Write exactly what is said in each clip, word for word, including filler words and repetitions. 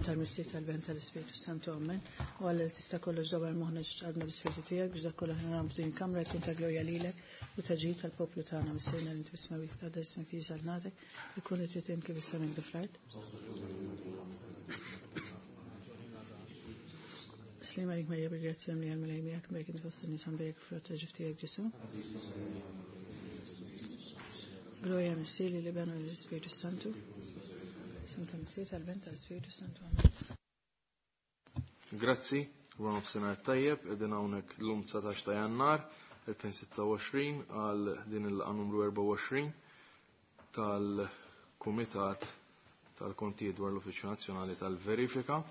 tal-Missier tal-Ben tal-Ispirtu Santu Amen. U Alla li tista' kollox dawar moħħna ġadna bl-Ispirtu tiegħek biex dak kollu aħna nagħmlu din il-kamra jkun ta' glorja lilek u ta' ġid tal-poplu tagħna Missierna li inti fis-smewwiet taqdar ismek tiġi saltnatek, ikun li trid kif is-sema kif fl-art. Slim għalik Marija bil-grazzja mlija l-Mulej miegħek, mbierek inti fost in-nisa mbierek frott ta' ġuf tiegħek Ġesu. Gloria Missier li Iben u l-Ispirtu Santu. Isem ta' Missier tal-Ben tal-Ispirtu Santu. Amen. Grazzi, wara nofsinhar tajjeb, qegħdin hawnhekk llum dsatax ta' Jannar elfejn sitta u għoxrin għal din il-laqgħa numru erbgħa u għoxrin tal-Kumitat tal-Kontijiet dwar l-Uffiċċju Nazzjonali tal-Verifika.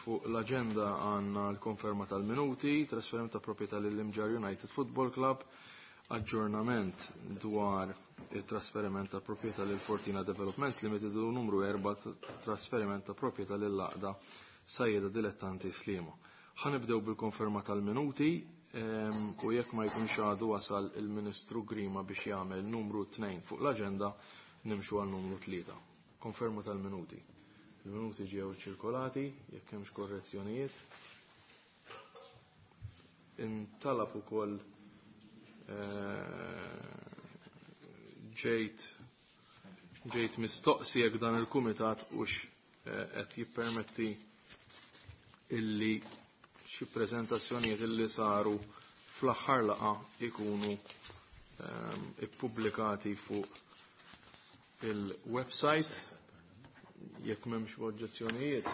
Fuq l-aġenda għandna l-konferma tal-minuti, trasferiment ta' proprjetà lill-Imġarr United Football Club, aġġornament dwar il-trasferiment ta' proprjetà lil Fortina Developments Limited u numru erba' trasferiment ta' proprjetà lil Għaqda Sajjeda Dilettanti Sliema. Ħanibdew bil-konferma tal-minuti u jekk ma jkunx għadu wasal il-Ministru Grima biex jagħmel numru tnejn fuq l-aġenda, nimxu għal numru tlieta. Konferma tal-minuti. Il-minuti ġew ċirkolati, jekk hemmx korrezzjonijiet. Intalab ukoll ġejt ġejt mistoqsi jekk dan il-kumitat hux qed jippermetti illi xi preżentazzjonijiet illi saru fl-aħħar laqgħa ikunu ippubblikati fuq il-website. Jekk m'hemmx oġġezzjonijiet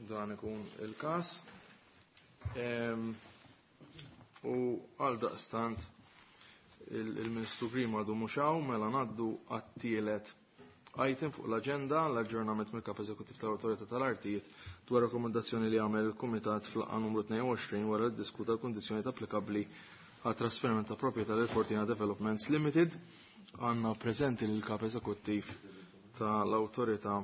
dan ikun il-każ. U għal daqstant il-Ministru Grima għadu mhux hawn, mela ngħaddu għat-tielet item fuq l-aġenda, l-aġġornament mill-Kap Eżekuttiv tal-Awtorità tal-Artijiet dwar rakkomandazzjoni li għamel il-Kumitat fl-laqgħa numru tnejn u għoxrin wara li ddiskuta l-kundizzjonijiet applikabbli għat trasferiment ta' proprjetà lil Fortina Developments Limited. Għandna preżenti lill Kap Eżekuttiv tal-Awtorità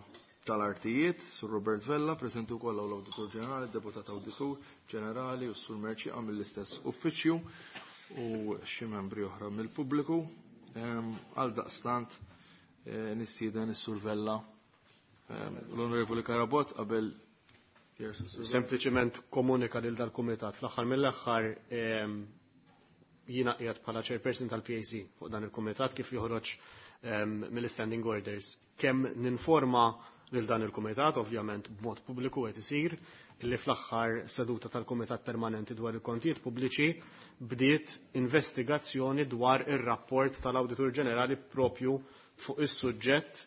tal-Artijiet, Sur Robert Vella, preżenti wkoll l-Awditur Ġenerali, Deputat Awditur Ġenerali u Sur Merċi mill-istess uffiċċju u xi membri oħra mill-pubbliku. Għal daqstant nistieden is-Sur Vella, l-Onorevoli Carabott qabel Sempliċement komunika lil dal-kumitat. Fl-aħħar mill-aħħar jiena qiegħed bħala chairperson tal-P A C fuq dan il-kumitat kif joħroġ mill-standing orders. Kemm ninforma lil dan il-kumitat, ovvjament b'mod pubbliku qed isir, li fl-aħħar seduta tal-Kumitat Permanenti dwar il-Kontijiet Pubbliċi bdiet investigazzjoni dwar ir-rapport tal-Awditur Ġenerali propju fuq is-suġġett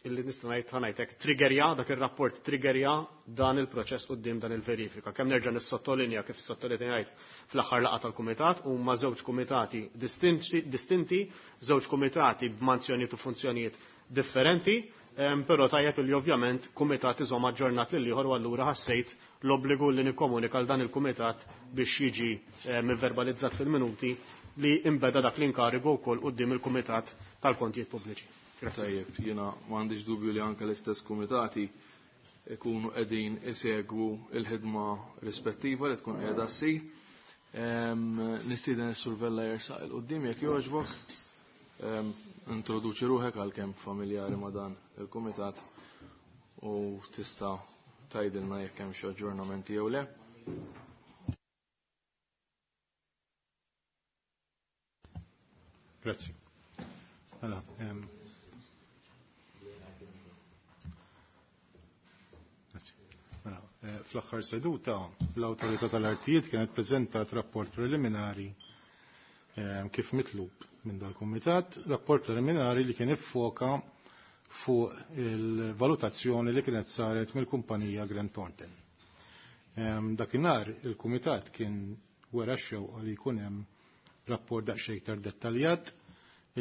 illi nista' ngħid ħanajtek triggerja dak ir-rapport triggerja dan il-proċess quddiem dan il-verifika. Kemm nerġa' nissottolinja kif sottolinjajt fl-aħħar laqgħa tal-kumitat huma żewġ kumitati distinti, distinti, żewġ kumitati b'manzjonijiet u funzjonijiet differenti, però tajjeb li ovvjament kumitat iżomm aġġornat lil ieħor u allura ħassejt l-obbligu li nikkomunika l dan il-kumitat biex jiġi verbalizzat fil-minuti li imbeda dak l-inkarigu wkoll quddiem il-Kumitat tal-Kontijiet Pubbliċi. Tajjeb, jiena m'għandix dubju li anke l-istess kumitati ikunu qegħdin isegwu l-ħidma rispettiva li tkun qiegħda ssir. Nistieden is-Sur Vella jersaq il quddiem jekk jogħġbok. Introduċi ruħek għalkemm familjari ma' dan il-kumitat u tista' tgħidilna jekk hemm xi aġġornamenti jew le. Grazzi. Mela, fl-aħħar seduta l-Awtorità tal-Artijiet kienet preżentat rapport preliminari kif mitlub minn dal-Kumitat, rapport preliminari li kien iffoka fuq il-valutazzjoni li kienet saret mill-kumpanija Grant Thornton. Dakinhar il-Kumitat kien wera x-xewqa li jkun hemm rapport daqsxejn iktar dettaljat.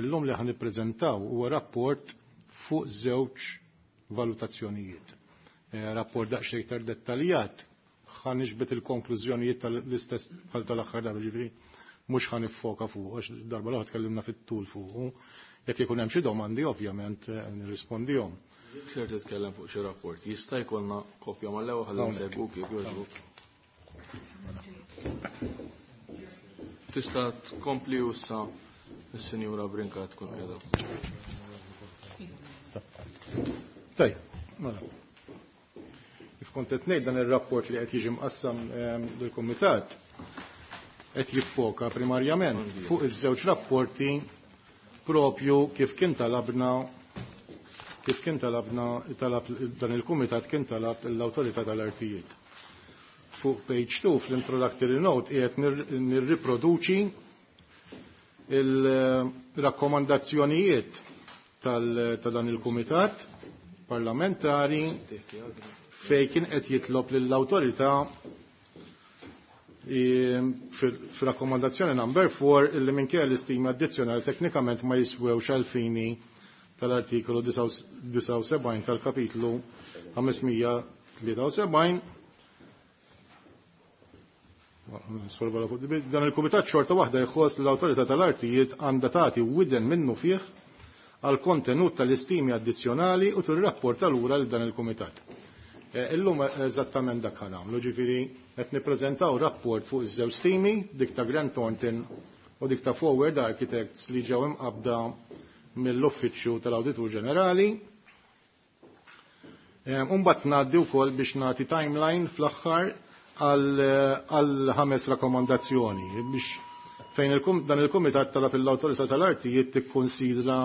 Illum li ħan nippreżentaw huwa rapport fuq żewġ valutazzjonijiet. Rapport daqsxejn iktar dettaljat ħan nixbet il-konklużjonijiet tal-istess bħal tal-aħħar darba, ġifieri mhux ħan niffoka fuq, għax darba l-oħra tkellimna fit-tul fuq. Jekk ikun hemm xi domandi ovvjament nirrispondihom. Jekk ser titkellem fuq xi rapport, jista' jkollna kopja mal-ewwel ħalli nsegwuk jekk jogħġbok. Tista' tkompli issa is-Sinjura Brincat tkun qiegħda. Tajjeb, mela. Kif kont qed ngħid, dan ir-rapport li qed jiġi mqassam ehm, lill-kumitat qed jiffoka primarjament fuq iż-żewġ rapporti propju kif kien talabna kif kien talabna talab dan il-kumitat, kien talab l-Awtorità tal-Artijiet. Fuq page two fl-introductory note qiegħed nirriproduċi il-rakkomandazzjonijiet ta' dan il-kumitat parlamentari fej kien qed jitlob lill-awtorità fil-rakkomandazzjoni number four illi minkejja l-istima addizzjonali teknikament ma jiswewx għal-fini tal-artikolu disgħa u sebgħin tal-kapitlu ħames mija tlieta u sebgħin. Dan il-kumitat xorta waħda jħoss l-Awtorità tal-Artijiet għandha tagħti widen minnu fih għal kontenut tal-istimi addizzjonali u tirrapporta lura lil dan il-kumitat. Eh, illum eżattament dak ħa nagħmlu, ġifieri qed nippreżentaw rapport fuq iż-żewġ stimi, dik ta' Grant Thornton u dik ta' Forward Architects li ġew imqabda mill-Uffiċċju tal-Awditur Ġenerali. Eh, Umbagħad ngħaddi wkoll biex nagħti timeline fl-aħħar għal ħames rakkomandazzjoni biex fejn dan il-Kumitat talab l-Awtorità tal-Artijiet tikkonsidra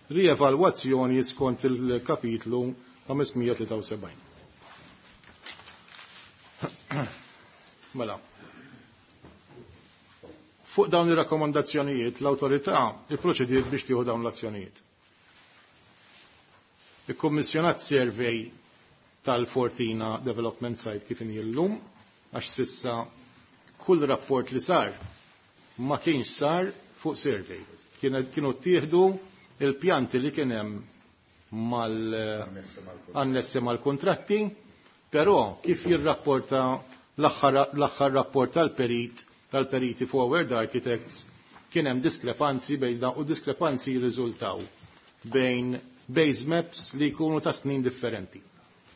rievalwazzjoni skont il-kapitlu ħames mija tlieta u sebgħin. Mela. Fuq dawn ir-rakkomandazzjonijiet l-awtorità ipproċediet biex tieħu dawn l-azzjonijiet. Ikkummissjonat survey tal-Fortina Development Site kif inhi llum, għax sissa kull rapport li sar ma kienx sar fuq survey. Kienu ttieħdu il-pjanti li kien hemm mal annessi mal-kontratti, però kif jirrapporta l-aħħar rapport tal-perit tal-periti Forward Architects, kien hemm diskrepanzi bejn u diskrepanzi jirriżultaw bejn base maps li jkunu ta' snin differenti.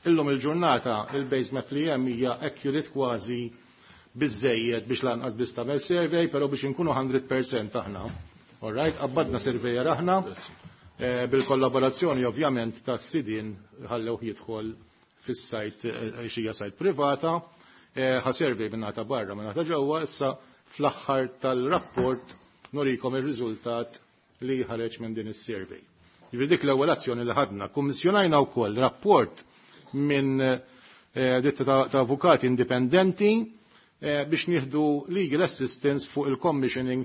Illum il-ġurnata il-base map li hemm hija accurate kważi biżejjed biex lanqas biss tagħmel survey, però biex inkunu mija fil-mija aħna. All right, qabbadna surveyor aħna eh, bil-kollaborazzjoni ovvjament ta' sidin, ħallew jidħol fis-site, eh, xija site privata, eh, ħa survey minn ta' barra, minn ta' ġewwa. Issa fl-aħħar tal-rapport nurikom ir-riżultat li ħareġ minn din is-survey. Jiġifieri dik l-ewwel azzjoni li ħadna. Kummissjonajna wkoll rapport minn eh, ditta ta' avukati indipendenti eh, biex nieħdu legal assistance fuq il-commissioning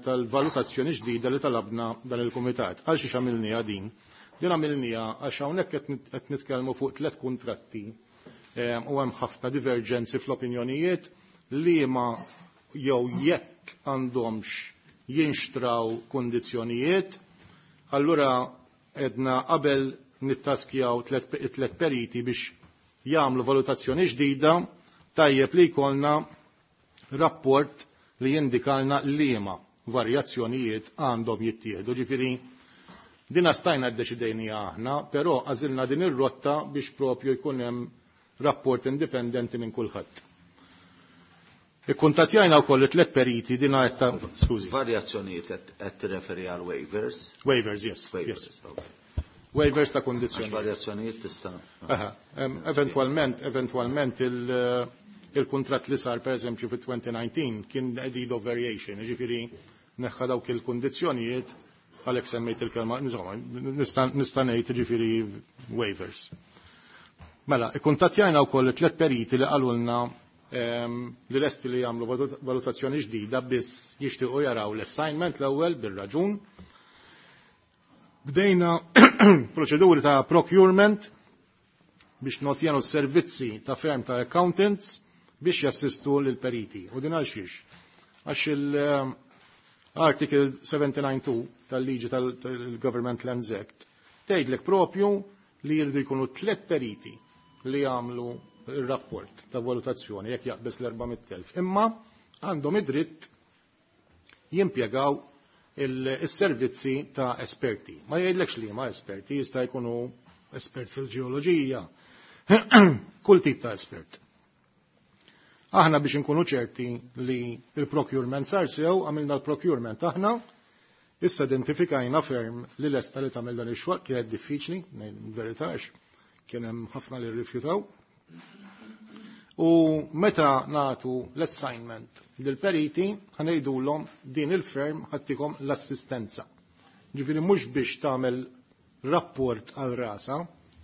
tal-valutazzjoni ġdida li talabna dan il-kumitat. Għal xiex għamilniha din? Din għamilniha għax hawnhekk qed nitkellmu fuq tliet kuntratti eh, u hemm ħafna divergenzi fl-opinjonijiet li ma jew jekk għandhomx jinxtraw kondizzjonijiet. Allura edna qabel nittaskjaw tlet periti biex jagħmlu valutazzjoni ġdida, tajjeb li jkollna rapport li jindikalna liema varjazzjonijiet għandhom jittieħdu. Ġifieri dina stajna ddeċidejnija aħna, però għażilna din ir-rotta biex propju jkun hemm rapport indipendenti minn kulħadd. Ikkuntattjajna wkoll it-tlet periti dina qed, skużi. Varjazzjonijiet qed tirreferi għal waivers? Waivers, yes. Waivers, yes. Okay. Waivers ta' kondizzjoni. Varjazzjonijiet tista' Aha, eventualment, eventualment il-kontrat li sar per eżempju fit-elfejn u dsatax kien deed of variation, ġifieri neħħa dawk il-kondizzjonijiet, għalhekk semmejt il-kelma, insomma, nista' ngħid ġifieri waivers. Mela, ikkuntattjajna wkoll tliet periti li qalulna li lesti li jagħmlu valutazzjoni ġdida, biss jixtiequ jaraw l-assignment l-ewwel, bir-raġun. Bdejna proċeduri ta' procurement biex notjenu servizzi ta' firm ta' accountants biex jassistu l-periti. U din għal xiex? Għax il-Article disgħa u sebgħin punt tnejn tal-liġi tal-Government Lands Act tgħidlek propju li jridu jkunu tliet periti li jagħmlu il-rapport ta' valutazzjoni jekk jaqbes l-erba' mitt elf. Imma għandhom id-dritt jimpjegaw il-servizzi ta' esperti. Ma jgħidlekx li ma esperti, jista' jkunu espert fil-ġeoloġija, kull tip ta' espert. Aħna biex nkunu ċerti li il-procurement sar sew, għamilna l-procurement aħna, issa identifikajna firm li lesta li tagħmel dan ix-xogħol. Kienet diffiċli, verità, Kien hemm ħafna li rrifjutaw. U meta natu l-assignment lill-periti, ħa ngħidulhom din il-firm ħa ttikom l-assistenza. Ġifieri mhux biex tagħmel rapport għal rasa,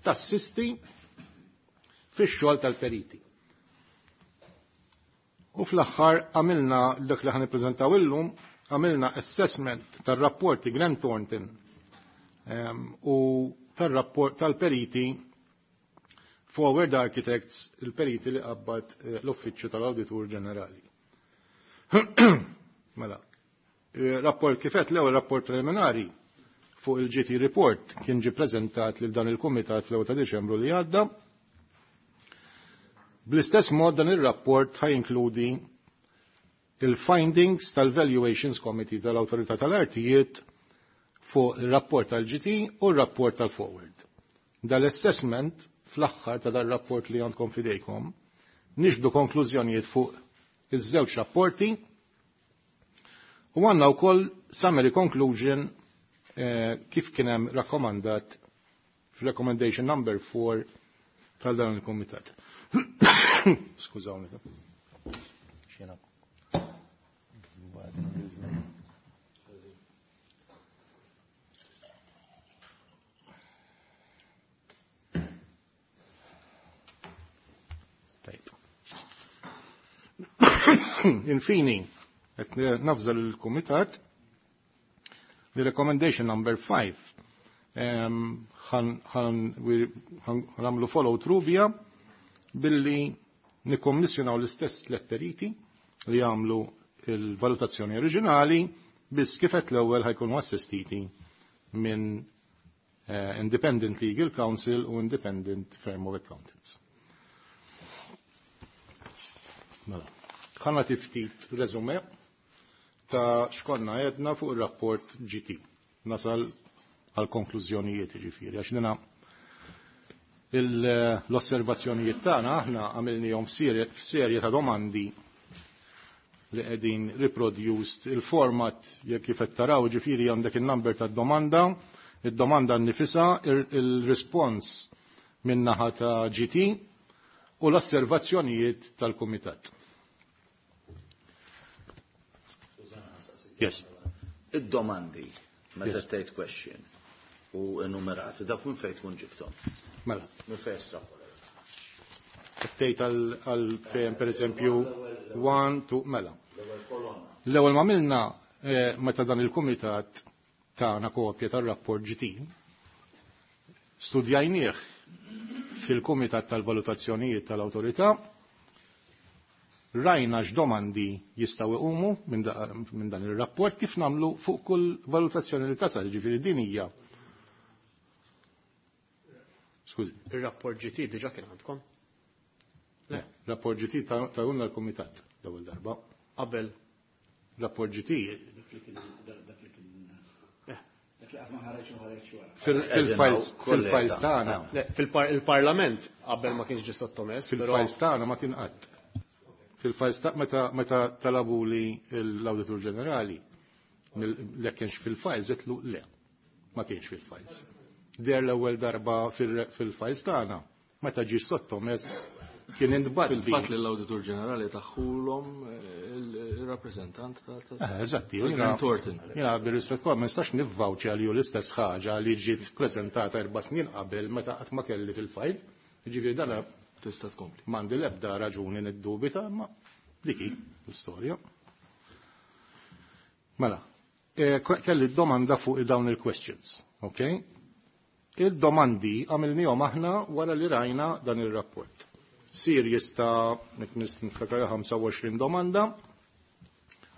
tassisti fix-xogħol tal-periti. U fl-aħħar għamilna dak li ħa nippreżentaw illum, għamilna assessment tar-rapporti Grant Thornton u tar-rapport tal-periti Forward Architects, il-periti li qabbad l-Uffiċċju tal-Awditur Ġenerali. Mela, rapport kifet l-ewwel rapport preliminari fuq il-G T report kien ġi preżentat lil dan il-Kumitat fl-ewwel ta' Diċembru li għadda. Bl-istess mod, dan ir-rapport ħa jinkludi il-findings tal-Valuations Committee tal-Awtorità tal-Artijiet fuq il-rapport tal-G T u l-rapport tal-Forward. Dal-assessment, fl-aħħar ta' dal-rapport li għandkom fidejkom, niġbdu konklużjonijiet fuq iż-żewġ rapporti u għandna wkoll summary conclusion eh, kif kien hemm rakkomandat fil-recommendation number four tal dan il-komitat. Skużawni. Xena. Tajb. Infini, qed navża l-Kumitat li recommendation number five ħa nagħmlu follow through bija billi nikkommissjonaw l-istess tliet periti li jagħmlu il-valutazzjoni oriġinali, biss kifet l-ewwel ħa jkunu assistiti minn uh, Independent Legal Counsel u Independent Firm of Accountants. Mela, ħa nagħti ftit resume ta' x'konna għedna fuq il-rapport G T. Nasal għal konklużjonijiet ġifieri, għax dina l-osservazzjonijiet tagħna aħna għamilnihom f'serje ta' domandi li qegħdin reproduced il-format jekk kif qed taraw, ġifieri għandek il-number tad-domanda, id-domanda nnifisha, il-response min-naħa ta' G T u l-osservazzjonijiet tal-kumitat. Yes. Id-domandi, meta tgħid question u enumerati, dak minn fejn tkun ġibthom? Mela. Minn fejn estrapolajt? Tgħid għal fejn, per eżempju, one, two, mela. L-ewwel ma għamilna, eh, meta dan il-kumitat tagħna kopja tar-rapport G T, studjajnieh fil-Kumitat tal-Valutazzjonijiet tal-Awtorità, rajna x'domandi jistgħu iqumu minn dan ir-rapport, kif nagħmlu fuq kull valutazzjoni li tasal, ġifieri din hija. Skużi. Ir-rapport G T diġà kien għandkom? Le, rapport G T tawna l-Kumitat l-ewwel darba. Qabel. Rapport G T Dak li kien dak li qatt ma ħareġ u ħareġ wara. Fil-files fil-files tagħna. Le, fil-Parlament qabel ma kienx ġie sottomess. Fil-files tagħna ma kien qatt. Fil-files ta' meta meta talabu li l-Awditur Ġenerali le kienx fil-files, għedtlu le, ma kienx fil-files. Der l-ewwel darba fil-files tagħna meta ġie sottomess kien intbagħat. Fil-fatt li l-Awditur Ġenerali taħulhom il-rappreżentant ta' Eh, Eżatti, Grant Thornton. Jiena bir-rispett kollu ma nistax nivvawċja li hu l-istess ħaġa li ġiet preżentata erba' snin qabel meta qatt ma kelli fil-file. Ġifieri dan Tista' tkompli. m'għandi l-ebda raġuni niddubita, ma dik hi l-istorja. Mela, eh, kelli domanda fuq dawn il-questions, ok? Il-domandi għamilnihom aħna wara li rajna dan il-rapport. Series ta' niftakar ħamsa u għoxrin domanda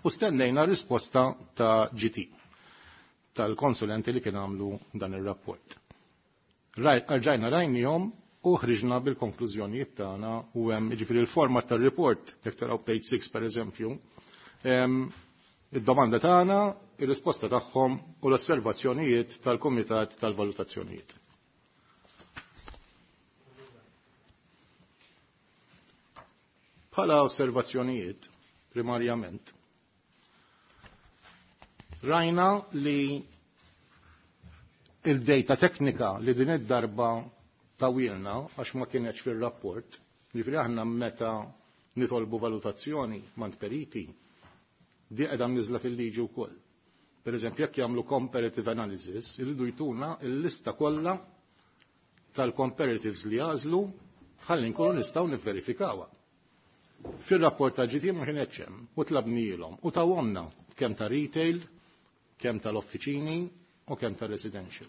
u stennejna risposta ta' G T tal-konsulenti li kien għamlu dan il-rapport. Rġajna rajnihom u ħriġna bil-konklużjonijiet tagħna u hemm, jiġifieri, il-format tar-report, jekk taraw page six per eżempju, id-domanda tagħna, ir-risposta tagħhom u l-osservazzjonijiet tal-Kumitat tal-Valutazzjonijiet. Bħala osservazzjonijiet, primarjament, rajna li il-data teknika li din id-darba tawilna għax ma kienx fir-rapport, ġifieri aħna meta nitolbu valutazzjoni mant periti, di qiegħda mniżla fil-liġi wkoll. Per eżempju, jekk jagħmlu comparative analysis, iridu jtuna l-lista kollha tal-comparatives li għażlu ħalli nkunu nistgħu nivverifikawha. Fir-rapport ta' G T ma kienx hemm u tlabnielhom u tawhomna kemm ta' retail, kemm tal-offiċini u kemm ta' residential.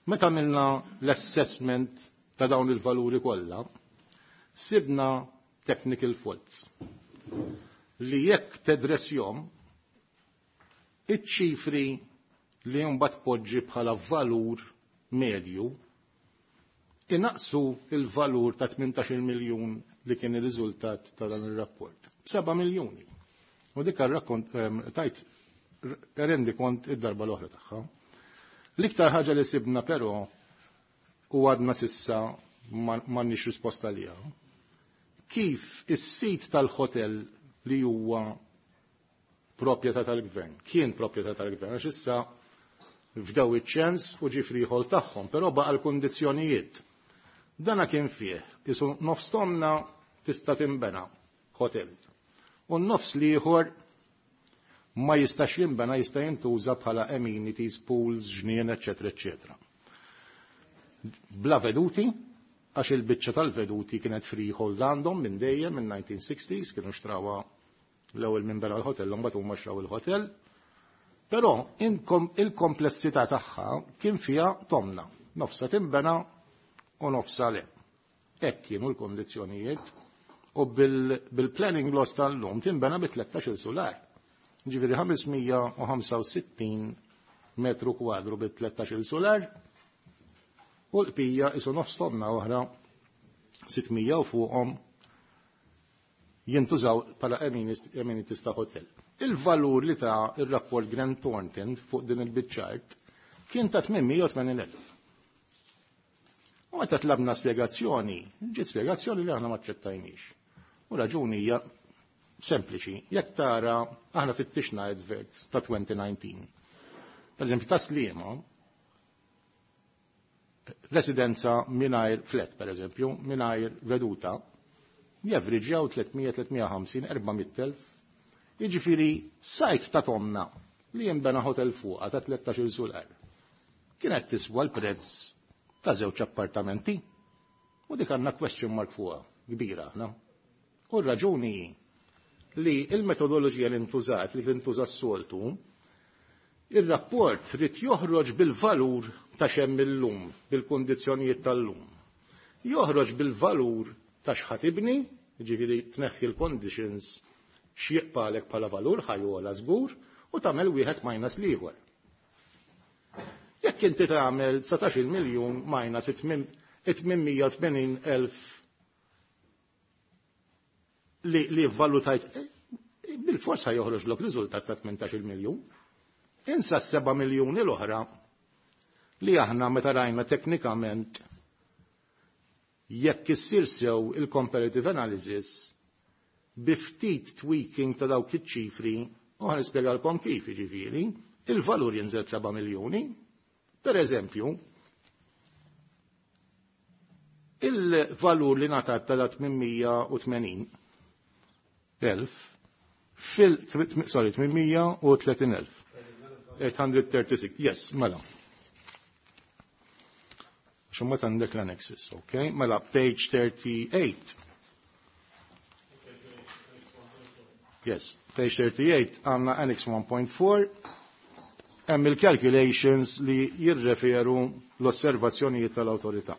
Meta għamilna l-assessment ta' dawn il-valuri kollha, sibna technical faults li jekk tedressjom iċ-ċifri li mbagħad poġġi bħala valur medju inaqsu il-valur ta' tmintax-il miljun li kien ir-riżultat ta' dan ir-rapport. Seba' miljuni. U dik rakkont tajt rendi kont id-darba l-oħra tagħha. L-iktar ħaġa li sibna però u għadna sissa m'għandniex risposta liha. Kif is-sit tal-hotel li huwa proprjetà tal-gvern, kien proprjetà tal-gvern, għax issa fdaw iċ-ċens u ġie freehold tagħhom, però baqa' l-kundizzjonijiet. Dana kien fih, isu nofs tomna tista' tinbena hotel. U n-nofs l-ieħor ma jistax jinbena, jista' jintuża bħala amenities, pools, ġnien, eċetera, eċetera. Bla veduti, għax il-biċċa tal-veduti kienet freehold għandhom minn dejjem minn nineteen sixties, kienu xtrawha l-ewwel minn bera l-hotel, mbagħad huma xtraw il-hotel. Però il-komplessità tagħha kien fiha tomna, nofsa tinbena u nofsa le. Hekk kienu l-kondizzjonijiet u bil-planning laws tal-lum tinbena bi tlettax-il solar. Ġifieri ħamesmija u ħamsa u sittin metru kwadru bi tlettax-il solar u l-qbija isu nofs tomna oħra sittmija u fuqhom jintużaw bħala amenities ta' hotel. Il-valur li ta' il-rapport Grant Thornton fuq din il-biċċart kien ta' tmien mija u tmenin elf. U meta tlabna spjegazzjoni, ġiet spjegazzjoni li aħna ma aċċettajniex. U raġuni hija sempliċi, jekk tara aħna fittixna adverts ta' twenty nineteen. Per eżempju, ta' Sliema, residenza mingħajr flat, per eżempju, mingħajr veduta, javriġjaw tliet mija, tliet mija ħamsin, erba' mitt elf. Jiġifieri sajt ta' tomna li jinbena hotel fuqha ta' tlettax-il sular. Kienet tiswa l-prezz ta' żewġ appartamenti. U dik għandna question mark fuqha kbira aħna. U r-raġuni li il-metodoloġija li ntużat, li tintuża s-soltu, ir-rapport rid joħroġ bil-valur ta' xemm illum, bil-kundizzjonijiet tal-lum. Joħroġ bil-valur ta' x'ħadd ibni, jiġifieri tneħħi l-conditions x'jiqpalek bħala valur ħajjola żgur u tagħmel wieħed minus l-ieħor. Jekk inti tagħmel dsatax-il miljun minus it-tmien mija u tmenin elf li, li valutajt, bil-forsa joħroġ lok riżultat ta' tmintax-il miljun. Insa s-seba' miljuni l-oħra li aħna meta rajna teknikament jekk issir sew il-comparative analysis bi ftit tweaking ta' dawk iċ-ċifri, u ħa nispjegalkom kif jiġifieri, il-valur jinżel seba' miljuni. Per eżempju, il-valur li ngħatat ta' tmien mija u tmenin elf fil, sorry, tmien mija u tletin elf. eight hundred thirty-six, yes, mela. Xumma għandek l-annexes, ok? Mela, page thirty-eight. Yes, page thirty-eight għandna annex one point four, hemm il-calculations li jirreferu l-osservazzjonijiet tal-awtorità.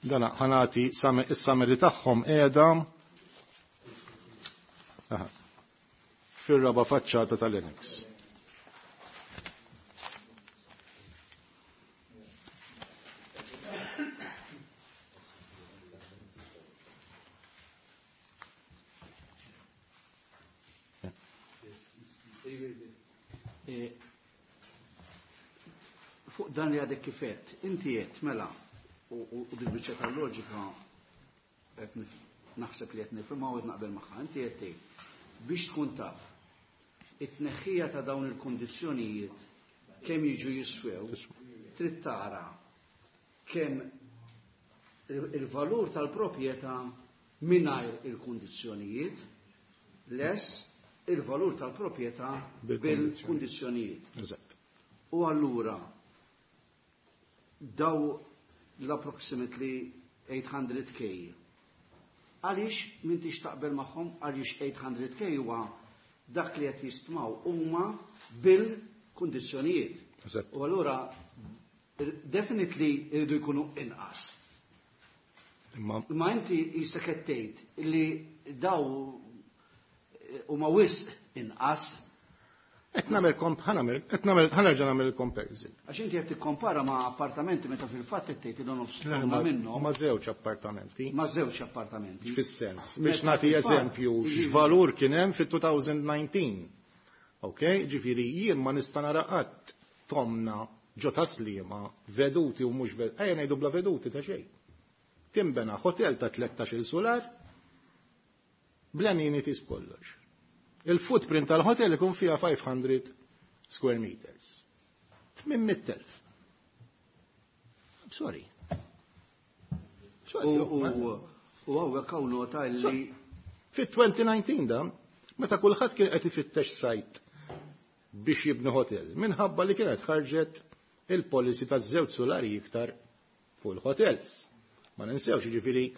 Dana ħanati is-summary tagħhom qiegħda fir-raba' faċċata tal-annex. Fuq dan li għadek kifet, inti qed mela u, u, u bil-biċċa tal-loġika qed nif-, naħseb li qed nifhimha u qed naqbel magħha, inti qed tgħid biex tkun taf it-tneħħija ta' dawn il-kondizzjonijiet kemm jiġu jiswew, trid tara kemm il-valur tal-proprjetà mingħajr il-kundizzjonijiet less il-valur tal-proprjetà bil-kundizzjonijiet. Eżatt. U allura daw l-approximately eight hundred K. Għaliex m'intix taqbel magħhom? Għaliex eight hundred K huwa dak li qed jistmaw huma bil-kundizzjonijiet. Eżatt. U allura definitely iridu jkunu inqas. Imma Imma inti jista' qed tgħid li daw huma wisq inqas. Qed nagħmel komp ħa nagħmel qed nagħmel ħa nerġa' nagħmel il-comparison. Għax inti qed tikkompara ma' appartamenti meta fil-fatt qed tgħid li nofs huma minnhom Ma' żewġ appartamenti. Ma' żewġ appartamenti. Fis-sens, biex Meta nagħti fil-fatt, eżempju jiġifieri- x'valur kien hemm fit-elfejn u dsatax. Ok, ġifieri jien ma nista' nara qatt tomna ġo Tas-Sliema veduti u mhux veduti, ejja ngħidu bla veduti ta' xejn. Timbena hotel ta' tlettax-il sular bl-amenities kollox. Il-footprint tal-hotel ikun fiha five hundred square meters. tmien mitt elf. I'm sorry. Sorry, U ma- u u hawnhekk hawn nota li Fit-elfejn u dsatax da, meta kulħadd kien qed ifittex site biex jibni hotel, minħabba li kienet ħarġet il-policy ta' żewġ solari iktar fuq il-hotels. Ma ninsewx, ġifieri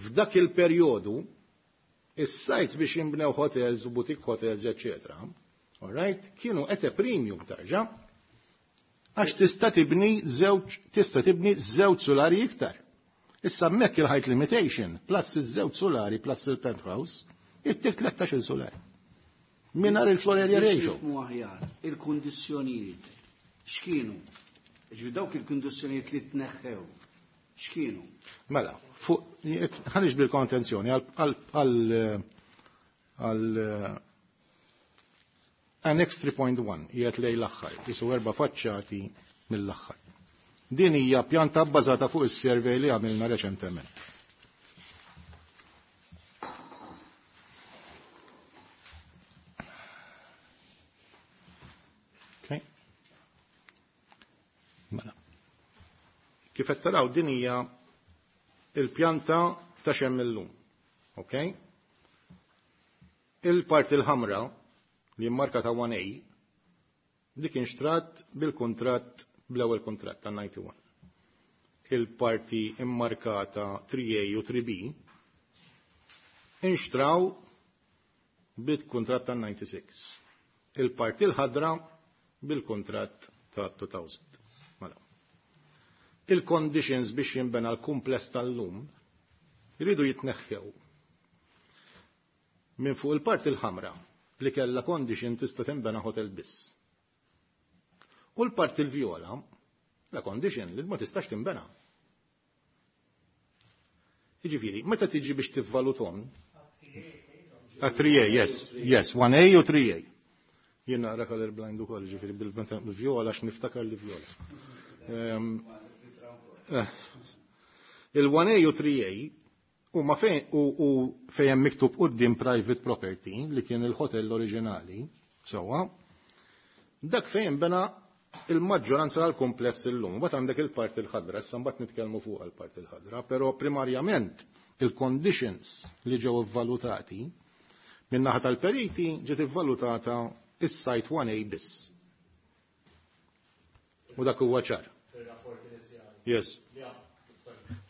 f'dak il-perjodu is-sites biex jinbnew hotels u boutique hotels, eccetera. All right, kienu at a premium tarġa' għax tista' tibni żewġ tista' tibni żewġ solari iktar. Issa hemmhekk il-height limitation plus iż-żewġ solari plus il-penthouse ittik tlettax-il solari. Mingħajr il-floor area Biex ratio. nifhmu aħjar, il-kundizzjonijiet x'kienu? Ġifieri dawk il-kundizzjonijiet li tneħħew x'kienu? Mela, fuq ħa niġbidilkom attenzjoni għal għal għal Annex three point one qiegħed lejn l-aħħar, jisu erba' faċċati mill-aħħar. Din hija pjanta bbażata fuq is-survey li għamilna reċentement. Okay. Mela. Kif qed taraw, din hija il-pjanta ta' x'hemm illum. Okay? Il-parti l-ħamra li marka ta' one A dik inxtrat bil-kontratt, bl-ewwel kontratt ta' disgħa u disgħin. Il-parti immarkata three A u three B inxtraw bil-kontratt ta' sittin u disgħa. Il-parti l-ħadra bil-kontratt ta' elfejn. Mela. Il-conditions biex jinbena l-kumpless tal-lum jridu jitneħħew minn fuq il-parti l-ħamra li kella condition tista' tinbena hotel biss. U l-parti l-vjola, la condition li ma tistax tinbena. Jiġifieri, meta tiġi biex tivvalutom, A three A, yes, yes, one A u three A. Jien naqra color blind ukoll, ġifieri bil-vjola għax niftakar li vjola. Ehm, eh, Il one A u three A u ma fejn u, u fejn hemm miktub quddiem private property li kien il-hotel oriġinali, sewwa, dak fejn bena il-maġġoranza tal-kompless illum. Mbagħad għandek il-parti l-ħadra, issa mbagħad nitkellmu fuq il-parti l-ħadra, però primarjament il-conditions li ġew ivvalutati min-naħa tal-periti ġiet ivvalutata is-site one A biss. U dak huwa ċar. Yes.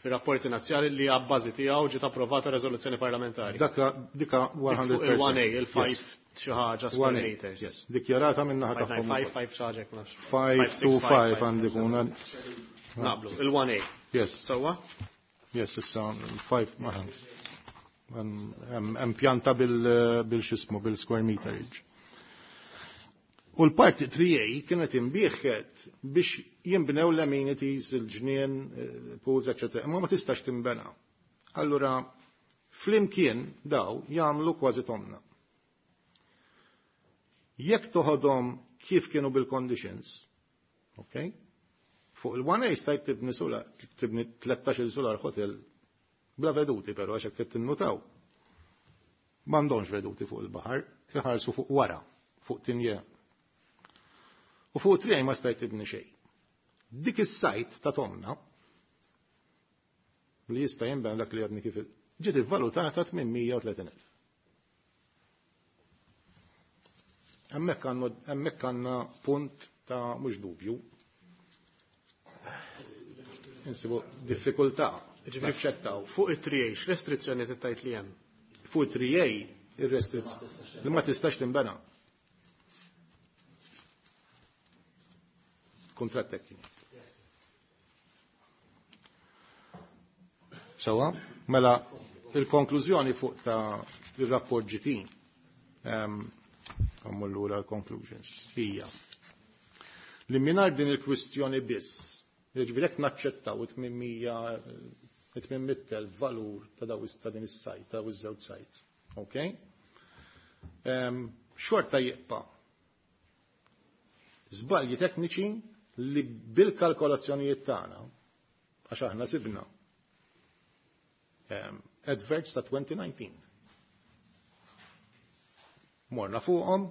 Fir-rapport inizjali li għabbażi tiegħu ġiet approvata riżoluzzjoni parlamentari. Daka dika mija fil-mija. Fuq il one A, il five xi ħaġa square one A, meters. yes. Dikjarata min-naħa tagħhom. five nine five xi ħaġa jekk nafx. five two five għandi kun. Naqblu, il one A. Yes. Sewwa? Yes, issa five hemm pjanta bil bil xismu bil-square meterage. U l-parti three A kienet imbieħet biex jinbnew l-amenities, il-ġnien, pools, eccetera. Imma ma tistax timbena. Allura, flimkien daw jagħmlu kważi tomna. Jekk toħodhom kif kienu bil-conditions, ok? Fuq il one A stajt tibni solar, tibni tlettax-il solar hotel bla veduti, però għax hekk qed tinnutaw. M'għandhomx veduti fuq il-baħar, iħarsu fuq wara, fuq Tigné. U fuq three A ma stajt tibni xejn. Dik is-sajt ta' Tomna li jista' jinbena dak li għadni kif ġiet ivvalutata tmien mija u tletin elf. Hemmhekk għandna għandna punt ta' mhux dubju. Insibu diffikultà. Ġifieri fuq it-three A x'restrizzjoni tgħid li hemm? Fuq it-three A ir-restrizzjoni li ma tistax tinbena. Kuntratt tekniku. Sawa, mela il-konklużjoni fuq ta' il-rapport G T, għammur lura l-conclusions, hija li mingħajr din il-kwistjoni biss, jiġifieri jekk naċċettaw it-tmien mitt elf valur ta' daw ta' din is-sajt, ta' iż-żewġ sajt, ok? Xorta jibqa' żbalji tekniċi li bil-kalkolazzjonijiet tagħna, għax aħna sibna adverts ta' twenty nineteen. Morna fuqhom,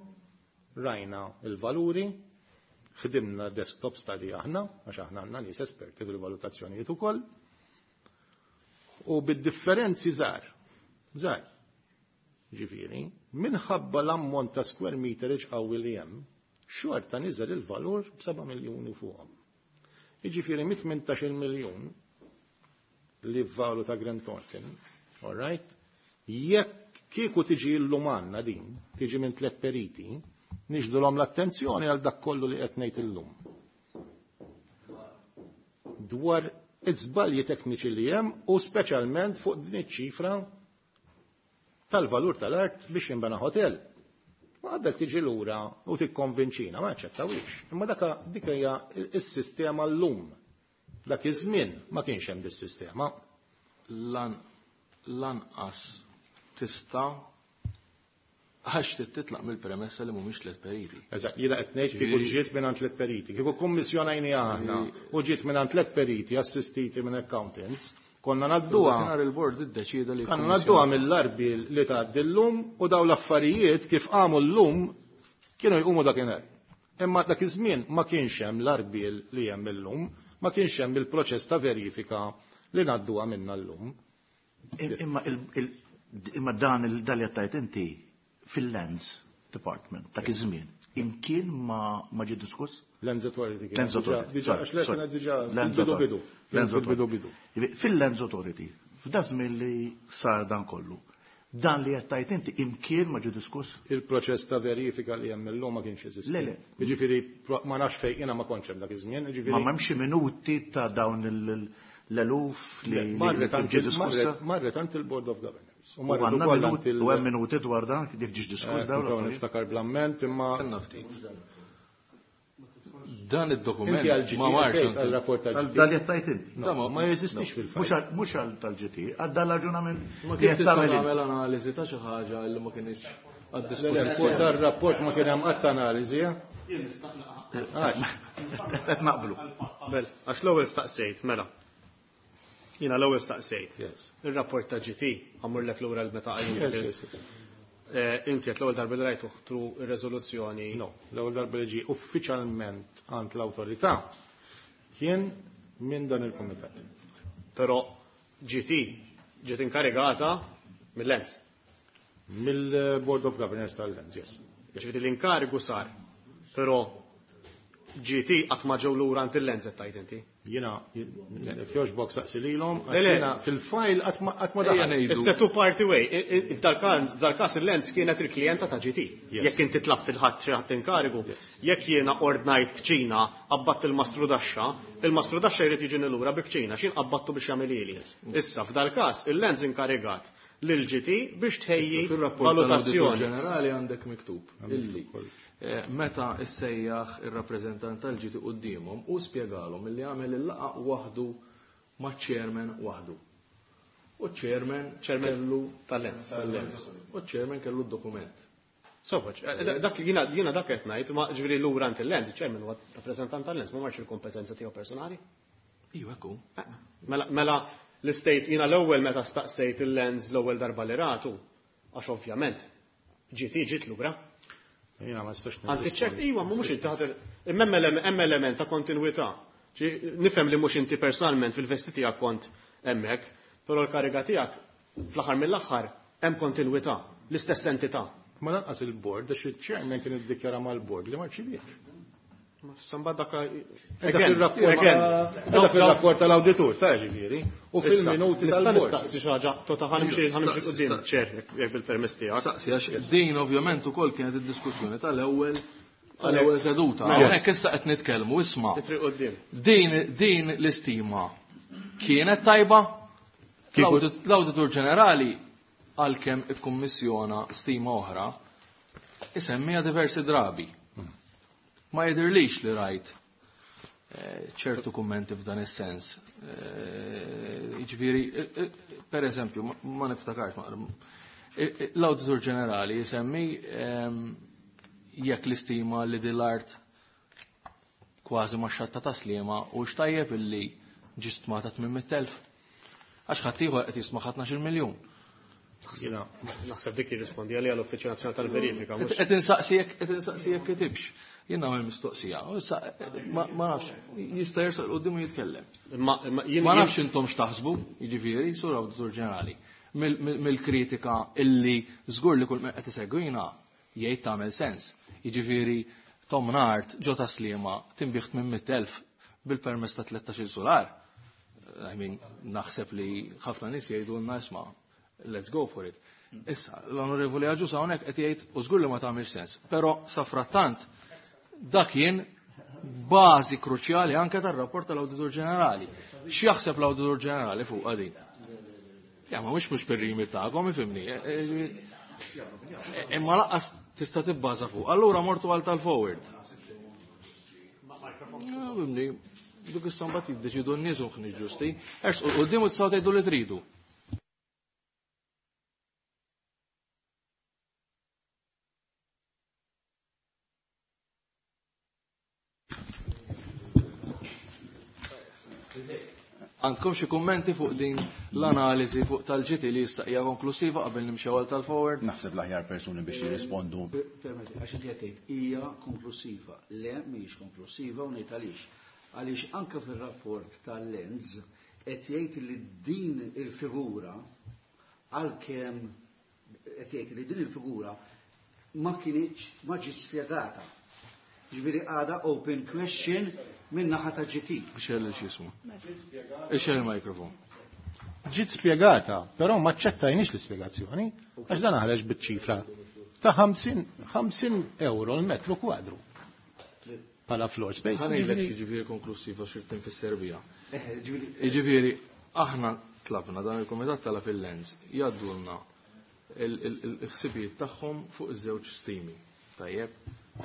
rajna il-valuri, ħdimna desktop study aħna, għax aħna għandna nies esperti fil-valutazzjonijiet ukoll, u bid-differenzi żgħar, żgħar. Ġifieri, minħabba l-ammont ta' square meterage qawwi li hemm, xorta niżel il-valur b'seba' miljuni fuqhom. Jiġifieri mit tmintax-il miljun li valu ta' Grant Thornton, all right? Jekk kieku tiġi llum għandna din, tiġi minn tliet periti, nixdulhom l-attenzjoni għal dak kollu li qed ngħid illum. Dwar iż-żbalji tekniċi li hemm u speċjalment fuq din iċ-ċifra tal-valur tal-art biex jinbena hotel. Ma għaddek tiġi lura u tikkonvinċina, ma aċċettawix. Imma daka dik hija s-sistema llum. Dak iż-żmien ma kienx hemm dis-sistema. Lanqas tista' għax titlaq mill-premessa li mhumiex tliet periti. Eżatt, jiena qed ngħid kieku ġiet minn tliet periti, kieku kummissjonajni aħna u ġiet minn tliet periti assistiti minn accountants, konna ngħadduha. Nhar il-bord iddeċieda li Konna ngħadduha mill-arbi li tgħaddi llum u dawn l-affarijiet kif qamu llum kienu jqumu dakinhar. Imma dak iż-żmien ma kienx hemm l-arbi li hemm illum, ma kienx hemm il-proċess ta' verifika li ngħadduha minna llum. Imma imma dan il-dal li tajt inti fil-Lands Department dak iż-żmien imkien ma ma ġie diskuss? Lands Authority. Lands Authority. Diġà, għax le kienet diġà Lands bidu Authority. bidu. Lands Bidu Authority. bidu. Fil-Lands Authority, f'da żmien li sar dan kollu, dan li qed tajt inti imkien ma ġie diskuss? Il-proċess ta' verifika li hemm illum ma kienx jeżisti. Le, le. Jiġifieri ma nafx fejn jiena ma kontx hemm dak iż-żmien, jiġifieri Ma m'hemmx minuti ta' dawn l-eluf li marret ġie għand il- diskussa? marret għand il-Board of Governors. U U marret għandna ukoll minuti, għand il- u hemm minuti dwar dan, jekk ġiex diskuss Eh, dawn nipprova l-affarijiet? niftakar bl-amment, imma Għandna ftit. Dan id-dokument Inti għal G T, ma marx għal għand il- rapport tal G T. Dan li tajt inti. No, ma jeżistix fil-fatt. Mhux għal-, mhux għal tal-G T, għal dan l-raġunament Ma li kif qed tista' tagħmel inti. tagħmel analiżi ta' xi ħaġa li ma kinitx Le, le, għad-dispożizzjoni. fuq dar rapport ma kien hemm qatt analiżi, eh? Qed naqblu. Bel, għax l-ewwel staqsejt, mela. Jiena l-ewwel staqsejt. Yes. Ir-rapport ta' G T għamurlek lura l-meta qajjim. Yes, yes, yes. Eh, inti qed l-ewwel darba li rajtu ħtru ir-reżoluzzjoni. No, l-ewwel darba li ġie uffiċjalment għand l-awtorità kien minn dan il-kumitat. Però G T ġiet inkarigata mill-Lands. Mill-Board of Governors tal-Lands, yes. Ġifieri l-inkarigu sar. Però G T qatt ma ġew lura għand il-Lands qed tgħid inti. Jiena, jogħġbok saqsi lilhom, għax Le, le. jiena fil-file qatt ma, qatt ma Ejja daħal. ngħidu. It's a two-party way. I, i, F'dal-każ, f'dal-każ il-Lands kienet il-klijenta ta' G T. Yes. Jekk inti tlabt il-ħadd xi ħadd inkarigu, Yes. jekk jiena ordnajt kċina, qabbatt il-mastru daxxa, il-mastru daxxa jrid jiġini lura bi kċina, x'in qabbattu biex jagħmel ili. Issa f'dal-każ il-Lands inkarigat lil G T biex tħejji Fil-rapport tal-Awditur valutazzjoni. Ġenerali għandek miktub illi eh, meta issejjaħ ir-rappreżentant tal-G T quddiemhom u spjegalhom illi għamel il-laqgħa waħdu maċ-chairman waħdu. U ċ-chairman Chairman kellu tal-Lands. tal-Lands. U ċ-chairman kellu d-dokument. Sofaċ, eh, dak jiena, jiena dak qed ngħid, ma ġifieri lura għand il-Lands, il-chairman huwa rappreżentant tal-Lands, ma marx il-kompetenza tiegħu personali. Iva, hekk hu. Eh, mela, mela l-istate jiena l-ewwel meta staqsejt il-Lands l-ewwel darba li ratu, għax ovvjament G T ġiet lura. Jiena ma nistax. Għanti ċert iwa, mhux inti ħadd imma hemm element ta' kontinwità. Nifhem li mhux inti personalment fil-vesti tiegħek kont hemmhekk, però l-kariga tiegħek fl-aħħar mill-aħħar hemm kontinwità, l-istess entità. Ma lanqas il-board, għax il-chairman kien iddikjara mal-board li ma rċiviex. Samba dak fil-rapport tal-awditur, ta' ġifieri, u fil-minuti tal-bord. Nistaqsi xi ħaġa, tota ħanimxi ħanimxi quddiem, ċer, jekk bil-permess tiegħek. Staqsi għax din ovvjament ukoll kienet id-diskussjoni tal-ewwel tal-ewwel seduta. Hawnhekk issa qed nitkellmu, isma'. Din din l-istima kienet tajba? L-Awditur Ġenerali għalkemm ikkummissjona stima oħra isemmija diversi drabi. Ma jidirlix li rajt ċertu kummenti f'dan is-sens. Jiġifieri, per eżempju, ma niftakarx, l-Awditur Ġenerali jisemmi jekk l-istima li din l-art kważi ma xatta ta' Sliema u x'tajjeb illi ġi stmata tmien mitt elf. Għax ħadd ieħor qed jisma' ħatnax il-miljun. Naħseb dik jirrispondi għalija l-Uffiċċju Nazzjonali tal-Verifika. Qed insaqsi jekk qed insaqsi jekk kitibx. Jien nagħmel mistoqsija. Ma nafx, jista' jersaq quddiem u jitkellem. Ma nafx intom x'taħsbu, jiġifieri, sur Awditur Ġenerali, mill-kritika illi żgur li kull min qed isegwina jgħid tagħmel sens. Jiġifieri Tom Nart ġo ta' Sliema tinbih tmien mitt elf bil-permess ta' tlettax-il solar. I mean, naħseb li ħafna nies jgħidulna isma' let's go for it. Issa, l-Onorevoli Agius hawnhekk qed jgħid u żgur li ma tagħmilx sens, però safrattant dak kien bażi kruċjali anke tar-rapport tal-Awditur Ġenerali. X'jaħseb l-Awditur Ġenerali fuq din? Ja, ma mhux mhux per-rimi tagħkom, ifhimni. Imma lanqas tista' tibbaża fuq. Allura mortu għal tal-forward. Fimni, dik issa mbagħad jiddeċidu n-nies u ħniex ġusti. Ersqu quddiem u tistgħu tgħidu li tridu. Għandkom xi kummenti fuq din l-analiżi fuq tal-ġiti li jista' hija konklusiva qabel nimxew għal tal-forward? Naħseb l-aħjar persuni biex jirrispondu. Permetti, għax inti qed tgħid hija konklusiva. Le, mhijiex konklusiva u ngħid għaliex. Għaliex anke fir-rapport tal-Lenz qed jgħid li din il-figura għalkemm qed jgħid li din il-figura ma kinitx ma ġiet spjegata. Ġifieri għadha open question minn naħa ta' G T. Xell x'ismu. Ixxel il-mikrofon. Ġiet spjegata, però ma ċċettajniex l-ispjegazzjoni, għax dan ħareġ biċ-ċifra ta' ħamsin euro l-metru kwadru. Pala floor space. Ħanejlek xi ġifieri konklusiva xi tinfisser biha. Jiġifieri aħna tlabna dan il-kumitat tala fil-Lens jgħaddulna il-ħsibijiet tagħhom fuq iż-żewġ stimi. Tajjeb.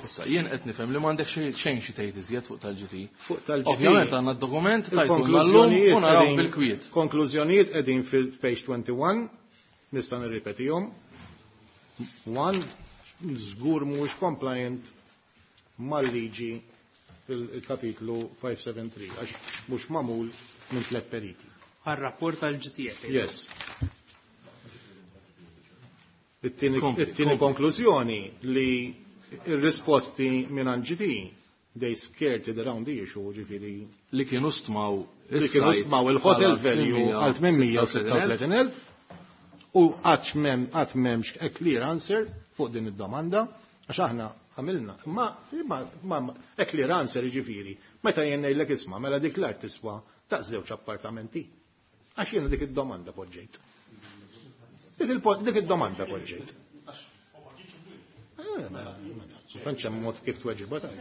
Issa, jien qed nifhem li m'għandek xejn xi tgħid iżjed fuq tal-G T. Fuq tal-G T. Ovvjament għandna d-dokument tajtulna llum u naraw bil-kwiet. Konklużjonijiet qegħdin fil-page twenty-one, nista' nirripetihom. One, żgur mhuwiex compliant mal-liġi il-kapitlu five seven three, għax mhux magħmul minn tliet periti. Għar-rapport tal-G T. Yes. It-tieni konklużjoni li il-risposti minn G T, they skirted around the issue, ġifieri. Li kienu stmaw li kienu stmaw il-hotel value għal tmien sitta u tletin elf u qatt qatt m'hemmx a clear answer fuq din id-domanda, għax aħna għamilna. Ma, ma, ma, a clear answer ġifieri, meta jien ngħidlek isma' mela dik l-art tiswa ta' żewġ appartamenti. Għax jiena dik id-domanda poġġejt. Dik id-domanda poġġejt. Tantx hemm mod kif tweġibha ta'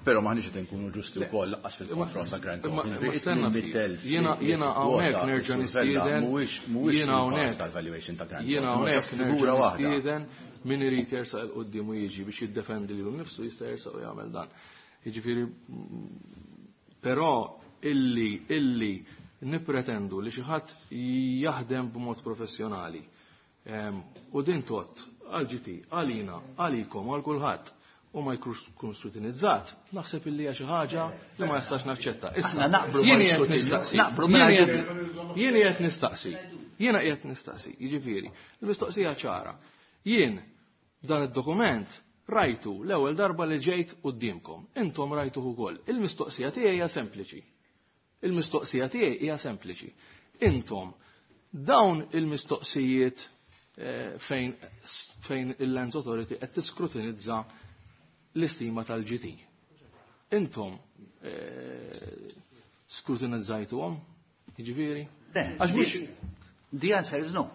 Però maħniex qed inkunu ġusti wkoll lanqas fil-konfront ta' Grand Thornton. Jiena jiena hawnhekk nerġa' nistieden. Jiena hawnhekk tal-valuation ta' Grand Jiena hawnhekk nerġa' nistieden min irid jersaq il quddiem u jiġi biex jiddefendi lilu nnifsu jista' jersaq u jagħmel dan. Jiġifieri però illi illi nippretendu li xi ħadd jaħdem b'mod professjonali. U din tot għal G T, għalina, għalikom, għal kulħadd u ma jkun skrutinizzat, naħseb illi hija xi ħaġa li ma nistax naċċetta. Issa, jien qed nistaqsi. Jien qed nistaqsi. Jiena qiegħed nistaqsi, jiġifieri, il-mistoqsija ċara. Jien dan id-dokument rajtu l-ewwel darba li ġejt quddiemkom. Intom rajtuh ukoll. Il-mistoqsija tiegħi hija sempliċi. Il-mistoqsija tiegħi hija sempliċi. Intom dawn il-mistoqsijiet eh, fejn fejn il-Lands Authority qed tiskrutinizza l-istima tal-G T. Intom eh, skrutinizzajtuhom, jiġifieri? Għax mhux The answer is no.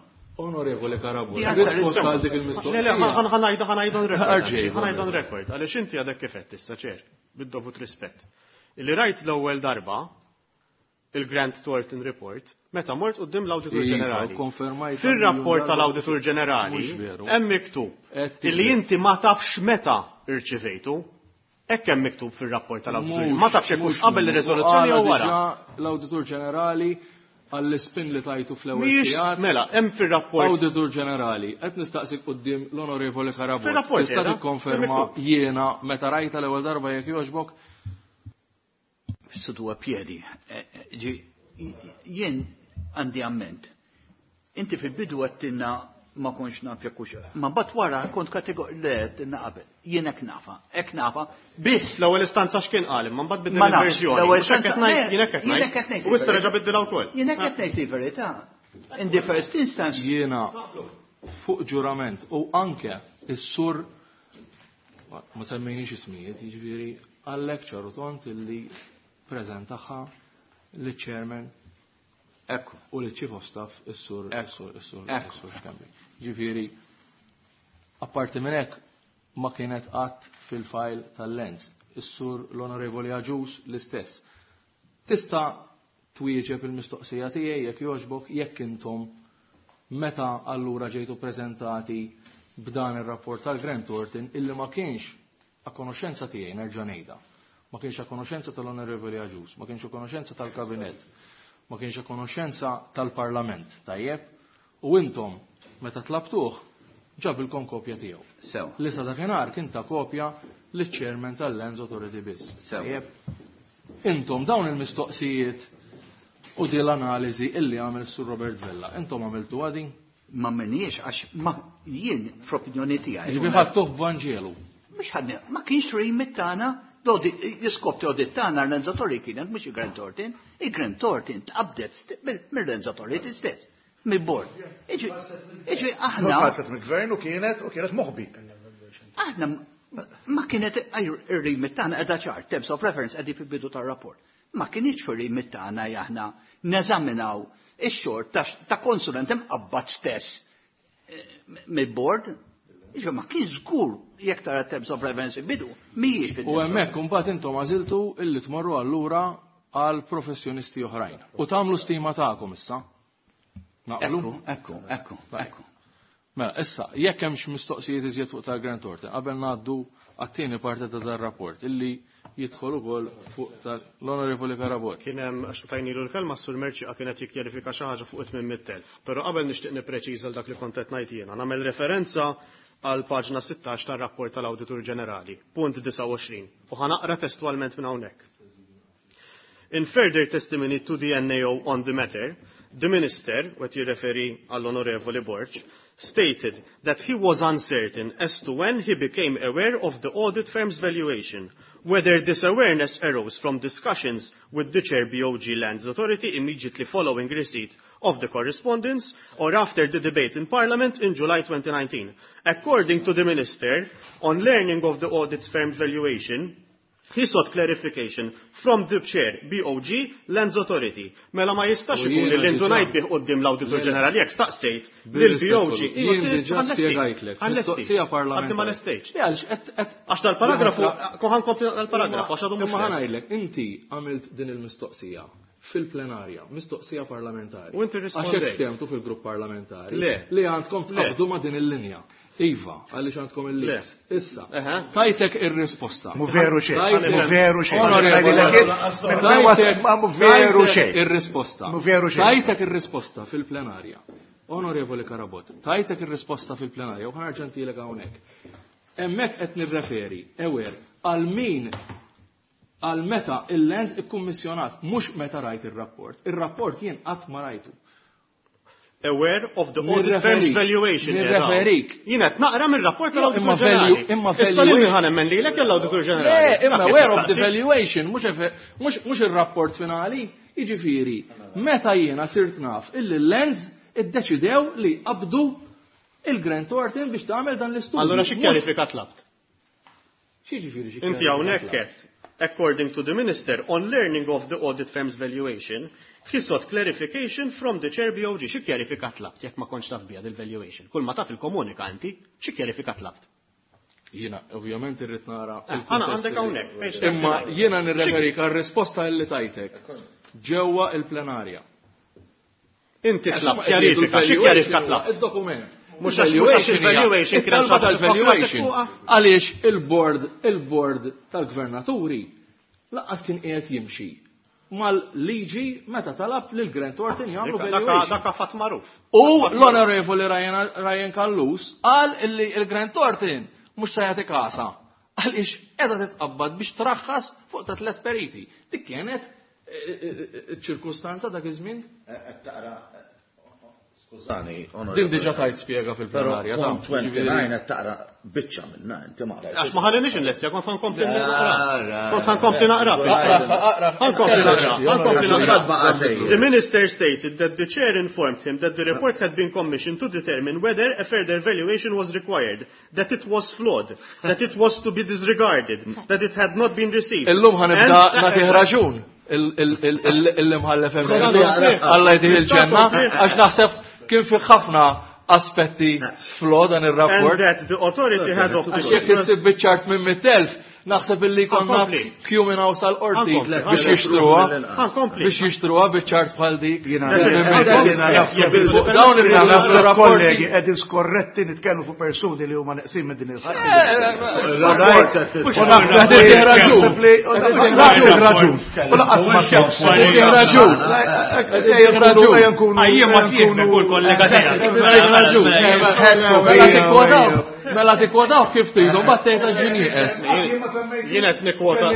Onorevoli Carabott, The answer is risposta no. għal dik Le, le, il-mistoqsija. ħa ngħidu ħa ngħidu on record. Arġej, Ħa ngħidu on record, għaliex inti għadek kif għedt issa, Chair, bid-dovut rispett. Illi rajt l-ewwel darba il-Grant Thornton Report, meta mort quddiem l-Awditur Iva, Ġenerali. konfermajt Fir-rapport darba. tal-Awditur Ġenerali Mhux veru. Hemm miktub Qed illi tikdeb. Inti ma tafx meta irċivejtu. Hekk hemm miktub fir-rapport tal-Awditur. Mhux- Ma tafx hekk mhux qabel minnu. ir-riżoluzzjoni jew Qala wara. diġà l-Awditur Ġenerali għall-ispin li tajtu fl-ewwel Mhijiex sigħat. Mela, hemm fir-rapport Awditur Ġenerali, qed nistaqsik quddiem l-Onorevoli Carabott. Fir-rapport Tista' qiegħda, tikkonferma miktub. Jiena meta rajta l-ewwel darba, jekk jogħġbok? Sudu piedi. Eh, eh, ġi, jien għandi amment. Inti fil-bidu għedtilna ma konx naf jekk hux. Ma bat wara kont kategor le għedtilna qabel. Jien hekk nafa, hekk nafa, biss L-ewwel istanza x'kien qal, imma mbagħad biddel Ma nafx, il-verżjoni. L-ewwel Mhux hekk qed istanza- ngħid, le, jien hekk qed jien ngħid. hekk qed ngħid U issa il-verità. reġa' biddilha wkoll. Jien hekk qed ngħid il-verità. In the first instance, Jiena fuq ġurament u anke is-sur, ma semmejniex ismijiet, jiġifieri għallek ċar u tond illi preżentaha liċ-chairman ekku, u li chief of staff is-sur Ekku. Is-sur is-sur Ekku. is-sur Schembri. Ġifieri, apparti minn hekk ma kienet qatt fil-file tal-Lands. Is-sur l-Onorevoli Agius l-istess. Tista' twieġeb il-mistoqsija tiegħi, jekk jogħġbok, jekk intom meta allura ġejtu preżentati b'dan ir-rapport tal-Grant Thornton, illi ma kienx a konoxenza tiegħi, nerġa' ngħidha. Ma kienx a konoxenza tal-Onorevoli Agius, ma kienx a konoxenza tal-Kabinett, ma kienx a konoxenza tal-Parlament, tajjeb? U intom meta tlabtuh ġabilkom kopja tiegħu. Sew. Li sa dakinhar kien ta' kopja liċ-chairman tal-Lands Authority biss. Sew. Tajjeb? Intom dawn il-mistoqsijiet u di l-analiżi illi għamel Sur Robert Vella, intom għamiltu għadin? Ma minniex għax ma jien fl-opinjoni tiegħi. Ġifieri ħadtuh b'Vanġelu. Mhux ħadni, ma kienx remit tagħna, l-iskop ta' audit tagħna Lands Authority kienet mhux il-Grant Thornton, il-Grant Thornton tqabdet mill-Lands Authority stess, mill-board. Iġi, iġi aħna Tħallset mill-gvern u kienet u kienet moħbi. Aħna ma kienet ir-remit tagħna qiegħda ċar, terms of reference qegħdi fil-bidu tar-rapport. Ma kienx fir-remit tagħna aħna neżaminaw ix-xogħol ta' ta' konsulent imqabbad stess eh, mill-board. Iġi ma kien żgur jekk tara terms of reference bidu, mhijiex fit U hemmhekk imbagħad intom għażiltu illi tmorru allura għal professjonisti oħrajn. U tagħmlu stima tagħkom issa. Naqblu? Ekku, ekku, ekku, ekku. Mela, issa, jekk hemmx mistoqsijiet iżjed fuq tal-Grant Thornton, qabel ngħaddu għat-tieni parti ta' dar rapport illi jidħol ukoll fuq tal-Onorevoli Carabott. Kien hemm għax tajnilu l-kelma s-Sur Merċi kienet jikkjarifika xi ħaġa fuq tmien mitt elf. Però qabel nixtieq nippreċiża dak li kont qed ngħid jiena. Nagħmel referenza għal paġna sittax tar-rapport tal-Awditur Ġenerali, punt disgħa u għoxrin, u ħa naqra testwalment minn hawnhekk. In further testimony to the N A O on the matter, the minister, qed jirreferi għall-Onorevoli Borg, stated that he was uncertain as to when he became aware of the audit firm's valuation, whether this awareness arose from discussions with the Chair B O G Lands Authority immediately following receipt of the correspondence or after the debate in Parliament in July twenty nineteen. According to the minister, on learning of the audit firm's valuation, he sought clarification from the chair B O G Lands Authority. Mela ma jistax U ikun jiena li l-indunajt diġà- bih quddiem l-Awditur Le, le. Ġenerali jekk staqsejt lil B O G. Jien diġà spjegajtlek, mistoqsija parlamentari. Għadni ma lestejtx. Le, għaliex qed qed Għax dal-paragrafu, ħa nkompli dal-paragrafu, għax għadu mhux Imma lest. ħa ngħidlek, inti għamilt din il-mistoqsija fil-plenarja, mistoqsija parlamentari. U inti Għax rispondejt. hekk ftehmtu fil-grupp parlamentari. Le. Li għandkom Le. tqabdu ma' din il-linja. Iva, għaliex għandkom il-leaks. Issa, Eħe. tajtek ir-risposta. Mu veru xejn, Tajtek- mu veru xejn. Onorevoli, Tajtek- Ma mu veru tajtek xejn. ir-risposta. Mu veru xejn. Tajtek ir-risposta fil-plenarja. Onorevoli Carabott, tajtek ir-risposta fil-plenarja u ħa nerġa' ntilek hawnhekk. Hemmhekk qed nirreferi, ewer, għal min għal meta il-Lands ikkummissjonat, mhux meta rajt ir-rapport. Ir-rapport jien qatt ma rajtu. Aware of the audit firm's valuation. Nirreferik. Jien qed naqra mir-rapport tal-Awditur Imma Ġenerali. value- imma Issa lil valuation- min ħa nemmen lilek jew l-Awditur Ġenerali. Le, imma Dak aware of the tistaqsi. valuation, mhux efe- mhux mhux ir-rapport finali, jiġifieri, meta jiena sirt naf illi l-Lands iddeċidew li qabdu il-Grant Thornton biex tagħmel dan l-istudju. Allura xi Mhux- kjarifika tlabt? X'jiġifieri xi Inti kjarifika hawnhekk tlabt? qed, according to the minister, on learning of the audit firm's valuation, he sought clarification from the chair B O G. Xi kjarifika tlabt jekk ma kontx taf biha dil-valuation? Kull ma taf il-komunika inti, xi kjarifika tlabt? Jiena ovvjament irrid nara Eh, il-kuntest Għana għandek iżjed. hawnhekk, page Imma thirty-nine. jiena nirreferik għal risposta li tajtek ġewwa il-plenarja. Inti tlabt kjarifika, xi kjarifika tlabt? Il-dokument. Mhux għax- mhux għax il-valuation kienet Il-talba xi ħaġa tal-valuation. fuqha. Għaliex il-board, il-board tal-gvernaturi lanqas kien qiegħed jimxi mal-liġi meta talab lil Grant Thornton jagħmlu Daka valuation. daka fatt magħruf. U l-onorevoli Ryan, Ryan Callus qal illi il-Grant Thornton mhux se jagħti kasa. Għaliex qiegħda titqabbad biex traħħas fuq ta' tliet periti. Dik kienet eh, eh, eh, ċirkustanza dak iż-żmien. Qed taqra, skużani, Din diġà tajt spjega Però fil-plenarja. ta' punt twenty-nine qed taqra biċċa minna, inti ma Għax ma ħallinix inlestja, kont ħa nkompli naqra. Ra, Kont ħa nkompli naqra. Aqra, aqra. Ħa nkompli naqra. Ħa nkompli naqra. Baqa' sejjer. The minister stated that the chair informed him that the report had been commissioned to determine whether a further valuation was required, that it was flawed, that it was to be disregarded, that it had not been received. Illum ħa nibda And- nagħtih raġun il-imħallef emeritus, Alla jdih il-ġenna, għax naħseb kien fi ħafna aspetti flaw dan And ir-rapport. that the authority had opted Għax jekk issib biċ-ċart minn mitt elf, naħseb illi konna Ħa nkompli. queue minn hawn sal-qorti Ħa nkompli. biex jixtruha, Ħa nkompli. biex jixtruha biċ-ċart bħal dik. Jiena Minn naħseb Fuq dawn jiena il naħseb rapporti. kollegi qegħdin skorretti nitkellmu fuq persuni li huma neqsin minn din il-ħaġa. Rapport U naħseb Qed li raġun. naħseb li naħseb raġun. U lanqas ma Qed raġun. Ejja ejja nkunu. Ejja ma sieħbek u l-kollega tiegħek. Raġun. Mela tikkwotaw, mela tikkwotaw kif tridu, mbagħad tgħid għax ġinieqes. Jien qed nikkwota.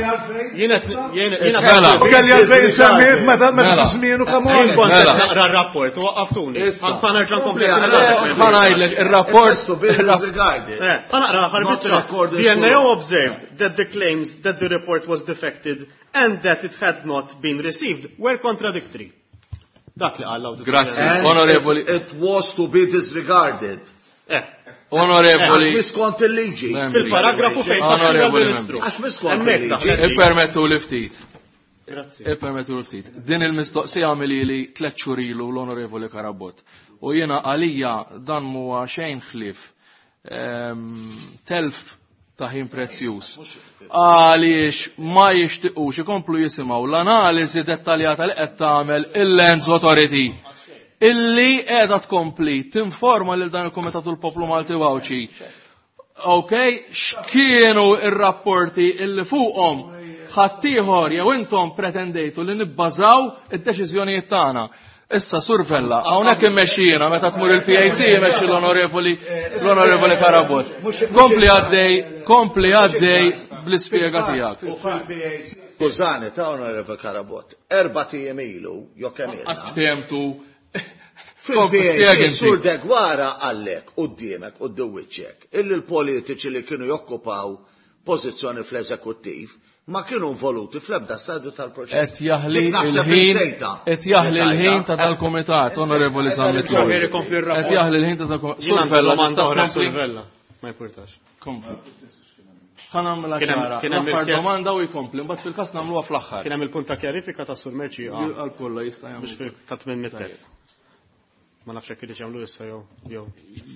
Jien qed jien jiena Mela. Kelli għalfejn semmiet meta meta Mela. żmienu come Jien on. kont qed Mela. naqra r-rapport u waqqaftuni. Issa. Ħa nerġa' nkompli. Ħa ngħidlek ir-rapport To be disregarded. Eh, ħa naqra Not ħarbiċċa. recorded The N A O full. observed that the claims that the report was defected and that it had not been received were contradictory. Dak li qal l-Awditur Grazzi. Ġenerali. And Onorevoli- It, it was to be disregarded. Eh, Onorevoli Għax miskont il-liġi. Membri. fil-paragrafu fejn taxxira Onorevoli l-Ministru. Għax miskont Hemmhekk il-liġi. daħlet dik. Ippermettu li ftit. Grazzi. Ippermettu li ftit. Din il-mistoqsija għamilli tliet xhur ilu l-Onorevoli Carabott. U jiena għalija dan huwa xejn ħlief ehm, telf ta' ħin prezzjuż. Għaliex ma jixtiqux ikomplu jisimgħu l-analiżi dettaljata li qed tagħmel il-Lands Authority illi qiegħda tkompli tinforma lil dan il-Kumitat u l-Poplu Malti Għawdxi. Ok, x'kienu ir-rapporti illi fuqhom ħaddieħor jew intom pretendejtu li nibbażaw id-deċiżjonijiet tagħna. Issa Sur Vella, hawnhekk immexxi jiena meta tmur il-P A C imexxi l-onorevoli l-onorevoli Carabott. Kompli għaddej, kompli għaddej bl-ispjega tiegħek. Skużani, ta' Onorevoli Carabott, erbat ijiem ilu, jo kemm ilna. Għas ftehemtu. Kompli spjega Fil-P A C, inti. Sur Deguara għallek, quddiemek, quddiem wiċċek, illi l-politiċi li kienu jokkupaw pożizzjoni fl-eżekuttiv ma kienu involuti fl-ebda stadju tal-proċess. Qed jaħli Dik naħseb il-ħin, insejta. qed jaħli l-ħin ta' dal-kumitat, Onorevoli Zammit Xavier Lewis. ikompli r-rapport. Qed jaħli l-ħin ta' dal-kumitat. Jien Sur għandi Vella, domanda tista' oħra tkompli? Sur Vella. Ma importax. Kompli. Ħa nagħmilha Kien hemm- ċara. kien hemm L-aħħar il-kjer- domanda u jkompli, mbagħad fil-każ nagħmluha fl-aħħar. Kien hemm il-punt ta' kjarifika ta' Sur Mercieca Għal kollha jista' biex jagħmlu. fil ta' tmien mitt elf. Ma nafx jekk irid jagħmlu issa jew jew.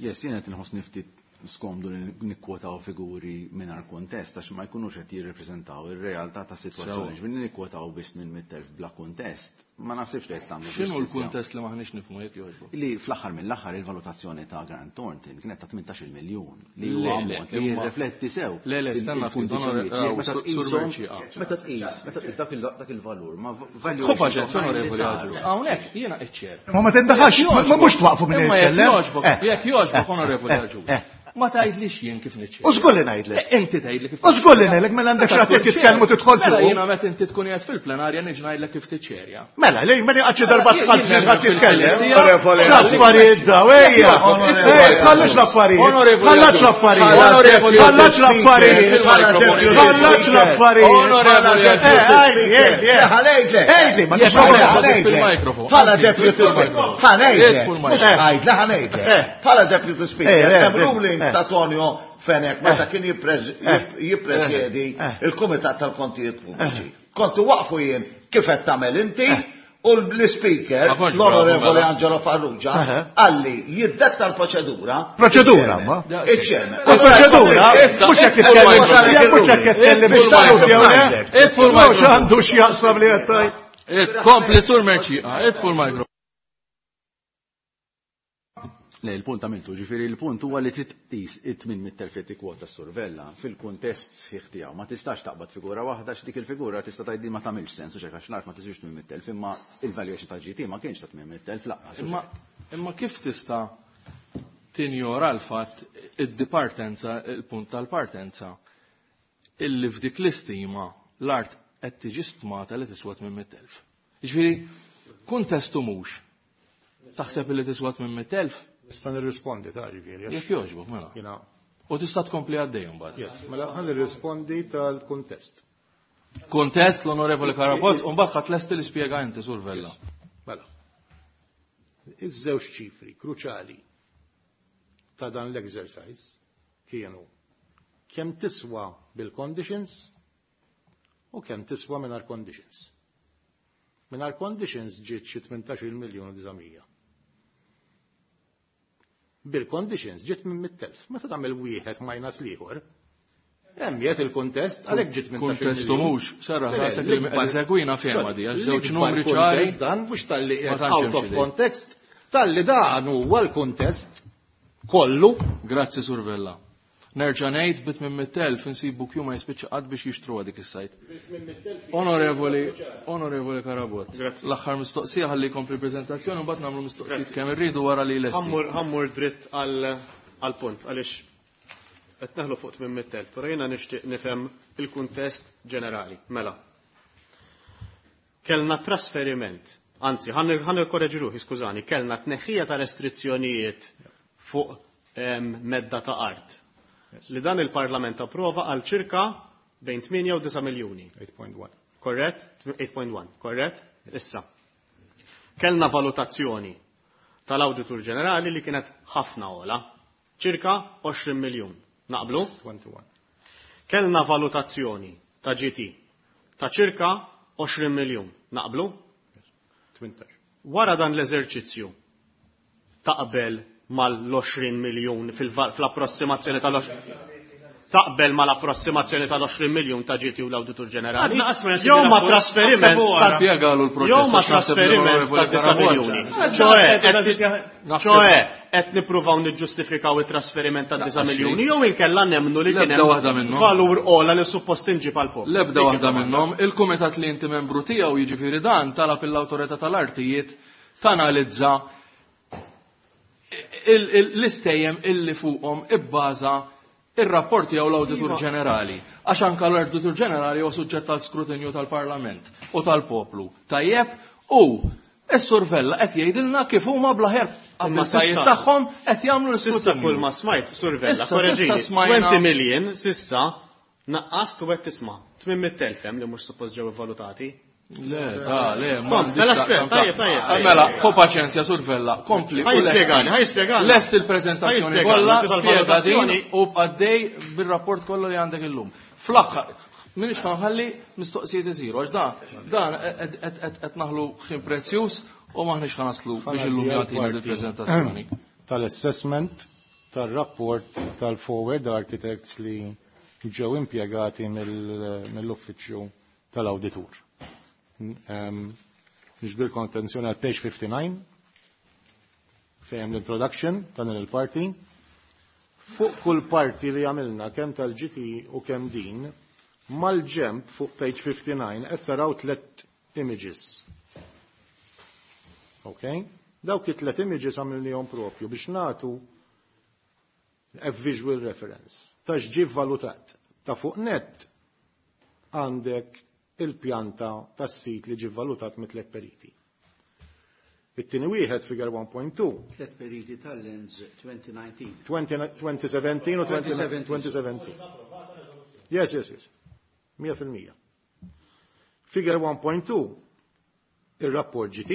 Yes, jiena qed inħossni ftit skomdu li nikwotaw figuri mingħajr kuntest għax ma jkunux qed jirrepreżentaw ir-realtà ta' sitwazzjoni. Ġifieri nikwotaw biss minn mitt elf bla kuntest, ma naħsibx li qed tagħmlu X'inhu ġustizzja. l-kuntest li maħniex nifhmu jekk jogħġbok? Li fl-aħħar mill-aħħar il-valutazzjoni ta' Grant Thornton kienet ta' tmintax-il miljun li Le, huwa le, ammont li imma- jirrifletti sew. Le, le, stenna ftit, il-kundizzjonijiet. onore- Jekk meta Sur- Sur tqishom- Mercieca. Meta tqis, meta tqis dak il- dak il-valur, ma Ħu paċenzja, onorevoli valuation Agius. Hawnhekk jiena iċċert. Ma ma tindaħax, ma mhux twaqfu minn Imma jekk jitkellem. jogħġbok, Eh, jekk jogħġbok, eh, onorevoli eh, Agius. eh. Ma tgħidlix jien kif niċċerja. U żgur li ngħidlek. Inti tgħidli kif. U żgur li ngħidlek mela għandek xi ħadd jitkellmu tidħol Mela fuq. jiena meta inti tkun qiegħed fil-plenarja niġi ngħidlek kif tiċċerja. Mela, li mela qatt xi darba tħall xi ħadd jitkellem. Onorevoli. X'affarijiet daw, ejja. Ej, Tħallux l-affarijiet. Onorevoli Tħallax Agius. l-affarijiet. Onorevoli Tħallax Agius. l-affarijiet. Tħallax l-affarijiet. Onorevoli Eh, Agius. għajdi, għajdi, Ħanejtlek. Għajdi, ma Jekk tixrob. ħanejtlek. Fil-mikrofon. Bħala deputy speaker. Ħanejtlek. Idfu Mhux l-mikrofon. għajdle, ħanejtlek. Eh. Bħala deputy Eh, speaker. eh, Hemm ruling eh. ta' Tonio Fenech meta kien jippreż- Eh. jippresjedi Eh. il-Kumitat tal-Kontijiet Pubbliċi. Kontu waqfu jien kif qed tagħmel inti u l-speaker, Ma kontx bravu, l-Onorevoli mela. Angelo Farrugia, Eh. għalli jiddetta l-proċedura. Proċedura, ma. Iċ-chairman. Il-proċedura, Issa, mhux hekk idfu titkellem, l-mikrofon. mhux hekk titkellem Idfu biex jew le. Idfu Mhux l-mikrofon. għandu x'jaqsam li qed tgħid. Id- Kompli sur Merċieqa, idfu l-mikrofon. Le, il-punt għamiltu, ġifieri il-punt huwa li trid tqis it-tmien mitt elf li tikkwota s-Sur Vella fil-kuntest sħiħ tiegħu. Ma tistax taqbad figura waħda x'dik il-figura tista' tgħid ma tagħmilx sens u xek għax l-art ma tiswix tmien mitt elf, imma il-valuation ta' G T ma kienx ta' tmien mitt elf lanqas. u Imma xek. imma kif tista' tinjora l-fatt id-dipartenza, il-punt tal-partenza, illi f'dik l-istima l-art qed tiġi stmata li tiswa tmien mitt elf. Jiġifieri, kuntestu mhux. Taħseb illi tiswa tmien mitt elf? Nista' nirrispondi ta' ġifieri. għax Jekk jogħġbok, mela. Jiena, U tista' tkompli għaddej imbagħad. yes, mela ħa nirrispondi tal-kuntest. Kuntest l-Onorevoli Carabott, u mbagħad ħadd lesti li spjega inti Sur Vella. Mela. Iż-żewġ ċifri kruċali ta' dan l-exercise kienu kemm tiswa bil-conditions u kemm tiswa mingħajr conditions. Mingħajr conditions ġiet xi tmintax-il miljun u disa' mija. Bil-conditions ġiet minn mitt elf. Meta tagħmel wieħed minus l-ieħor, hemm qiegħed il-kuntest għalhekk ġiet tmintax-il Kuntestu miljun. mhux, serra Le, rasek li l-ikbar- qed isegwina fehma di, għax żewġ L-ikbar numri ċari. kuntest Dan mhux talli Ma qiegħed tantx out hemm of xi context, talli dan huwa l-kuntest kollu. Grazzi Sur Vella. Nerġa' ngħid bit minn mitt elf insibu kju ma jispiċċa qatt biex jixtruha dik is-sajt. Onorevoli, Onorevoli Carabott. Grazzi. L-aħħar mistoqsija ħalli jkompli l-preżentazzjoni u mbagħad nagħmlu mistoqsijiet kemm irridu wara li lesti. Ħammur ħammur dritt għal għal punt għaliex qed neħlu fuq tmien mitt elf, però jiena nixtieq nifhem il-kuntest ġenerali. Mela. Kellna trasferiment, anzi, ħan nirkorreġi ruħi, skużani, kellna tneħħija ta' restrizzjonijiet fuq em, medda ta' art. Li dan il-Parlament approva għal ċirka bejn tmienja u disa' miljuni. eight point one. Korrett? eight point one, korrett? Issa. Kellna valutazzjoni tal-Awditur Ġenerali li kienet ħafna ola, ċirka għoxrin miljun. Naqblu? twenty-one. Kellna valutazzjoni ta' G T ta' ċirka għoxrin miljun. Naqblu? tmintax. Wara dan l-eżerċizzju taqbel mal-għoxrin miljun fil-approssimazzjoni tal-għoxrin taqbel mal-approssimazzjoni tal-għoxrin miljun ta' G T u l-Awditur Ġenerali. Għadna qasma Jew ma trasferiment ta' Spjegalu l-proċess. jew ma Għax naħseb li trasferiment l-Onorevoli ta' disa' Carabott. miljuni. Ċoe, Naħseb- ċoe, qed nippruvaw niġġustifikaw it-trasferiment ta' disa' Naqas miljuni jew inkella nemmnu li kien L-ebda waħda hemm minnhom. valur ola li suppost inġib għal poplu. L-ebda Dik waħda id-domanda. minnhom, il-kumitat li inti membru tiegħu jiġifieri dan talab l-awtorità tal-artijiet tanalizza il- il- l-istejjem illi fuqhom ibbaża ir-rapport tiegħu l-Awditur Iva. Ġenerali. Għax anke l-Awditur Ġenerali huwa suġġett tal skrutinju tal-Parlament u tal-poplu. Tajjeb, u is-Sur Vella qed jgħidilna kif huma bl-aħjar Imma abbiltajiet sissa- tagħhom qed jagħmlu Sissa l-iskrutinju. kull ma smajt, Sur Vella, Issa, korreġini, sissa smajna- twenty million, sissa, naqqast u qed tisma' tmien mitt elf hemm li mhux suppost ġew valutati. Le, ta' le, ma Kom, għandix mela x'taqsam spjega, ta' tajjeb, tajjeb, tajjeb. Mela, ħu paċenzja, Sur Vella, kompli. Ħaj u lesti. jispjegani, ħaj jispjegani. Lest il-prezentazzjoni Ħaj jispjegani, kollha, inti spjega din tal-valutazzjoni. u għaddej bil-rapport kollu li għandek illum. Fl-aħħar, minix ħanħalli mistoqsijiet isiru, għax dan, dan qed naħlu ħin prezzjuż u maħniex ħanaslu biex illum jagħtina il-preżentazzjoni. Tal-assessment tal-rapport tal-Forward Architects li ġew impjegati mill- mill-uffiċċju tal-awditur. Niġbidilkom attenzjoni għal page fifty-nine fejn l-introduction ta' din il-parti. Fuq kull parti li għamilna kemm tal-G T u kemm din, mal-ġemp fuq page fifty-nine qed taraw tlet images. Ok? Dawk it-tlet images għamilnihom propju biex natu A visual reference. Ta' x'ġie valutat. Ta' fuq net għandek il-pjanta tas-sit li ġie valutat mit tliet periti. It-tieni wieħed, figure one point two. Tliet periti tal-Lands twenty nineteen. twenty seventeen u twenty seventeen. Yes, yes, yes. mija fil-mija. Figure one point two, il-rapport G T,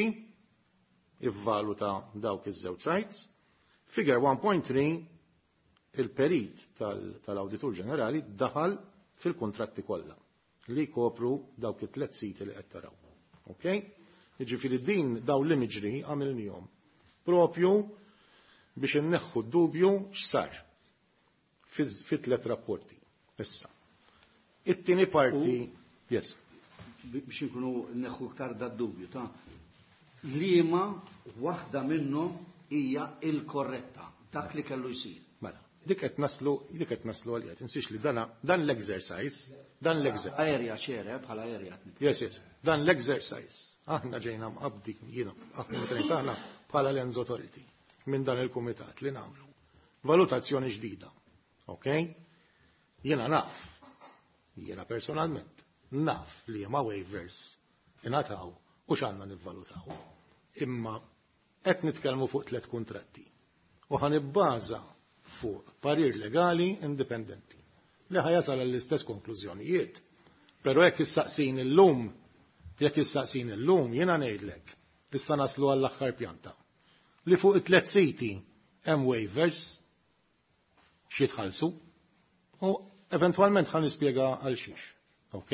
ivvaluta dawk iż-żewġ sites. Figure one point three, il-perit tal-Awditur Ġenerali daħal fil-kontratti kollha li kopru dawk it-tlet siti li qed taraw. Ok? Jiġifieri din daw l-imagery għamilnihom propju biex inneħħu d-dubju x'sar fit tlet rapporti. Issa. It-tieni parti, yes. Biex nkunu neħħu iktar da dubju ta' liema waħda minnhom hija il-korretta, dak li kellu jsir. Mela, dik qed naslu, dik qed naslu għalija. Tinsix li dana dan l-exercise, dan l-exercise. Area ċere, bħala area. Yes, yes. Dan l-exercise. Aħna ġejna mqabdi, jiena, aħna meta aħna bħala Lands Authority minn dan il-kumitat li nagħmlu valutazzjoni ġdida. Ok? Jiena naf, jiena personalment, naf li ma waivers ingħataw u x'għandna nivvalutaw. Imma qed nitkellmu fuq tliet kuntratti. U ħa nibbaża fuq parir legali indipendenti li ħa jasal għall-istess konklużjonijiet. Però jekk issaqsin illum, jekk issaqsin illum, jiena ngħidlek, issa naslu għall-aħħar pjanta. Li fuq it-tlet siti hemm waivers x'jitħallsu u eventwalment ħa nispjega għal xiex. Ok?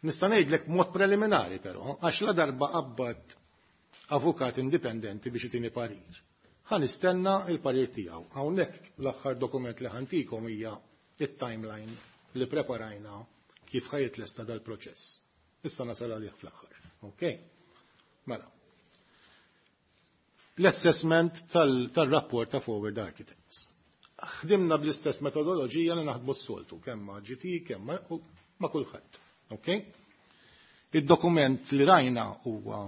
Nista' ngħidlek mod preliminari però, għax la darba qabbat avukat indipendenti biex itini parir. Ħa nistenna il-parir tiegħu. Hawnhekk l-aħħar dokument li ħa ntikom hija it-timeline li preparajna kif ħa jitlesta dal-proċess. Issa nasal għalih fl-aħħar. Ok? Mela. L-assessment tal-rapport ta' Forward Architects. Ħdimna bl-istess metodoloġija li naħdmu s-soltu, kemm ma' G T, kemm ma' kulħadd. Ok? Il-dokument li rajna huwa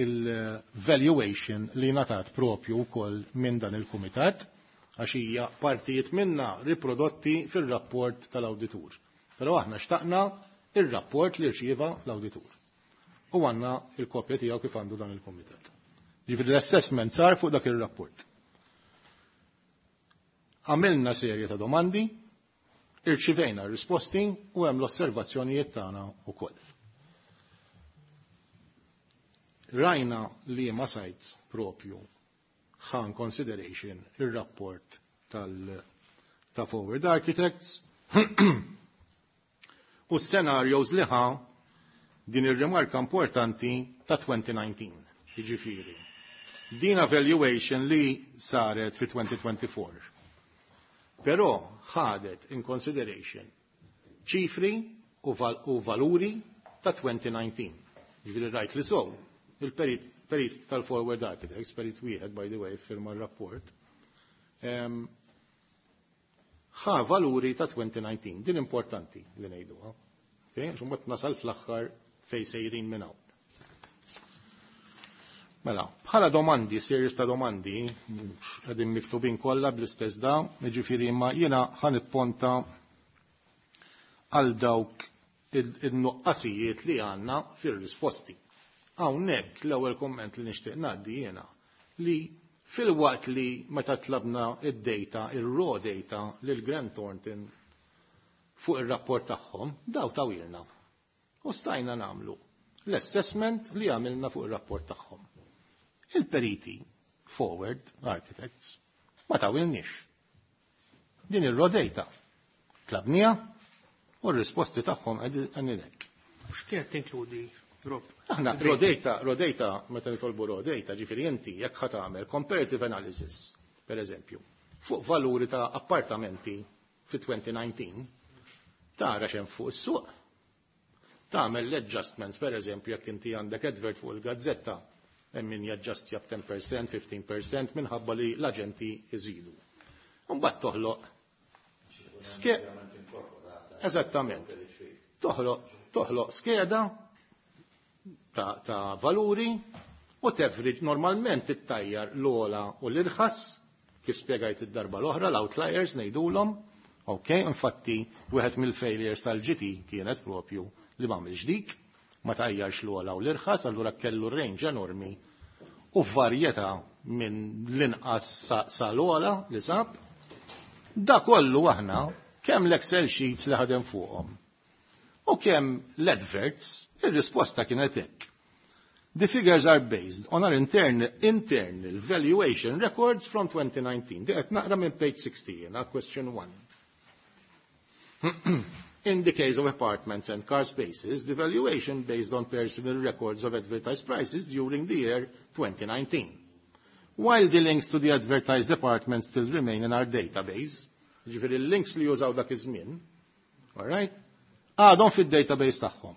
il-valuation li ngħatat propju wkoll minn dan il-kumitat, għax hija partijiet minna riprodotti fil-rapport tal-awditur. Però aħna xtaqna il-rapport li rċieva l-awditur. U għandna il-kopja tiegħu kif għandu dan il-kumitat. Ġifieri l-assessment sar fuq dak il-rapport. Għamilna serje ta' domandi, irċivejna risposti u hemm l-osservazzjonijiet tagħna wkoll. Rajna li ma sites propju ħa in consideration il-rapport tal ta' Forward Architects u scenarios li ħa din ir-rimarka importanti ta' twenty nineteen, jiġifieri. Din evaluation li saret fi twenty twenty-four. Però ħadet in consideration ċifri u, val u valuri ta' twenty nineteen. Ġifieri rajt li sow, il-perit perit tal-Forward Architects, perit wieħed, by the way, firma r-rapport, ħa valuri ta' twenty nineteen. Din importanti li ngħiduha. Okay? Mbagħad nasal fl-aħħar fej sejrin minn hawn. Mela, bħala domandi, series ta' domandi, qegħdin miktubin kollha bl-istess da, jiġifieri imma jiena ħa nipponta għal dawk il-nuqqasijiet li għandna fir-risposti. Hawnhekk l-ewwel komment li nixtieq ngħaddi jiena li fil-waqt li meta tlabna id-data, il-raw data lil Grant Thornton fuq ir-rapport tagħhom, daw tawhielna. U stajna nagħmlu l-assessment li għamilna fuq ir-rapport tagħhom. Il-periti, Forward Architects, ma tawhielniex. Din ir-raw data tlabnieha u r-risposti tagħhom għandek. X'kienet tinkludi, Rob? Aħna raw data, raw data, meta nitolbu raw data, ġifieri inti jekk ħa tagħmel comparative analysis, per eżempju, fuq valuri ta' appartamenti fi twenty nineteen, tara x'hemm fuq is-suq. Tagħmel l-adjustments, per eżempju, jekk inti għandek advert fuq il-gazzetta, hemm min jaġġastja b'ten percent, fifteen percent minħabba li l-aġenti iżidu. Mbagħad toħloq ske Eżattament. Toħloq toħloq skeda ta', ta valuri u tefriġ normalment ittajjar l-ogħla u l-irħas. Kif spjegajt id-darba l-oħra, l-outliers ngħidulhom, ok, infatti wieħed mill-failures tal-G T kienet propju li m'għamilx dik, ma tajjarx l-ogħla u l-irħas, allura kellu range enormi u varjetà minn l-inqas sa l-ogħla li sab. Da kollu aħna kemm l-Excel sheets li ħadem fuqhom u kemm l-adverts, ir-risposta kienet hekk. The figures are based on our internal, internal valuation records from twenty nineteen. Di qed naqra minn page sixty, jiena, question one. In the case of apartments and car spaces, the valuation based on personal records of advertised prices during the year twenty nineteen. While the links to the advertised apartments still remain in our database, ġifieri l-links li jużaw dak iż-żmien, all right, għadhom fid-database tagħhom.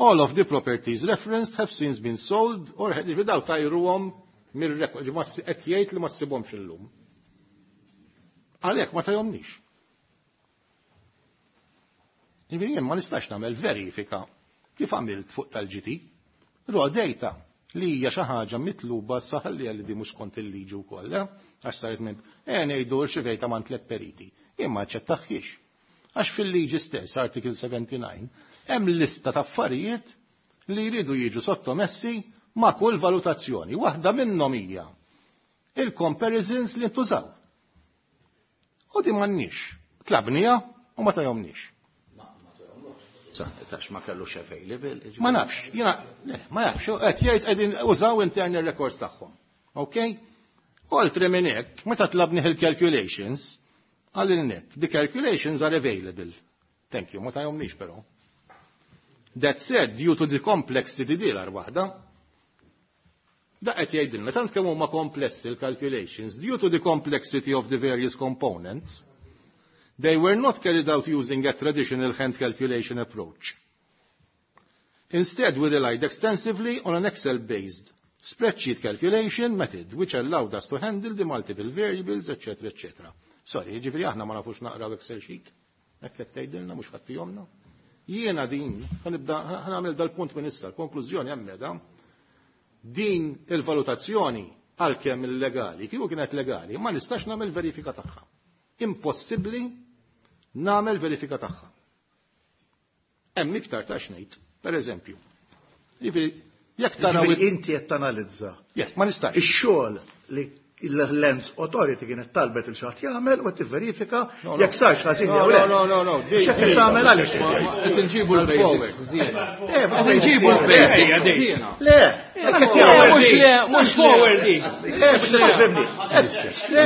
All of the properties referenced have since been sold or ġifieri daw tajruhom mir-record, qed jgħid li ma ssibhomx illum. Għalhekk ma tajhomniex. Ġifieri jien ma nistax nagħmel verifika kif għamilt fuq tal-G T. Raw data li hija xi ħaġa mitluba saħalli li di mhux kont il-liġi wkoll, eh? Għax saret minn eh ngħidu rċivejta man tliet periti. Jien ma aċċettaħiex. Għax fil-liġi stess, Article sebgħa u sebgħin, hemm lista ta' affarijiet li jridu jiġu sottomessi ma' kull valutazzjoni. Waħda minnhom hija il-comparisons li ntużaw. U di m'għandniex. Tlabnija u ma tajomniex. Tax ma kellux available. Ma nafx, jiena, ma nafx, qed jgħid qegħdin użaw internal records tagħhom. Ok? Oltre minn hekk, meta tlabni il-calculations, għalilnek, the calculations are available. Thank you, ma tajomniex però. That said, due to the complexity dilar waħda, da qed jgħidilna tant kemm huma komplessi l-calculations, due to the complexity of the various components, they were not carried out using a traditional hand calculation approach. Instead, we relied extensively on an Excel-based spreadsheet calculation method, which allowed us to handle the multiple variables, et cetera, et cetera. Sorry, ġifieri aħna ma nafux naqraw Excel sheet. Hekk qed tgħidilna mhux ħattihomna. Jiena din, ħa nibda ħa nagħmel dal-punt minn issa, l-konklużjoni hemm meda. Din il-valutazzjoni għalkemm illegali, kieku kienet legali, ma nistax nagħmel verifika tagħha. Impossibbli nagħmel verifika tagħha. Hemm iktar ta' xnejt, per eżempju. Jiġifieri jekk taraw inti qed tanalizza. Yes, ma nistax. Ix-xogħol li l-Lands Authority kienet talbet il xaħat jagħmel u tivverifika jekk sarx ħażin jew le. No, no, no. X'qed tagħmel għaliex? Qed inġibu l-basics. Qed inġibu l-basics. Le, qed jagħmel mhux le, mhux forward. Le, mhux tifhimni. Le,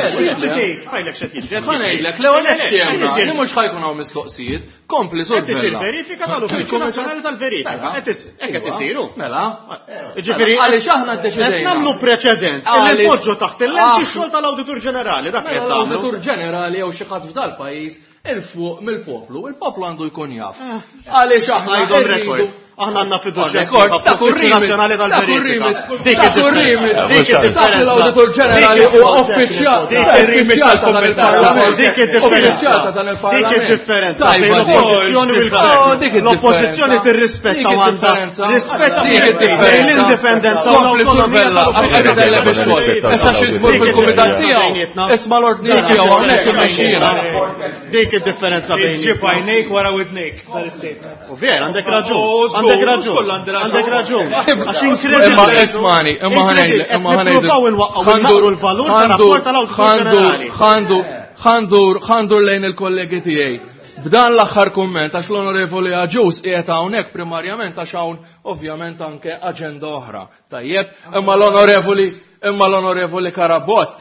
Għajlek x'qed jiġri. Ħa ngħidlek, l-ewwel qed li mhux ħa jkun hawn mistoqsijiet, kompli sur. Qed isir verifika tal-Uffiċċju Nazzjonali tal-Verifika. Qed hekk qed isiru. Mela. Ġifieri għaliex aħna ddeċidejna. Qed nagħmlu preċedent. Illi npoġġu taħt il-lenti x-xogħol tal-Awditur Ġenerali, dak qed Mela l-Awditur Ġenerali jew xi ħadd f'dal-pajjiż il fuq mill-poplu, il-poplu għandu jkun jaf. Għaliex aħna rridu Aħna għandna fiduċja fl-Uffiċċju Nazzjonali tal-Verifika. Dik id-differenza. L-Awditur Ġenerali huwa uffiċjal uffiċjal ta' dan il-Parlament. Dik id-differenza. Uffiċjal ta' dan il-Parlament. Dik id-differenza bejn l-oppożizzjoni u l-gvern. L-oppożizzjoni tirrispetta u għandha rispetta l-indipendenza u l-awtonomija tal-uffiċċju. Issa xi tmur fil-kumitat tiegħu, isma' l-ordni tiegħu hawnhekk imexxina. Dik id-differenza bejn. Ġib għajnejk wara widnejk dal-istate. U ver, għandek raġun. Għandek raġun. Għandek raġun. Għax inkredibbli. Imma ismani, imma ħa ngħidlek, imma ħa ngħidlek. Nippruvaw inwaqqgħu naqru l-valur tar-rapport tal-Awditur Ġenerali. Ħandur, ħandur, ħandur lejn il-kollegi tiegħi. B'dan l-aħħar kumment, għax l-Onorevoli Agius qiegħed hawnhekk primarjament għax hawn ovvjament anke aġenda oħra. Tajjeb, imma l-Onorevoli imma l-Onorevoli Karabott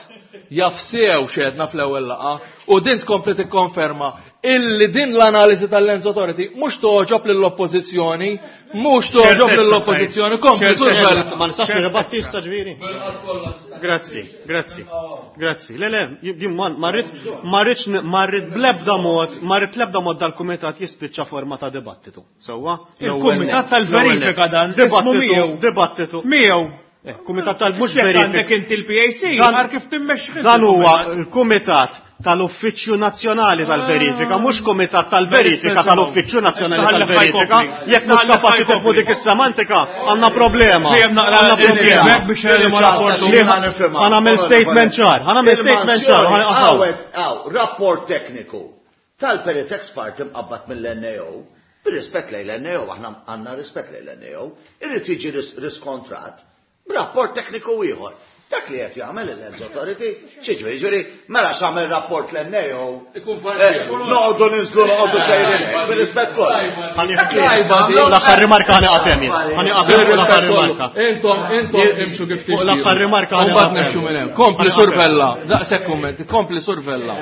jaf sew xedna fl-ewwel laqgħa u din tkompli tikkonferma illi din l-analiżi tal-Lands Authority mhux toġob lill-oppożizzjoni, mhux toġob lill-oppożizzjoni, kompli sur Ma nistax nirribatti issa ġifieri. Grazzi, grazzi. Grazzi. Le, le, jien ma rrid ma rridx ma rrid bl-ebda mod, ma rrid l-ebda mod dal-kumitat jispiċċa forma ta' dibattitu. Sewwa? Il-kumitat tal-verifika dan, Dibattitu, dibattitu. Miegħu. Kumitat tal mhux verifika. Verifika. Għandek inti l-P A C, għar kif timmexxi. Dan huwa l-kumitat tal-Uffiċċju Nazzjonali tal-Verifika, mhux Kumitat tal-Verifika tal-Uffiċċju Nazzjonali tal-Verifika. Jekk mhux kapaċi tifhmu dik is-semantika, għandna problema. Għandna problema. Ħa nagħmel statement ċar, ħa nagħmel statement ċar. Rapport tekniku tal-perit expert imqabbad mill-N A O, bir-rispett lejn l-N A O, aħna għandna rispett lejn l-N A O, irid jiġi riskontrat b'rapport tekniku ieħor. Dak li qed jagħmel il-Lands Authority, xiġri, ġifieri, mela x'għamel rapport l-N A O. Ikun farsi. Noqogħdu ninżlu, noqogħdu sejrin hekk, bir-rispett kollu. L-aħħar rimarka ħani qathem jien. Ħani qathem l-aħħar rimarka. Intom, intom imxu kif tixtiequ. L-aħħar rimarka ħani Mbagħad nimxu minn hemm. Kompli survella, daqshekk kummenti, kompli survella.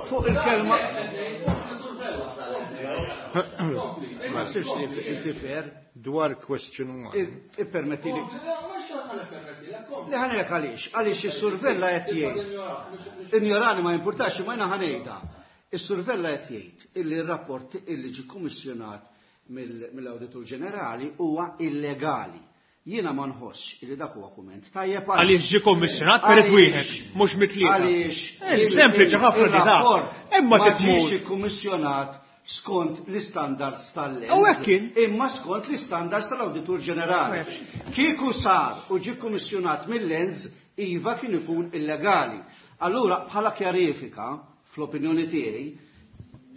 Fuq il-kelma. Ma nsirx intifer. Dwar question one. Ippermetti li. Li ħanejk għaliex, għaliex is-survella qed jgħid. Injorani ma jimpurtax, ma jiena ħanejda. Is-survella qed jgħid illi r-rapport illi ġie kummissjonat mill-Awditur Ġenerali huwa illegali. Jiena ma nħossx illi dak huwa kumment tajjeb għaliex ġie kummissjonat perit wieħed, mhux mitlieta. Għaliex sempliċi ħafna di il-rapport Imma ma titmur. ġiex ikkummissjonat skont l-istandards tal-Lands. U hekk kien. Imma skont l-istandards tal-Awditur Ġenerali. Kieku sar u ġie kummissjonat mill-Lands, iva kien ikun illegali. Allura bħala kjarifika, fl-opinjoni tiegħi,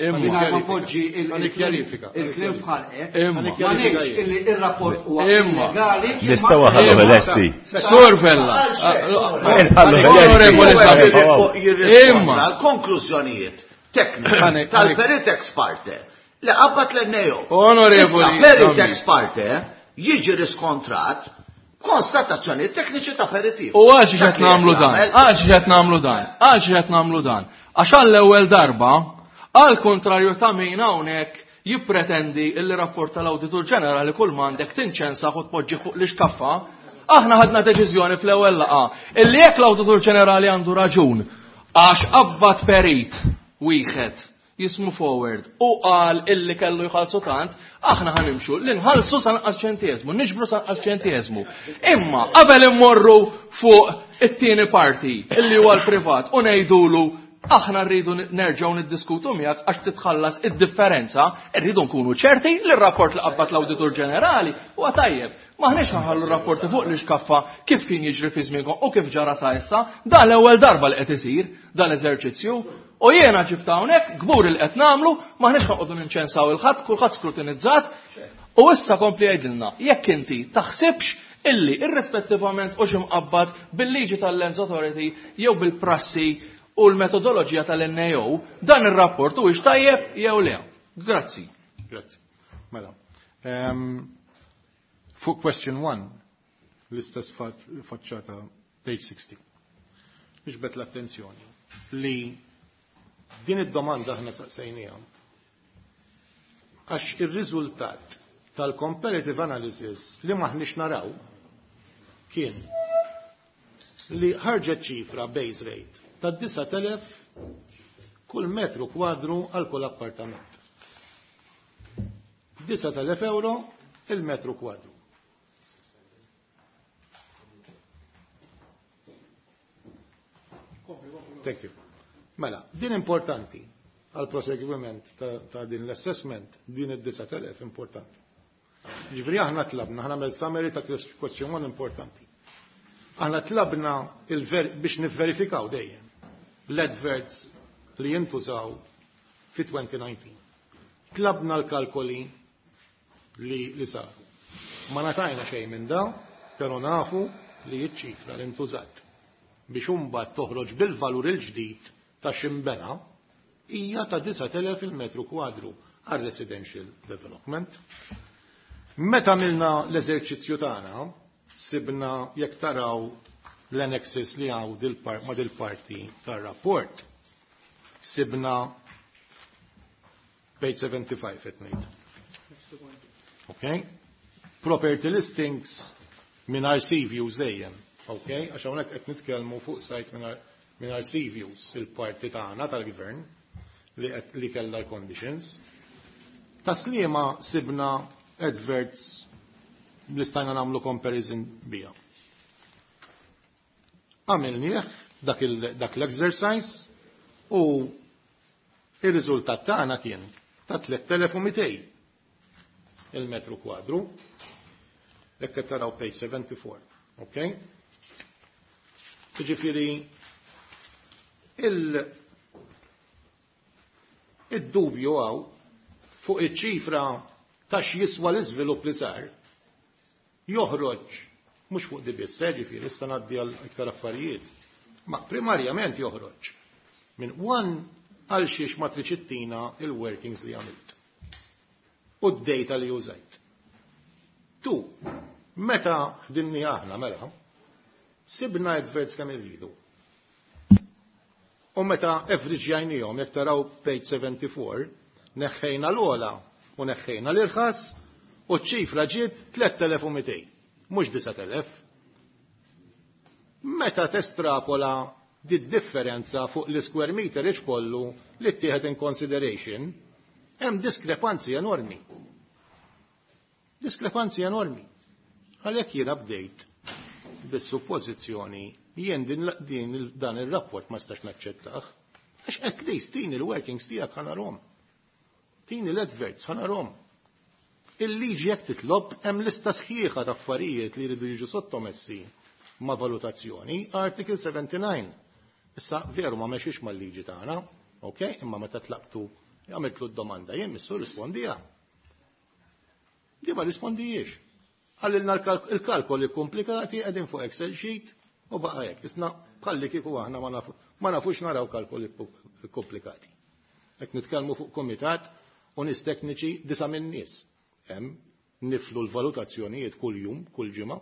Imma. mingħajr ma npoġġi il- Għalli kjarifika. il-kliem f'ħalqek, Imma. ma ngħidx illi ir-rapport huwa Imma. illegali. Nistgħu ħallu bil-esti. Survella. Ħallu Onorevoli bil-esti. Sabi. Imma l-konklużjonijiet tekniċi tal-perit ex parte li qabad l-N A O. Onorevoli Issa perit Sammi. ex parte jiġi riskontrat konstatazzjoni tekniċi ta' periti. U għax qed nagħmlu dan? Għax qed nagħmlu dan? Għax qed nagħmlu dan? Għax għall-ewwel darba, għal kontrarju ta' min hawnhekk jippretendi il rapport tal-Awditur Ġenerali kull m'għandek tinċensa u tpoġġi fuq l-ixkaffa, aħna ħadna deċiżjoni fl-ewwel laqgħa illi jekk l-Awditur Ġenerali għandu raġun għax qabad perit wieħed jismu forward u qal illi kellu jħallsu tant, aħna ħanimxu li nħallsu sa nqas ċentieżmu, niġbru sa nqas ċentieżmu. Imma qabel immorru fuq it-tieni parti illi huwa l-privat u ngħidulu aħna rridu nerġgħu niddiskutu miegħek għax titħallas id-differenza, rridu nkunu ċerti li r-rapport li qabad l-Awditur Ġenerali huwa tajjeb. Maħniex ħallu rapporti fuq l-iskaffa kif kien jiġri fi żmienkom u kif ġara sa issa, dan l-ewwel darba li qed isir dan l-eżerċizzju. U jiena ġibt hawnhekk gbur il qed nagħmlu, maħniex ħanqogħdu ninċensaw il-ħadd, kulħadd skrutinizzat. U issa kompli jgħidilna, jekk inti taħsibx illi irrispettivament u x'imqabbad bil-liġi tal-Lands Authority jew bil-prassi u l-metodoloġija tal-N A O, dan ir-rapport huwiex tajjeb jew le. Grazzi. Grazzi. Mela. Ehm, fuq question one, l-istess faċċata page sixty. Iġbet l-attenzjoni li din id-domanda aħna saqsejniha għax ir-riżultat tal-comparative analysis li maħniex naraw kien li ħarġet ċifra base rate ta' disat elef kull metru kwadru għal kull appartament. Disat elef euro il-metru kwadru. Thank you. Mela, din importanti għal proseguiment ta', ta' din l-assessment, din id-disat elef importanti. Ġifieri aħna tlabna, aħna għamel summary ta' question one importanti. Aħna tlabna il-ver-, biex nivverifikaw dejjem l-adverts li jintużaw fi twenty nineteen. Tlabna l-kalkoli li, li saru. Ma natajna xejn minn dawn, però nafu li ċ-ċifra li ntużat biex imbagħad toħroġ bil-valur il-ġdid ta' ximbena hija ta' disat elef il-metru kwadru għal residential development. Meta għamilna l-eżerċizzju tagħna, sibna jekk taraw l-annexes li għaw dil-par-, ma' dil-parti tar-rapport, sibna page seventy-five qed ngħid. Okay? Property listings mingħajr sea views dejjem. Okay? Għax hawnhekk qed nitkellmu fuq site mingħajr, mingħajr sea views, il-parti tagħna tal-gvern li qed, li kellha l-conditions. Taslima sibna adverts li stajna nagħmlu comparison biha. Għamilnieh dak l-exercise u il-riżultat tagħna kien ta' tliet elef u mitejn il-metru kwadru. Hekk qed taraw page seventy-four. Okay? Jiġifieri il id-dubju hawn fuq iċ-ċifra ta' x'jiswa l-iżvilupp li sar joħroġ mhux fuq di biss, ġifieri issa ngħaddi għal iktar affarijiet, ma primarjament joħroġ minn one għal xiex matriċittina il-workings li għamilt u d-data li użajt. Tu, meta ħdimni aħna mela, sibna adverts kemm irridu. U meta average-jajnihom, jekk taraw page seventy-four, neħħejna l-ogħla u neħħejna l-irħas u ċ-ċifra ġiet tliet elef u mitejn, mhux disat elef. Meta testrapola di differenza fuq l-square meter kollu li ttieħed in consideration, hemm diskrepanzi enormi. Diskrepanzi enormi. Għalhekk jiena bdejt bis-suppożizzjoni jien din, din dan ir-rapport ma stax naċċettah, għax at least tini l-workings tiegħek ħanarhom. Tini l-adverts ħanarhom. Il-liġi jekk titlob hemm lista sħiħa ta' affarijiet li jridu jiġu sottomessi ma' valutazzjoni, Article seventy-nine. Issa veru ma mexiex mal-liġi tagħna, ok, imma meta tlaqtu għamiltlu d-domanda jien missu rispondija. Di ma rispondijiex. Għallilna il-kalkoli komplikati qegħdin fuq Excel sheet u baqa' hekk. Isna bħalli kieku aħna ma nafux naraw kalkoli komplikati. Hekk nitkellmu fuq komitat u nies tekniċi disa' minn nies. Hemm niflu l-valutazzjonijiet kull jum, kull ġimgħa.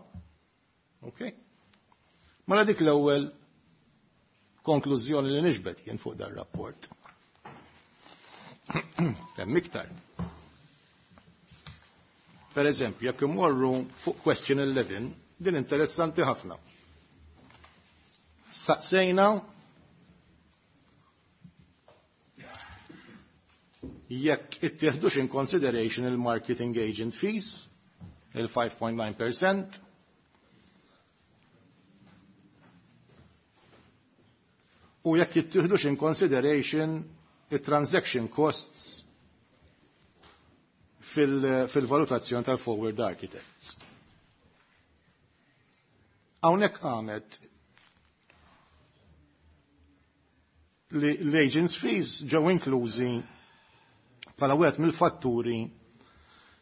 Ok? Mela dik l-ewwel konklużjoni li nixbet jien fuq dar rapport. Hemm iktar. Per eżempju, jekk imorru fuq question eleven, din interessanti ħafna. Saqsejna jekk ittieħdux in consideration il-marketing agent fees, il-five point nine percent, u jekk jittieħdux in consideration il-transaction costs fil-valutazzjoni tal-forward architects. Hawnhekk qamet li l-agents fees ġew inklużi bħala wieħed mill-fatturi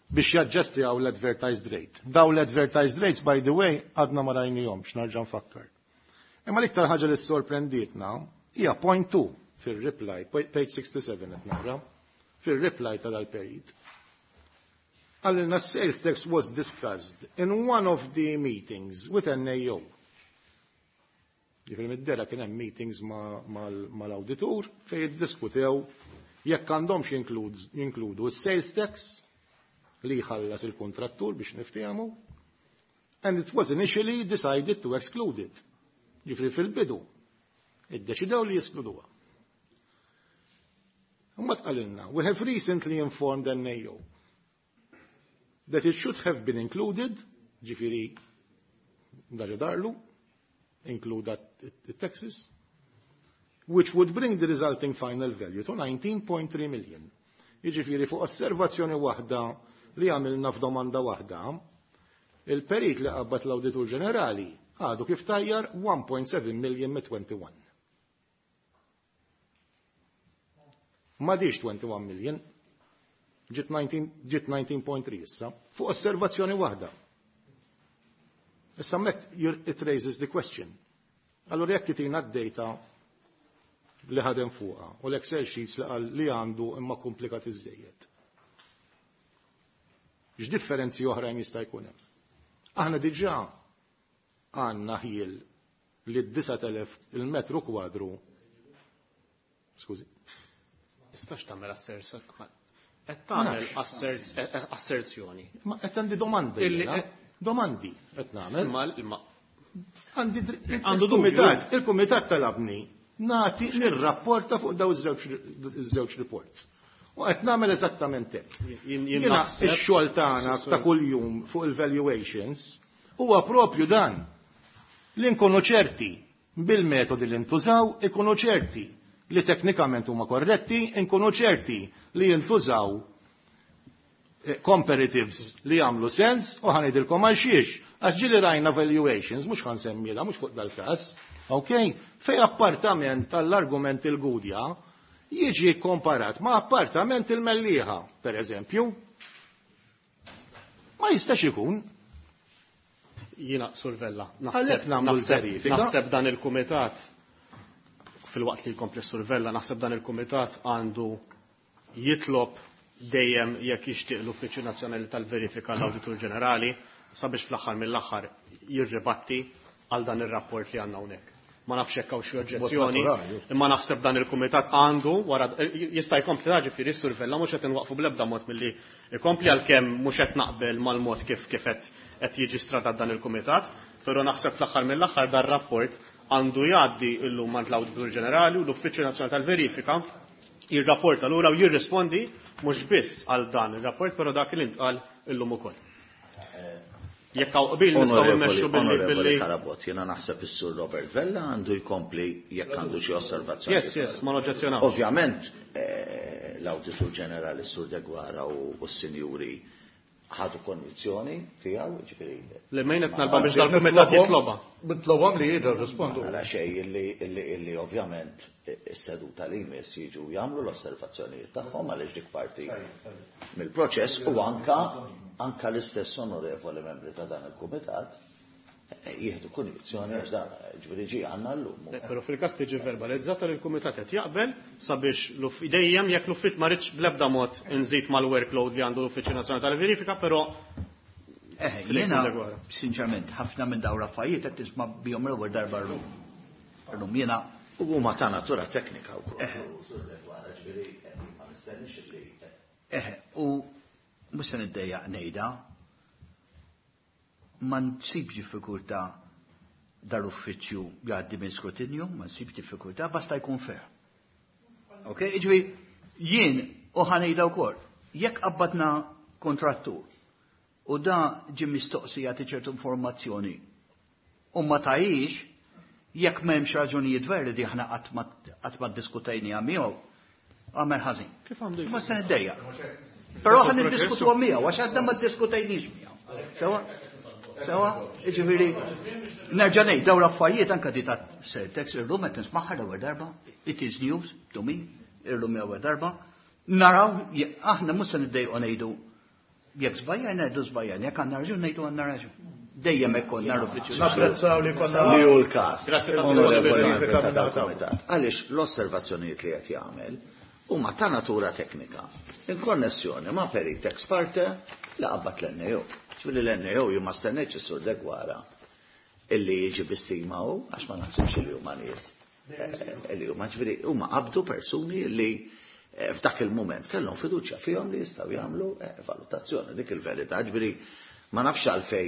biex jaġġestjaw l-advertised rate. Daw l-advertised rates, by the way, għadna ma rajnihomx, nerġa' nfakkar. Imma l-iktar ħaġa li sorprendietna hija point two fil-reply, page sixty-seven qed nara, fil-reply ta' dal-perit. Għallilna sales tax was discussed in one of the meetings with N A O. Ġifieri mid-dera kien hemm meetings mal-awditur fejn iddiskutew jekk għandhomx jinkludu s-sales tax li jħallas il-kontrattur biex niftehmu, and it was initially decided to exclude it. Ġifieri fil-bidu iddeċidew li jeskluduha. Imbagħad qalilna, we have recently informed N A O that it should have been included, ġifieri daġa darlu, include the taxes, which would bring the resulting final value to nineteen point three million. Jiġifieri fuq osservazzjoni waħda li għamilna f'domanda waħda, il-perit li qabad l-Awditur Ġenerali għadu kif tajjar one point seven million me twenty-one. Ma diġ twenty-one million, ġiet nineteen point three issa, fuq osservazzjoni waħda. Issa mek it raises the question. Allora jekk itina d-data li ħadem fuqha u l-Excel sheets li qal li għandu imma komplikat iżejjed. X'differenzi oħrajn jista' jkun hemm? Aħna diġà għandna ħiel li d-disat elef il-metru kwadru. Skużi. Tistax tagħmel asserts. Qed tagħmel asserzjoni. Ma qed għandi domandi. Domandi qed nagħmel. Imma għandi il-kumitat, il-kumitat talabni nagħti nirrapporta fuq daw iż-żewġ reports. U qed nagħmel eżattament hekk. Jiena x-xogħol tagħna ta' kuljum fuq il-valuations huwa propju dan li nkunu ċerti bil-metodi li ntużaw ikunu ċerti li teknikament huma korretti, inkunu ċerti li jintużaw eh, comparatives li jagħmlu sens u ħa ngħidilkom għal xiex. Għax ġieli rajna valuations, mhux ħa nsemmilha, mhux fuq dal-każ, ok? Fej appartament tal-argument il-Gudja jiġi komparat ma' appartament il-Mellieħa, per eżempju. Ma jistax ikun. Jiena Sur Vella, Għalhekk nagħmlu l-verifika. Naħseb dan il-kumitat fil-waqt li jkompli Sur Vella, naħseb dan il-kumitat għandu jitlob dejjem jekk jixtieq l-Uffiċċju Nazzjonali tal-Verifika l-Awditur Ġenerali sabiex fl-aħħar mill-aħħar jirribatti għal dan ir-rapport li għandna hawnhekk. Ma nafx hekk hawn xi oġġezzjoni, imma naħseb dan il-kumitat għandu wara jista' jkompli ta' ġifieri Sur Vella mhux qed inwaqfu bl-ebda mod milli jkompli għalkemm mhux qed naqbel mal-mod kif kif qed qed jiġi stratat dan il-kumitat, però naħseb fl-aħħar mill-aħħar dan rapport għandu jgħaddi llum għand l-Awditur Ġenerali u l-Uffiċċju Nazzjonali tal-Verifika jirrapporta lura u jirrispondi mhux biss għal dan ir-rapport, però dak li ntqal illum ukoll. Jekk hawn qbil nistgħu mmexxu billi billi Carabott, jiena naħseb is-Sur Robert Vella għandu jkompli jekk għandu xi osservazzjoni. Yes, yes, ma noġġezzjonaw. Ovvjament eh, l-Awditur Ġenerali Sur Deguara u s-Sinjuri ħadu konjizzjoni tiegħu, ġifieri. Le mejn qed nalba biex dal-kumitat jitloba. Nitlobhom li jirrispondu. Nara xejn illi illi illi ovvjament is-seduta li jmiss jiġu jagħmlu l-osservazzjonijiet tagħhom għaliex dik parti mill-proċess u anka anka l-istess onorevoli membri ta' dan il-kumitat eh, jieħdu konjizzjoni għax dan ġifieri ġi għandna llum. Però fil-każ tiġi verbalizzata li l-kumitat qed jaqbel sabiex dejjem jekk l-uffiċ ma rridx bl-ebda mod inżid mal-workload li għandu l-Uffiċċju Nazzjonali tal-Verifika, però Eh, jiena, sinċerament, ħafna minn dawn l-affarijiet qed tisma' bihom l-ewwel darba llum. Llum jiena U huma ta' natura teknika wkoll. Eh, u mhux se niddejjaq ngħidha, ma nsibx diffikultà dal-uffiċċju jgħaddi minn skrutinju, ma nsibx diffikultà, basta jkun fair. Ok, jiġifieri jien u ħa ngħidha wkoll, jekk qabbadna kontrattur u da ġie mistoqsi jagħti ċertu informazzjoni u ma tajix, jekk m'hemmx raġunijiet veri di aħna qatt ma ddiskutejniha miegħu, għamel ħażin. Kif għandu Ma se niddejjaq. Però ħa niddiskutuha miegħu għax għadna ma ddiskutejniex miegħu. Sewa? Sewa? Jiġifieri nerġa' ngħid dawn l-affarijiet anke di ta' Surtex illum qed nismagħha l-ewwel darba, it is news to me, illum l-ewwel darba. Naraw aħna mhux se niddejqu ngħidu jekk żbajjajna ngħidu żbajjajna, jekk għandna raġun ngħidu għandna raġun. Dejjem hekk konna l-uffiċċju. Napprezzaw li konna Li hu l-każ. Grazzi Onorevoli tal-Kumitat. Għaliex l-osservazzjonijiet li qed jagħmel huma ta' natura teknika. In konnessjoni ma' perit ex parte li qabbat l-N A O. Ġifieri l-N A O jien ma stennejtx is-Sur Deguara illi jiġi bi stima hu għax ma naħsibx li huma nies. Eh, Illi huma ġifieri huma qabdu persuni li eh, f'dak il-moment kellhom fiduċja fihom li jistgħu jagħmlu eh, valutazzjoni dik il-verità. Ġifieri ma nafx għalfej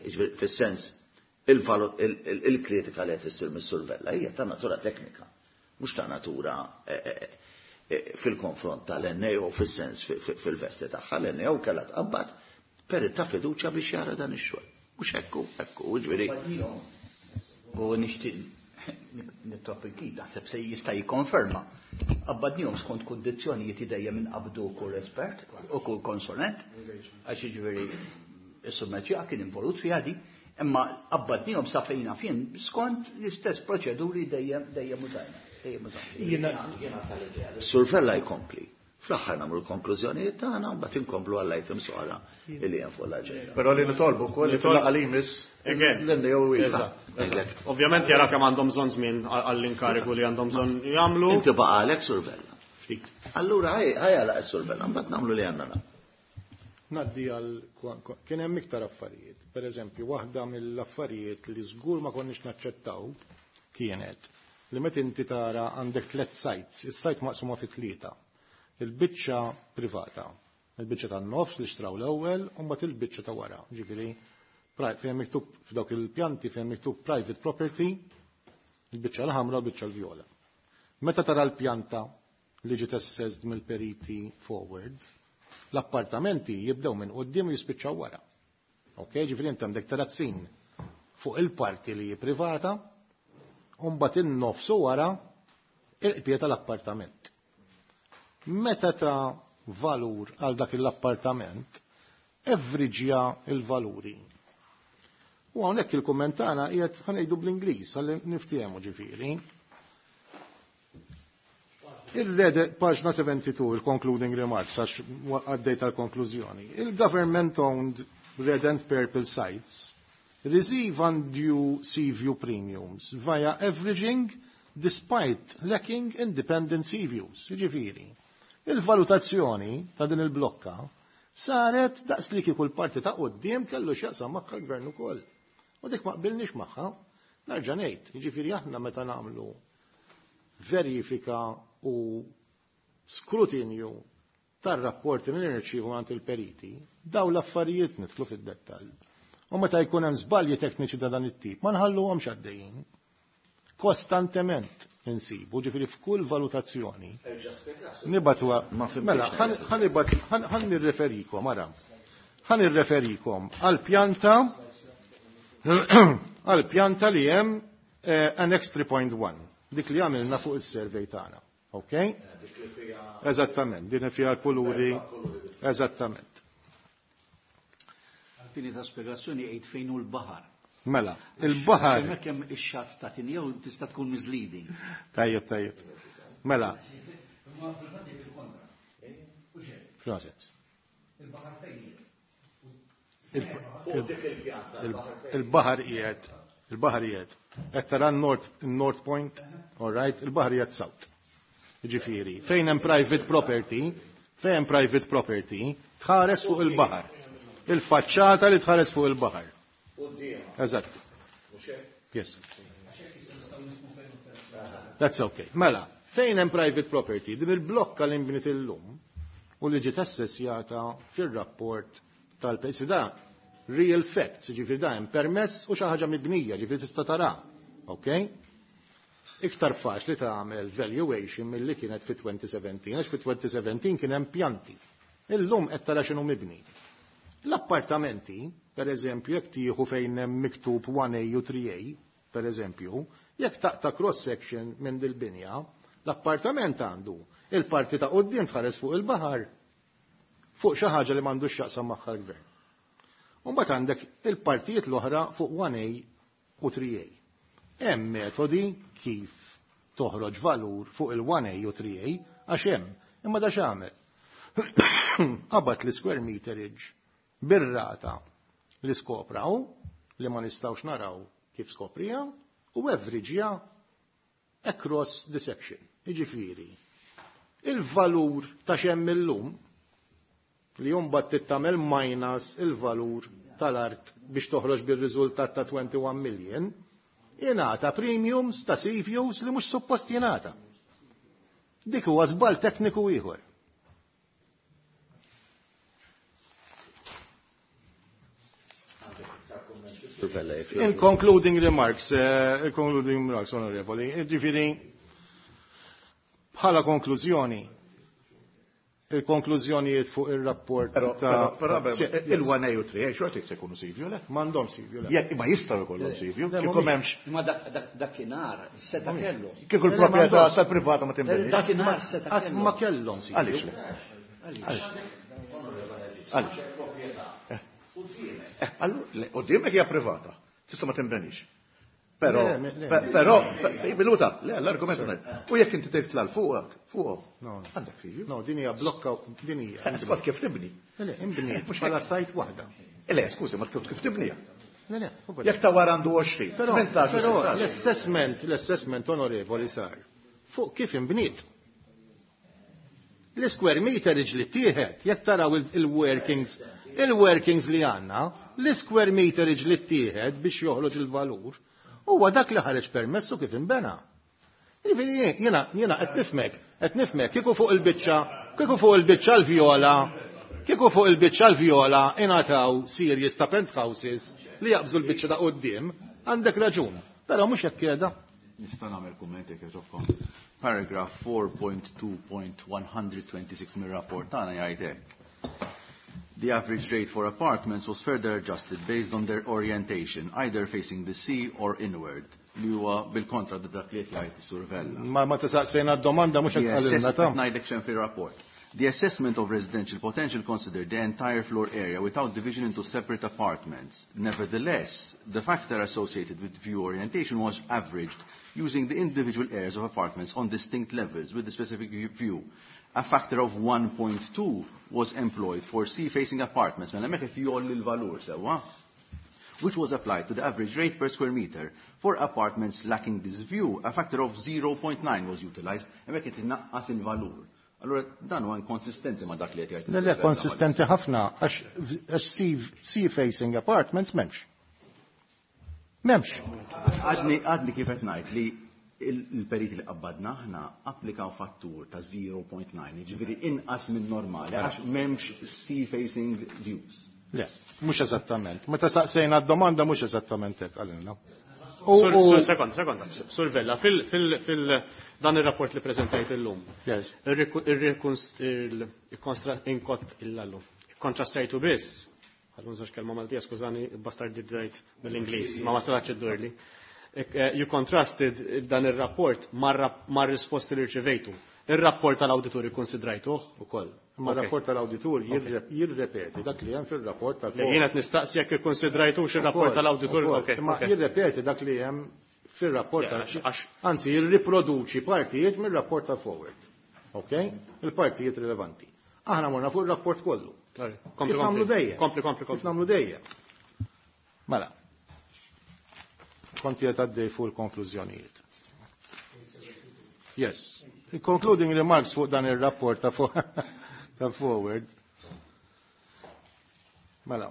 ġifieri fis-sens il-kritika li qed issir mis-Sur Vella hija ta' natura teknika, mhux ta' natura fil-konfront tal-N A O fis-sens fil-vesti tagħha. L-N A O kellha tqabbad perit ta' fiduċja biex jara dan ix-xogħol. Mhux hekk hekk ġifieri. U nixtieq nitlob il-kid, naħseb se jista' jikkonferma. Qabbadnihom skont kundizzjonijiet dejjem inqabdu kull espert u kull konsulent, għax jiġifieri is-summeċja kien involut fiha di, imma qabbadnihom sa fejna fien skont l-istess proċeduri dejjem dejjem użajna. Dejjem użajna. Jiena tal-idea. Sur Vella jkompli. Fl-aħħar nagħmlu l-konklużjonijiet tagħna u mbagħad inkomplu għall-items oħra li hemm fuq l-aġenda. Però li nitolbu wkoll li fil-laqgħa li jmiss l-N A O Eżatt. Ovvjament jara kemm għandhom bżonn żmien għall-inkarigu li għandhom bżonn jagħmlu. Inti baqalek Sur Vella. Ftit. Allura ħaj għalaq Sur Vella, mbagħad nagħmlu li għandna nagħmlu. Naddi għal kien hemm iktar affarijiet. Per eżempju, waħda mill-affarijiet li żgur ma konniex naċċettaw kienet li meta inti tara għandek tliet sites, is-site maqsuma fi tlieta. Il-biċċa privata, il-biċċa tan-nofs li xtraw l-ewwel u mbagħad il-biċċa ta' wara. Ġifieri fejn miktub f'dawk il-pjanti fejn miktub private property, il-biċċa l-ħamra u l-biċċa l-vjola. Meta tara l-pjanta li ġiet assessed mill-periti forward, l-appartamenti jibdew minn quddiem u jispiċċaw wara. Ok, ġifieri inti għandek terazzin fuq il-parti li hi privata U mbagħad in-nofsu wara il-qpiet tal-appartament. Meta ta' valur għal dak l-appartament, evriġja il-valuri. U hawnhekk il-kumment tagħna qiegħed ħa ngħidu bl-Ingliż ħalli niftehmu ġifieri. Il-red, paġna sebgħa u sebgħin, il-concluding remarks, għax għaddej tal-konklużjoni. Il-government-owned red and purple sites receive undue sea view premiums via averaging despite lacking independent sea views. Ġifieri, il-valutazzjoni ta' din il-blokka saret daqs li kieku l-parti ta' quddiem kellu x'jaqsam magħha l-gvern ukoll. U dik ma qbilniex magħha, nerġa' ngħid, jiġifieri aħna meta nagħmlu verifika u skrutinju tar-rapporti li nirċievu għand il-periti, daw l-affarijiet nidħlu fid-dettall. U meta jkun hemm żbalji tekniċi ta' dan it-tip, ma nħalluhomx għaddejjin. Kostantement insibu, ġifieri f'kull valutazzjoni. Nibatu mela, ħa nirreferikom, ara. Ħa nirreferikom għal-pjanta għal-pjanta li hemm eh, Annex tlieta punt wieħed, dik li għamilna fuq is-survey tagħna. Ok? Eżattament, din fiha l-kuluri. Eżattament. Għal fini ta' spiegazzjoni għid fejn hu l-baħar. Mela, il-baħar. Hemmhekk hemm ix-xatt ta' Tinjew tista' tkun misleading. Tajjeb, tajjeb. Mela. F'xi Il-baħar fejn Il-baħar qiegħed, il-baħar qiegħed. Qed tara North North Point, all right, il-baħar qiegħed south. Ġifieri, fejn hemm private property, fejn hemm private property, tħares fuq il-baħar. Il-faċċata li tħares fuq il-baħar. Eżatt. Yes. That's okay. Mela, fejn hemm private property, din il-blokka li nbniet illum u li ġiet assessjata fir-rapport tal-pejsi da real facts, ġifieri da hemm permess u xi ħaġa mibnija, ġifieri tista' tara. Okay? Iktar faċli tagħmel valuation milli kienet fi elfejn u sbatax, għax fi elfejn u sbatax kien hemm pjanti. Illum qed tara x'inhu mibni. L-appartamenti, per eżempju, jekk tieħu fejn hemm miktub wieħed A u tlieta A, per eżempju, jekk taqta' cross section minn dil-binja, l-appartament għandu il-parti ta' quddiem tħares fuq il-baħar fuq xi ħaġa li m'għandux x'jaqsam magħha l-gvern. U mbagħad għandek il-partijiet l-oħra fuq wieħed A u tlieta A. Hemm metodi kif toħroġ valur fuq il-wieħed A u tlieta A għax hemm, imma da x'għamel? Qabad l-square meterage bir-rata li skopraw, li ma nistawx naraw kif skoprija, u average across the section. Iġifieri, il-valur ta' x'hemm illum li jumbat tittamel minus il-valur tal-art biex toħroġ bil-riżultat ta' wieħed u għoxrin million, jingħata premiums ta' sea views li mhux suppost jingħata. Dik huwa żball tekniku ieħor. In concluding remarks, uh, concluding remarks, onorevoli, ġifieri, bħala konklużjoni, il-konklużjonijiet fuq il-rapport ta' Però il-wieħed A u tlieta A xorta se jkunu sea view, le? M'għandhom sea view, le. Jekk ma jistgħu jkollhom sea view, kieku m'hemmx. Imma dakinhar seta' kellu. Kieku l-proprjetà tal-privata ma tinbidilx. Dakinhar seta' Qatt ma kellhom sea view. Għaliex le? Għaliex? Eh, allura, quddiemek hija privata, tista' ma tinbenix. Però, però, minuta, le, l-argument U jekk inti titla' fuqek, fuq. Għandek sea view. No, din hija blokka, din hija. Skont kif tibni. Le, imbniet bħala sajt waħda. Le, skużi, ma kif tibnija. Le, le, Jekk ta' wara għandu għoxrin, Però, tmintax, però sittax. l-assessment, l-assessment onorevoli sar fuq kif imbniet. L-square meterage li tieħed, jekk taraw il-workings, il-workings li għandna, l-square meterage li tieħed biex joħroġ il-valur, huwa dak li ħareġ permessu kif imbena. Jiġifieri jiena jiena qed nifhmek, qed nifhmek kieku fuq il-biċċa, kieku fuq il-biċċa l-vjola, kieku fuq il-biċċa l-vjola ingħataw series ta' penthouses li jaqbżu l-biċċa ta' quddiem, għandek raġun. Però mhux hekk qiegħda. Nista' nagħmel kumment jekk jogħġobkom. Paragraph four point two point one twenty-six mir-rapport tagħna jgħid hekk. The average rate for apartments was further adjusted based on their orientation, either facing the sea or inward. li huwa bil-kontra dak li qed jgħid is-Sur Vella. Ma ma tisaqsejna d-domanda mhux qed qalilna ta' ngħidlek xejn fir-rapport. The assessment of residential potential considered the entire floor area without division into separate apartments. Nevertheless, the factor associated with view orientation was averaged using the individual areas of apartments on distinct levels with the specific view. A factor of one point two was employed for sea-facing apartments. Mela hemmhekk qed jgħolli l-valur sewwa, which was applied to the average rate per square meter. For apartments lacking this view, a factor of zero point nine was utilized, hemmhekk qed innaqqas il-valur. Allora dan huwa inkonsistenti ma' dak li qed jgħid. Le, le, konsistenti ħafna għax sea-facing apartments m'hemmx. M'hemmx. Għadni, għadni kif qed ngħid li il-periti li qabbadna aħna applikaw fattur ta' zero point nine, jiġifieri inqas minn normali għax m'hemmx sea-facing views. Le, mhux eżattament. Meta saqsejna d-domanda mhux eżattament hekk qalilna. Sur, sekonda, sekonda. Sur Vella, fil, fil, fil dan ir-rapport li preżentajt illum. Yes. Il-allu. Kontrastajtu biss. Ħallu nżax kelma Maltija, skużani, bastardizzajt mill-Ingliż, ma ma sarax iddurli. You contrasted dan ir-rapport mar-risposti li rċevejtu. Ir-rapport tal-awditur ikkonsidrajtuh ukoll. Ma r-rapport tal-awditur jirrepeti dak li hemm fir-rapport tal-. Jien qed nistaqsi jekk ikkonsidrajtux ir-rapport tal-awditur. Ma jirrepeti dak li hemm fir-rapport tal-. Anzi, jirriproduċi partijiet mir-rapport tal-forward. Ok? Il-partijiet rilevanti. Aħna morna fuq ir-rapport kollu. Kompli, Kif nagħmlu dejjem? Kompli, kompli, Kif nagħmlu dejjem? Mela. Konti qed għaddej fuq il-konklużjonijiet. Yes. Concluding remarks fuq dan ir-rapport ta' ta' forward. Mela.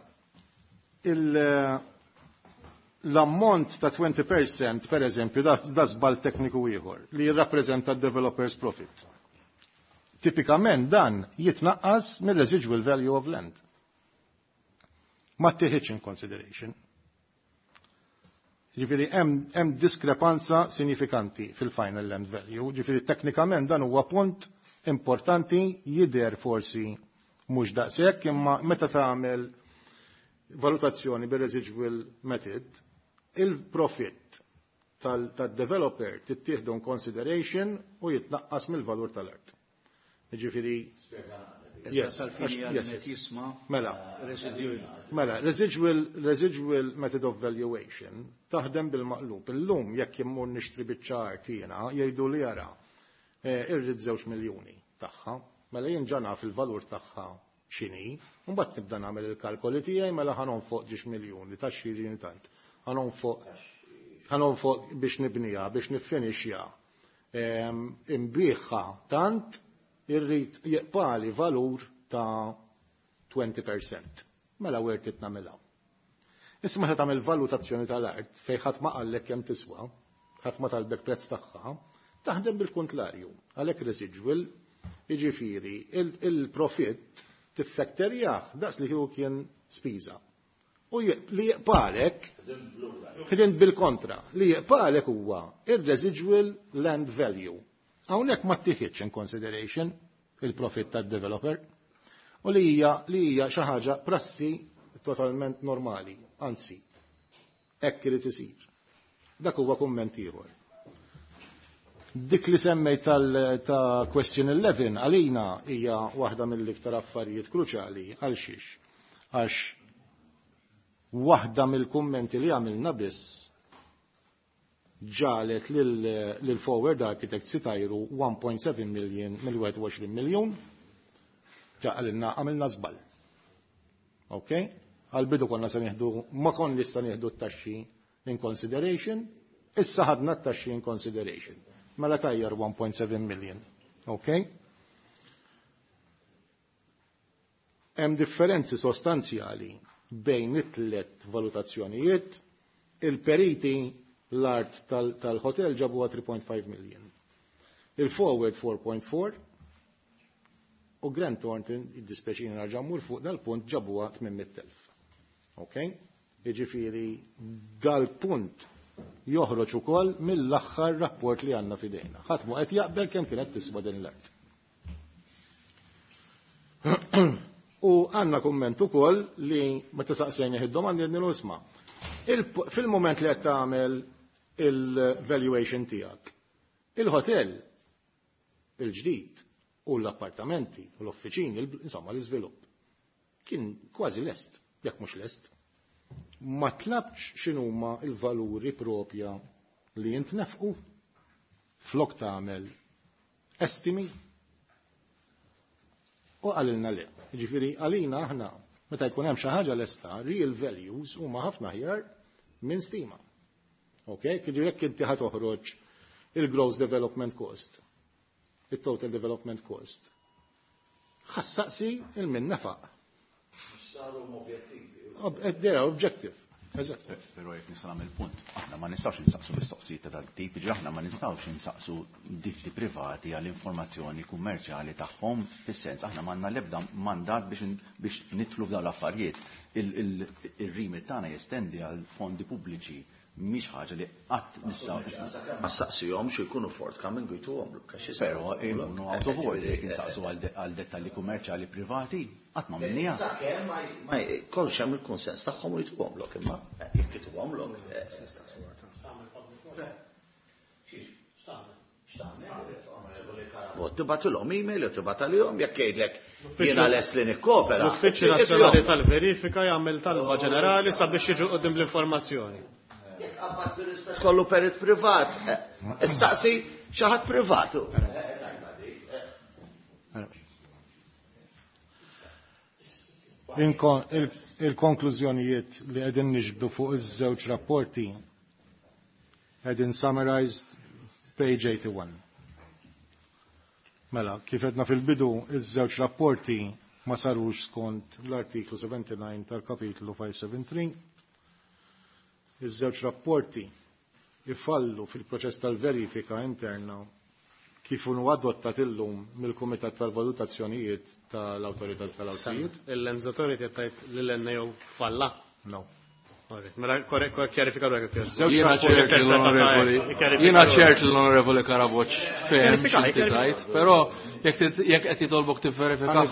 L-ammont ta' twenty percent, per eżempju, da żball tekniku ieħor li jirrappreżenta developers profit. Tipikament dan jitnaqqas mir-residual value of land. Ma tieħidx in consideration. Ġifieri hemm diskrepanza sinifikanti fil-final land value. Ġifieri teknikament dan huwa punt importanti, jidher forsi mhux daqshekk, imma meta tagħmel valutazzjoni bir-residual method, il-profit tad-developer tittieħdu in consideration u jitnaqqas mill-valur tal-art. Ġifieri Yes, yes. Mela, mela, residual, residual method of valuation taħdem bil-maqlub. Illum jekk immur nixtri biċċa art jiena jgħidu li jara irrid żewġ miljuni tagħha, mela jien ġa naf il-valur tagħha x'inhi, u mbagħad nibda nagħmel il-kalkoli tiegħi mela ħa nonfoq ġiex miljuni ta' xi tant. Ħa nonfoq ħa nonfoq biex nibniha, biex niffinixja. Imbiħha tant irrid jeqpali valur ta' twenty percent. Mela worth it nagħmilha. Issa meta tagħmel valutazzjoni tal-art fejn ħadd ma qallek kemm tiswa, ħadd ma talbek prezz tagħha, taħdem bil-kontlarju. Għalhekk residual, jiġifieri il-profitt tiffekterjah daqs li kieku kien spiża. U li jeqpalek, ħdint bil-kontra, li jeqpalek huwa ir-residual land value. Hawnhekk ma tieħidx in consideration il-profit tad-developer u li hija li hija xi ħaġa prassi totalment normali, anzi, hekk irid isir. Dak huwa kumment ieħor. Dik li semmejt tal ta' question eleven għalina hija waħda mill-iktar affarijiet kruċjali għal xiex. Għax waħda mill-kummenti li għamilna biss ġalet lil forward architects itajru one point seven million mill-wieħed u għoxrin miljun, ġaqalilna għamilna żball. Ok? Għal-bidu konna se nieħdu, ma konna se nieħdu t-taxxi in consideration, issa ħadna t-taxxi in consideration. Mela tajjar one point seven million. Ok? Hemm differenzi sostanzjali bejn it-tliet valutazzjonijiet, il-periti l-art tal-hotel ġabuha three point five million. Il-forward four point four u Grant Thornton, id-dispeċini narġa' mmur fuq dal-punt, ġabuha tmien mitt elf. Ok? Jiġifieri dal-punt joħroġ ukoll mill-aħħar rapport li għandna f'idejna. Ħadd mhu qed jaqbel kemm kienet tiswa din l-art. U għandna kumment ukoll li meta saqsejna id-domandi qed nisma'. Fil-moment li qed tagħmel il-valuation tiegħek. Il-hotel il-ġdid u l-appartamenti u l-offiċini, insomma l-iżvilupp, kien kważi lest, jekk mhux lest. Ma tlabx x'inhuma l-valuri propja li jintnefqu flok tagħmel estimi u qalilna le. Ġifieri għalina aħna meta jkun hemm xi ħaġa lesta, real values huma ħafna aħjar minn stima. Ok? Kidu jekk inti ħa toħroġ il-gross development cost, il-total development cost. Ħa ssaqsi 'il min nefaq. Saru objettivi. They're objective. Eżatt. Però jekk nista' nagħmel punt, aħna ma nistgħux insaqsu mistoqsijiet ta' dal-tip, ġi aħna ma nistgħux insaqsu ditti privati għall informazzjoni kummerċjali tagħhom, fis-sens aħna m'għandna l-ebda mandat biex biex nidħlu f'dawn l-affarijiet. Ir-remit tagħna jestendi għal fondi pubbliċi, mhix ħaġa li qatt nistgħu. Ma ssaqsihomx jkunu forthcoming u jtuhom. Però jkunu out of order jekk insaqsu għal dettalji kummerċjali privati, qatt ma minnija. Sakemm ma jkollx hemm il-kunsens tagħhom u jtuhomlok, imma jekk ituhomlok. Tibgħatilhom email jew tibgħat għalihom jekk jgħidlek jiena lest li nikkopera. L-Uffiċċju Nazzjonali tal-Verifika jagħmel talba ġenerali sabiex jiġu quddiem l-informazzjoni. Kollu perit privat. Issaqsi xi ħadd privat. Il-konklużjonijiet li qegħdin niġbdu fuq iż-żewġ rapporti qegħdin summarized page eighty-one. Mela, kif għedna fil-bidu, iż-żewġ rapporti ma sarux skont l-artiklu seventy-nine tal-kapitlu five seven three. Iż-żewġ rapporti ifallu fil-proċess tal-verifika interna kif hu adottat illum mill-Kumitat tal-Valutazzjonijiet tal-Awtorità tal-Artijiet. Il-Lands Authority tajt lil-N A O falla? No. Mela, kjarifika ruħek. Jiena ċert l-onorevoli, jiena ċert l-onorevoli Karaboċ fehem x'inti tajt, però jekk qed jitolbok tivverifika.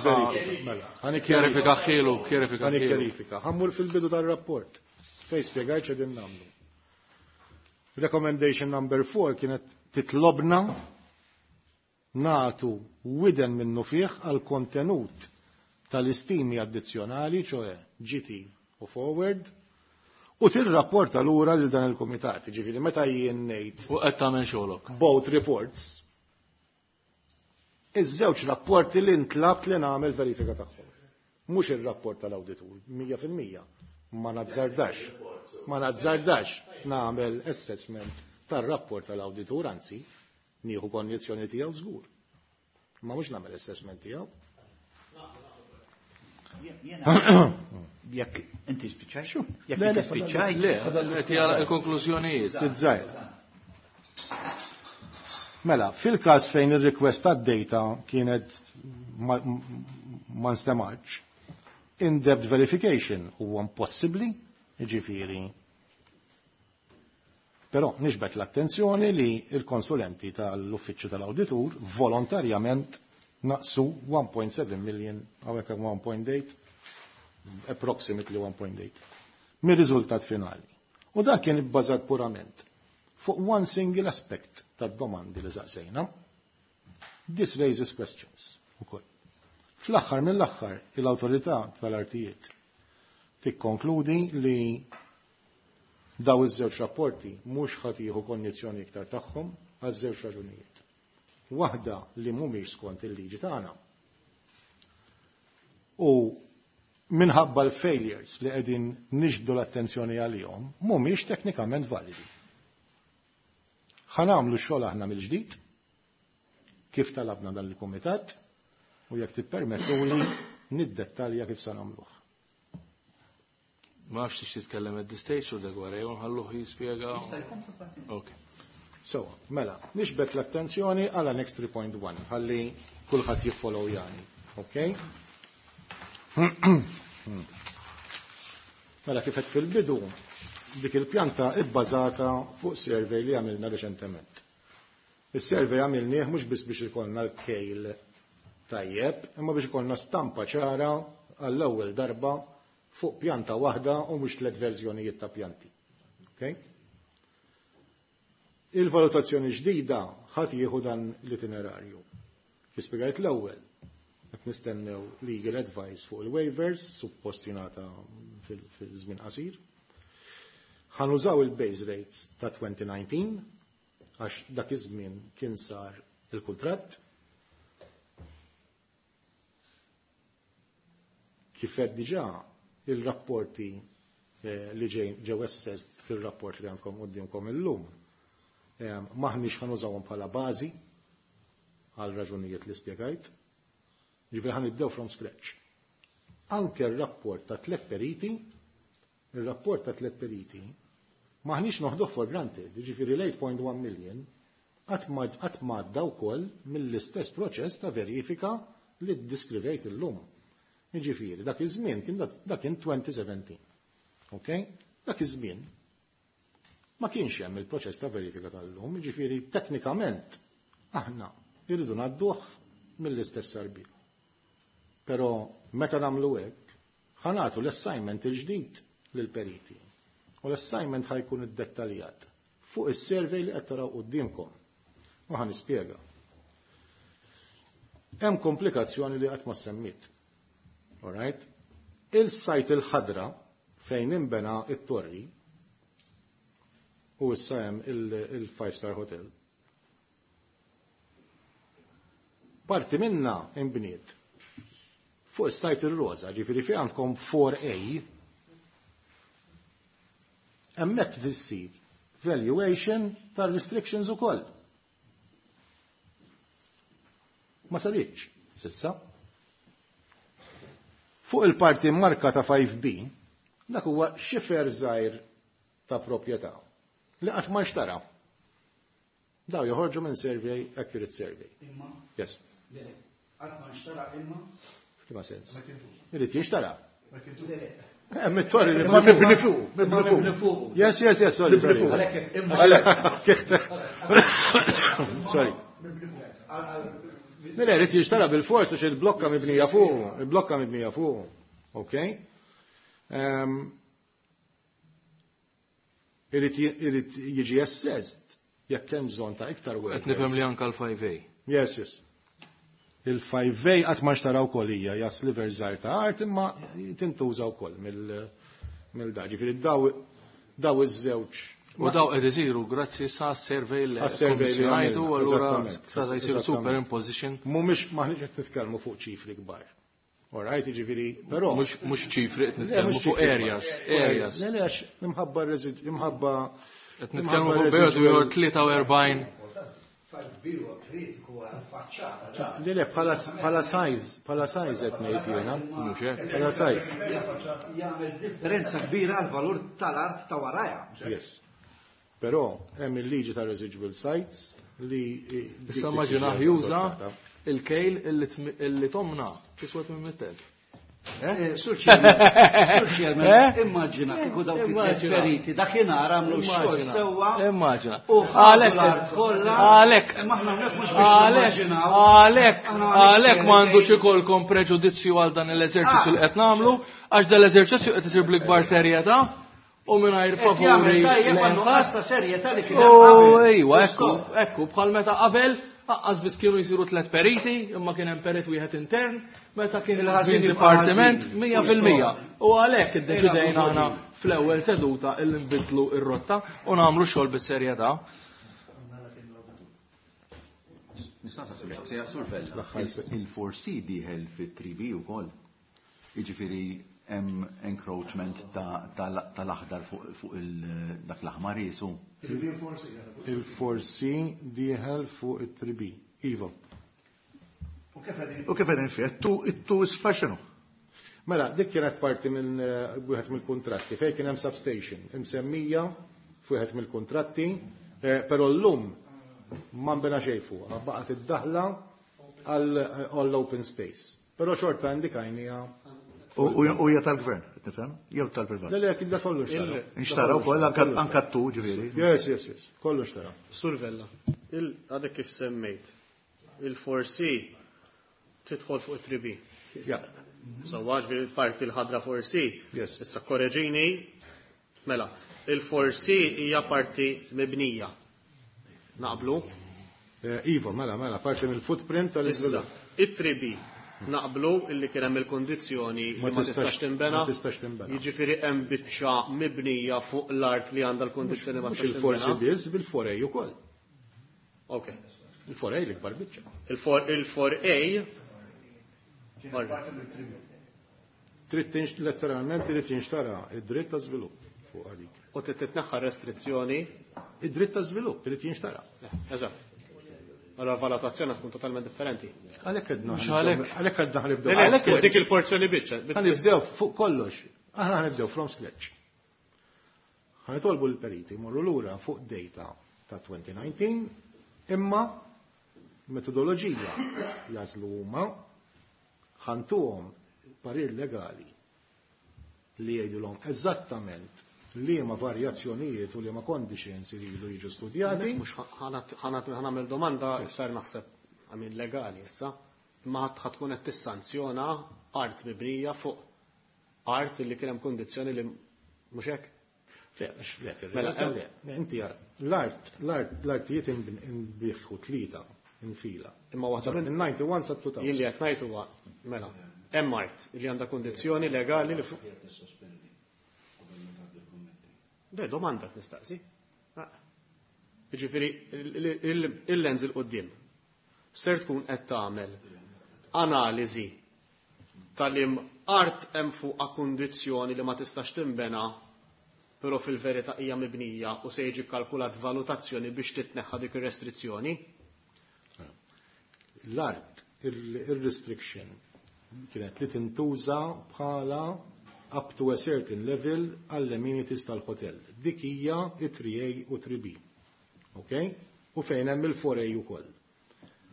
Mela, kjarifika ħielu, kjarifika ħielu. Kjarifika. Ħammur fil-bidu tar-rapport fej spjegajt x'qegħdin nagħmlu. Recommendation number four kienet titlobna natu widen minnu fih għal kontenut tal-istimi addizzjonali, ċoħe G T u forward, u tirrapporta lura lil dan il-kumitat. Ġifieri meta jien ngħid U qed tagħmel xogħolok. Both reports. Iż-żewġ rapporti li ntlabt li nagħmel verifika tagħhom. Mhux ir-rapport tal-awditur, mija fil-mija. Ma nazzardax. Ma nazzardax nagħmel assessment tar-rapport tal-awditur, anzi, nieħu konjizzjoni tiegħu żgur. Ma mhux nagħmel assessment tiegħu. Jekk inti spiċċaj? Jekk Le, inti le, spiċċaj? Le, qed jara l-konklużjonijiet. Tiżżajr. Mela, fil-każ fejn ir-request tad-data kienet ma, ma nstemax, in-depth verification huwa impossibbli, jiġifieri. Però nixbet l-attenzjoni li l-konsulenti tal-uffiċċju tal-awditur volontarjament naqsu one point seven million, hawnhekk hemm one point eight, approximately one point eight, mir-riżultat finali. U dak kien ibbażat purament fuq one single aspect tad-domandi li saqsejna. This raises questions ukoll. Fl-aħħar mill-aħħar, l-awtorità tal-artijiet tikkonkludi li daw iż-żewġ rapporti mhux ħadd jieħu kondizzjoni iktar tagħhom għaż żewġ raġunijiet. Waħda li mhumiex skont il-liġi tagħna. U minħabba l-failures li qegħdin niġbdu l-attenzjoni għalihom mhumiex teknikament validi. Ħa nagħmlu x-xogħol aħna mill-ġdid kif talabna dan il-kumitat u jekk tippermettuli niddettalja kif se nagħmluh. Ma nafx tix titkellem at this stage u dak wara jew nħalluh jispjega. Ok. So, mela, nixbet l-attenzjoni għal annex three point one, ħalli kulħadd jiffollow jani. Ok? Mela, kif qed fil-bidu, dik il-pjanta ibbażata fuq survey li għamilna reċentement. Is-survey għamilnieh mhux biss biex ikollna l-kejl tajjeb, imma biex ikollna stampa ċara għall-ewwel darba fuq pjanta waħda u mhux tliet verżjonijiet ta' pjanti. Ok? Il-valutazzjoni ġdida ħadd jieħu dan l-itinerarju. Kif spjegajt l-ewwel, qed nistennew legal advice fuq il-waivers, suppost jingħata fil-żmien qasir. Ħa nużaw il-base rates ta' twenty nineteen għax dak iż-żmien kien sar il-kuntratt. Kif qed diġà, il-rapporti eh, li ġew assessed fil-rapport li għandkom quddiemkom illum eh, maħniex ħa nużawhom bħala bażi għal raġunijiet li spjegajt. Ġifieri ħa nibdew from scratch. Anke r-rapport ta' tliet periti, il-rapport ta' tliet periti, maħniex noħduh for granted, ġifieri l-eight point one million qatt m'għadda wkoll mill-istess proċess ta' verifika li ddiskrivejt illum. Ġifieri, dak iż-żmien kien dak kien twenty seventeen. Ok? Dak iż-żmien ma kienx hemm il-proċess ta' verifika tal-lum, ġifieri teknikament aħna irridu ngħadduh mill-istess sarbija. Però meta nagħmlu hekk, ħa nagħtu l-assignment il-ġdid lill-periti. U l-assignment ħa jkun iddettaljat fuq is-survey li qed taraw quddiemkom. U ħa nispjega. Hemm komplikazzjoni li qatt ma semmit. Alright? Il-site il-ħadra fejn imbena it-torri u issa hemm il-five star hotel. Parti minna imbniet fuq is-site il-roza, ġifieri fi għandkom four A, hemmhekk tissir valuation tar-restrictions ukoll. Ma saritx, s'issa. Fuq il-parti marka ta' five B, dak huwa xifer żgħir ta' proprjetà li qatt ma nxtara. Daw joħorġu minn survey, accurate survey. Imma? Yes. Le, qatt ma nxtara imma? F'liema sens? Irid jinxtara. Le, le. Hemm it-torri li Imma mibni fuq, mibni fuq. Yes, yes, yes, sorry, sorry. Għalhekk imma. Sorry. Mela jrid jinxtara bil-fors għax il-blokka mibnija fuq, il-blokka mibnija fuq. Ok? Ehm, Irid irid jiġi assessed jekk hemm bżonn ta' iktar Qed workers. nifhem li anke l-five A. Yes, yes. Il-five A qatt ma nxtara wkoll, hija hija sliver żgħir ta' art imma tintuża wkoll mill mill-da. Ġifieri daw daw iż-żewġ. U daw qed isiru grazzi sa survey li Għas-survey li kommissjonajtu, għamilna, u allura eżattament, sa jsiru eżattament. superimposition. Mhumiex, maħniex qed nitkellmu fuq ċifri kbar. All right, ġifieri, però Mhux mhux ċifri, qed Le, nitkellmu mhux fuq ċifri areas, kbar. Areas. Le, le, għax imħabba resid- imħabba Qed nitkellmu fuq periodu ieħor tlieta u erbgħin. five B huwa kritiku għal faċċata. Le, le, bħala bħala size, bħala size qed ngħid jiena. Mhux hekk. Bħala size. Jagħmel differenza kbira għal valur tal-art ta' waraja. Yes. Però hemm il-liġi ta' residual sites li Issa immaġina juża il-kejl illi tmi- illi tomna tiswa tmien mitt elf. Eh, Sur Chairman, Sur Chairman, Eh? immaġina kieku dawk it-tliet Immaġina. periti dakinhar għamlu x-xogħol Immaġina. sewwa Immaġina. u ħadu Għalhekk- l-art kollha. Għalhekk. Imma aħna hawnhekk mhux biex Għalhekk, nimmaġinaw. għalhekk, Aħna għalhekk hawnhekk m'għandux ikollkom preġudizzju għal dan l-eżerċizzju li qed nagħmlu, għax dan l-eżerċizzju qed isir bl-ikbar serjetà u mingħajr Qed favuri jagħmel tajjeb lejn għal nuqqas ħadd. ta' serjetà li kien hemm U qabel. ejwa, ekku, Stop. ekku, bħal meta qabel, aqqas biss kienu jsiru tliet periti, imma kien hemm perit wieħed intern, meta kien Il-ħażin il jibqa' dipartiment ħażin. mija fil-mija. U għalhekk iddeċidejna Ejla, aħna fl-ewwel seduta illi nbidlu ir-rotta u nagħmlu x-xogħol bis-serjetà. Nista' nsaqsi mistoqsija, Sur Vella? Il-four C dieħel fit-three B ukoll. Jiġifieri hemm encroachment ta- tal- tal-aħdar fuq fuq il- dak l-aħmar jisu. Il-four C dieħel fuq it-three B. Iva. U kif qegħdin fih? It-two it-two isfar x'inhu? Mela, dik kienet parti minn eh, wieħed mill-kontratti fejn kien hemm substation imsemmija f'wieħed mill-kontratti, eh, però llum ma nbena xejn fuqha, baqgħet id-daħla għall open space. Però xorta indikajnija. U u hija tal-gvern, qed nifhem? Jew tal-privat? Le, le, kien da kollu xtara. Inxtara wkoll anka anka t-two ġifieri. Yes, yes, yes, kollu xtara. Sur Vella, il għadek kif semmejt, il-four C tidħol fuq it-three B. Ja. So għax parti l-ħadra four C. Yes. Issa korreġini, mela, il-four C hija parti mibnija. Naqblu? Iva, mela, mela, parti mill-footprint tal-iżvilupp. It-three B naqblu illi kien hemm il-kondizzjoni li ma tistax tinbena. Ma tistax tinbena. Jiġifieri hemm biċċa mibnija fuq l-art li għandha l-kondizzjoni ma tistax tinbena. Il-forsi biss bil-four A ukoll. Ok. Il-four A l-ikbar biċċa. Il-four A Trid tinx letteralment irid jinxtara id-dritt ta' żvilupp fuq għalik. U trid titneħħa restrizzjoni? Id-dritt ta' żvilupp irid jinxtara. Eżatt. Allora valutazzjoni tkun totalment differenti. Għalhekk għedna. Mhux għalhekk. Għalhekk għedna ħanibdew. Le, le, għalhekk dik il-porzjoni biċċa. Ħanibdew fuq kollox. Aħna ħanibdew from scratch. Ħanitolbu l-periti morru lura fuq data ta' twenty nineteen imma metodoloġija jażlu huma ħantuhom parir legali li jgħidulhom eżattament liema varjazzjonijiet u liema conditions iridu jiġu studjati. Mhux ħanagħmel domanda iktar naħseb għamil legali issa, imma ħadd tkun qed tissanzjona art mibnija fuq art li kien hemm kondizzjoni li mhux hekk? Le, mhux le, fir-realtà le. Inti jara, l-art, l-art, l-artijiet inbiħħu tlieta infila. Imma waħda minn ninety-one sa two thousand. Jien li qed ngħid huwa mela, hemm art li għandha kondizzjoni legali li fuq. Le, domanda nistaqsi. Jiġifieri il-lens il-qudiem ser tkun qed tagħmel analiżi tal-im art hemm fuqha kundizzjoni li ma tistax tinbena, però fil-verità hija mibnija u se jiġi kkalkulat valutazzjoni biex titneħħa dik ir-restrizzjoni. L-art, il-restriction kienet li tintuża bħala up to a certain level għall-amenities tal-hotel. Dik hija it-three A u three B. Ok? U fejn hemm il-four A ukoll.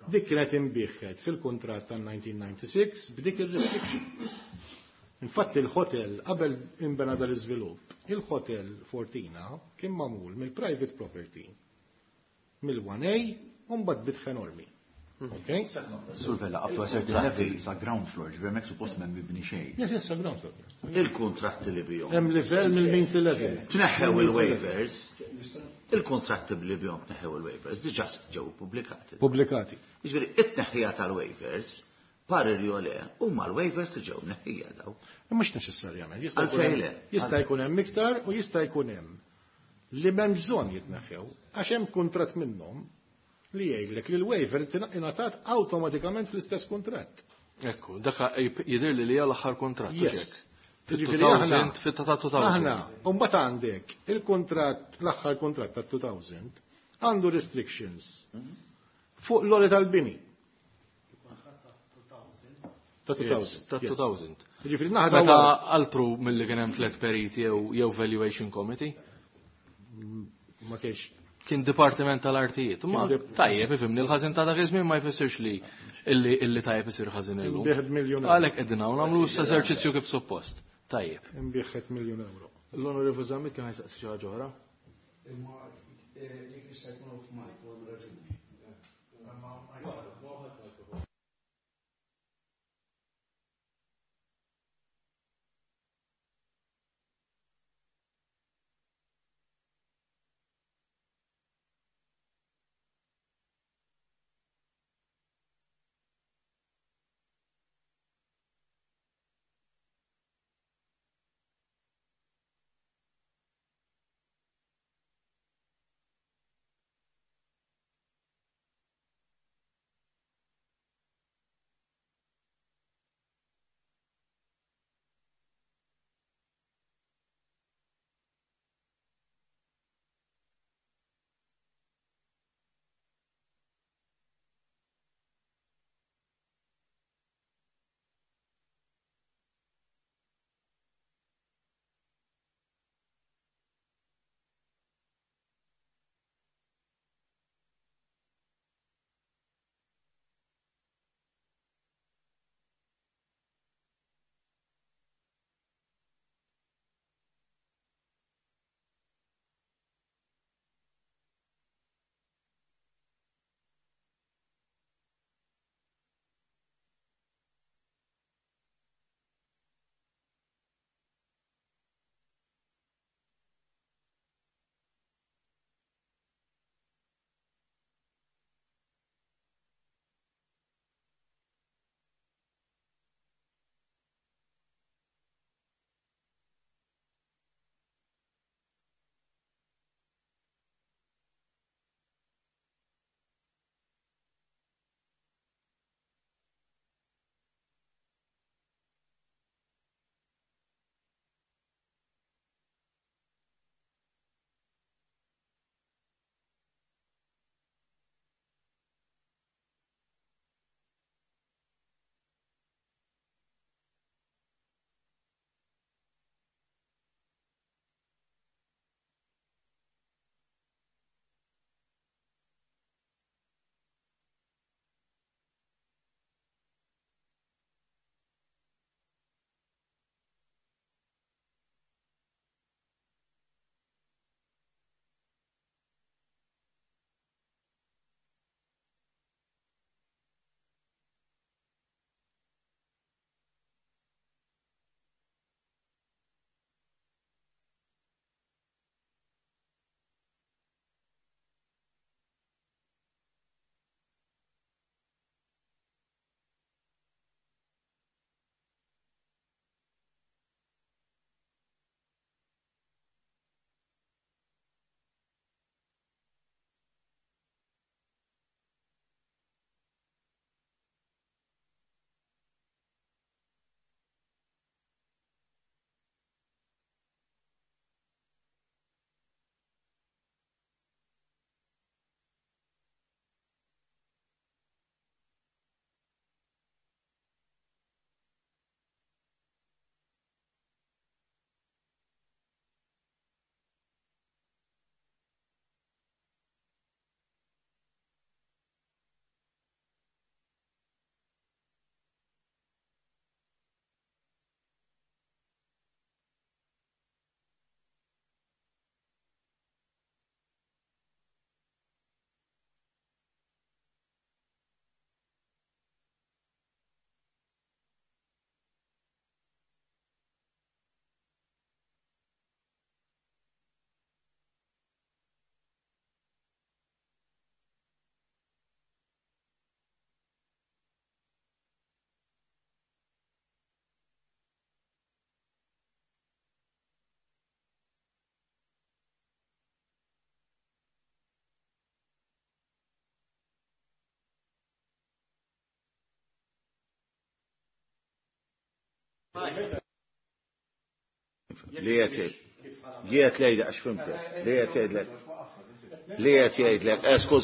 Dik kienet imbieħet fil-kuntratt tan nineteen ninety-six b'dik il-restriction. Infatti il-hotel qabel imbena dal-iżvilupp, il-hotel Fortina kien magħmul mill-private property mill-one A u mbagħad bitħ enormi. Okay? Sur Vella, up to a certain level sa ground floor, ġifieri hemmhekk suppost m'hemm mibni xejn. Yes, yes, sa ground floor. Il-kuntratti li bihom. Hemm livell mill-means level. Tneħħew il-waivers. Il-kuntratti li bihom tneħħew il-waivers diġà ġew pubblikati. Pubblikati. Jiġifieri it-tneħħija tal-waivers parir jew le, huma l-waivers li ġew mneħħija daw. Mhux neċessarjament. Jista' jkun Għalfejn hemm le? jista' jkun hemm iktar u jista' jkun hemm li m'hemmx bżonn jitneħħew għax hemm kuntratt minnhom li jgħidlek li l-waiver ingħatat awtomatikament fl-istess kuntratt. Ekku, dak jidher li hija l-aħħar kuntratt, Yes. hekk. Jiġifieri Fit-two aħna thousand, fit-ta' two thousand. Aħna, u mbagħad għandek il-kuntratt, l-aħħar kuntratt ta' two thousand għandu restrictions fuq l-għoli tal-bini. Ta' two Yes, thousand. ta' two thousand. Jiġifieri naħda Meta wara. altru milli kien hemm tliet periti jew, jew valuation committee? Ma kienx. Kien dipartiment tal-artijiet. Ma Kien dip- tajjeb, ifhimni, l-ħażin ta' dak iż-żmien ma jfissirx li illi, illi tajjeb isir ħażin illum. Imbieħed miljun euro. Għalhekk qegħdin hawn nagħmlu eżerċizzju kif suppost. Tajjeb. Imbieħed miljun euro. L-Onorevoli Zammit kien ħajsaqsi xi ħaġa oħra. Imma, eh, jekk jista' jkun off mic, u hemm raġuni. Li qed jgħid. Li qed jgħidlek għax fimtek. Li qed jgħidlek. Li qed jgħidlek, eh, skuż.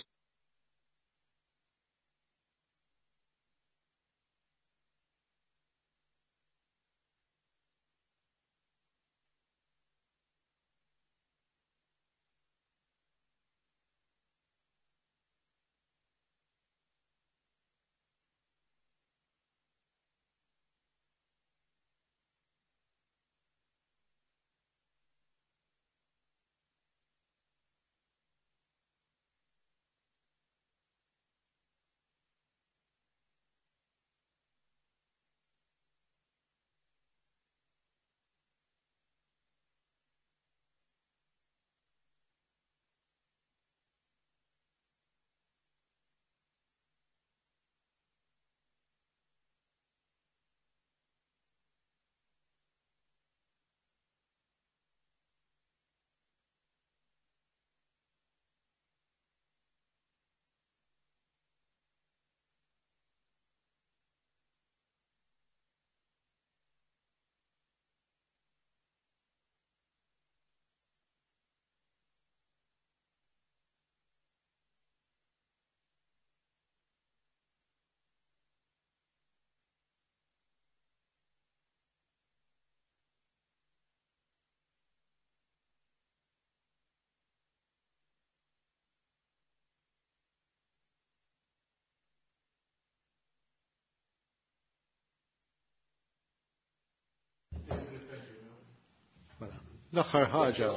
L-aħħar ħaġa.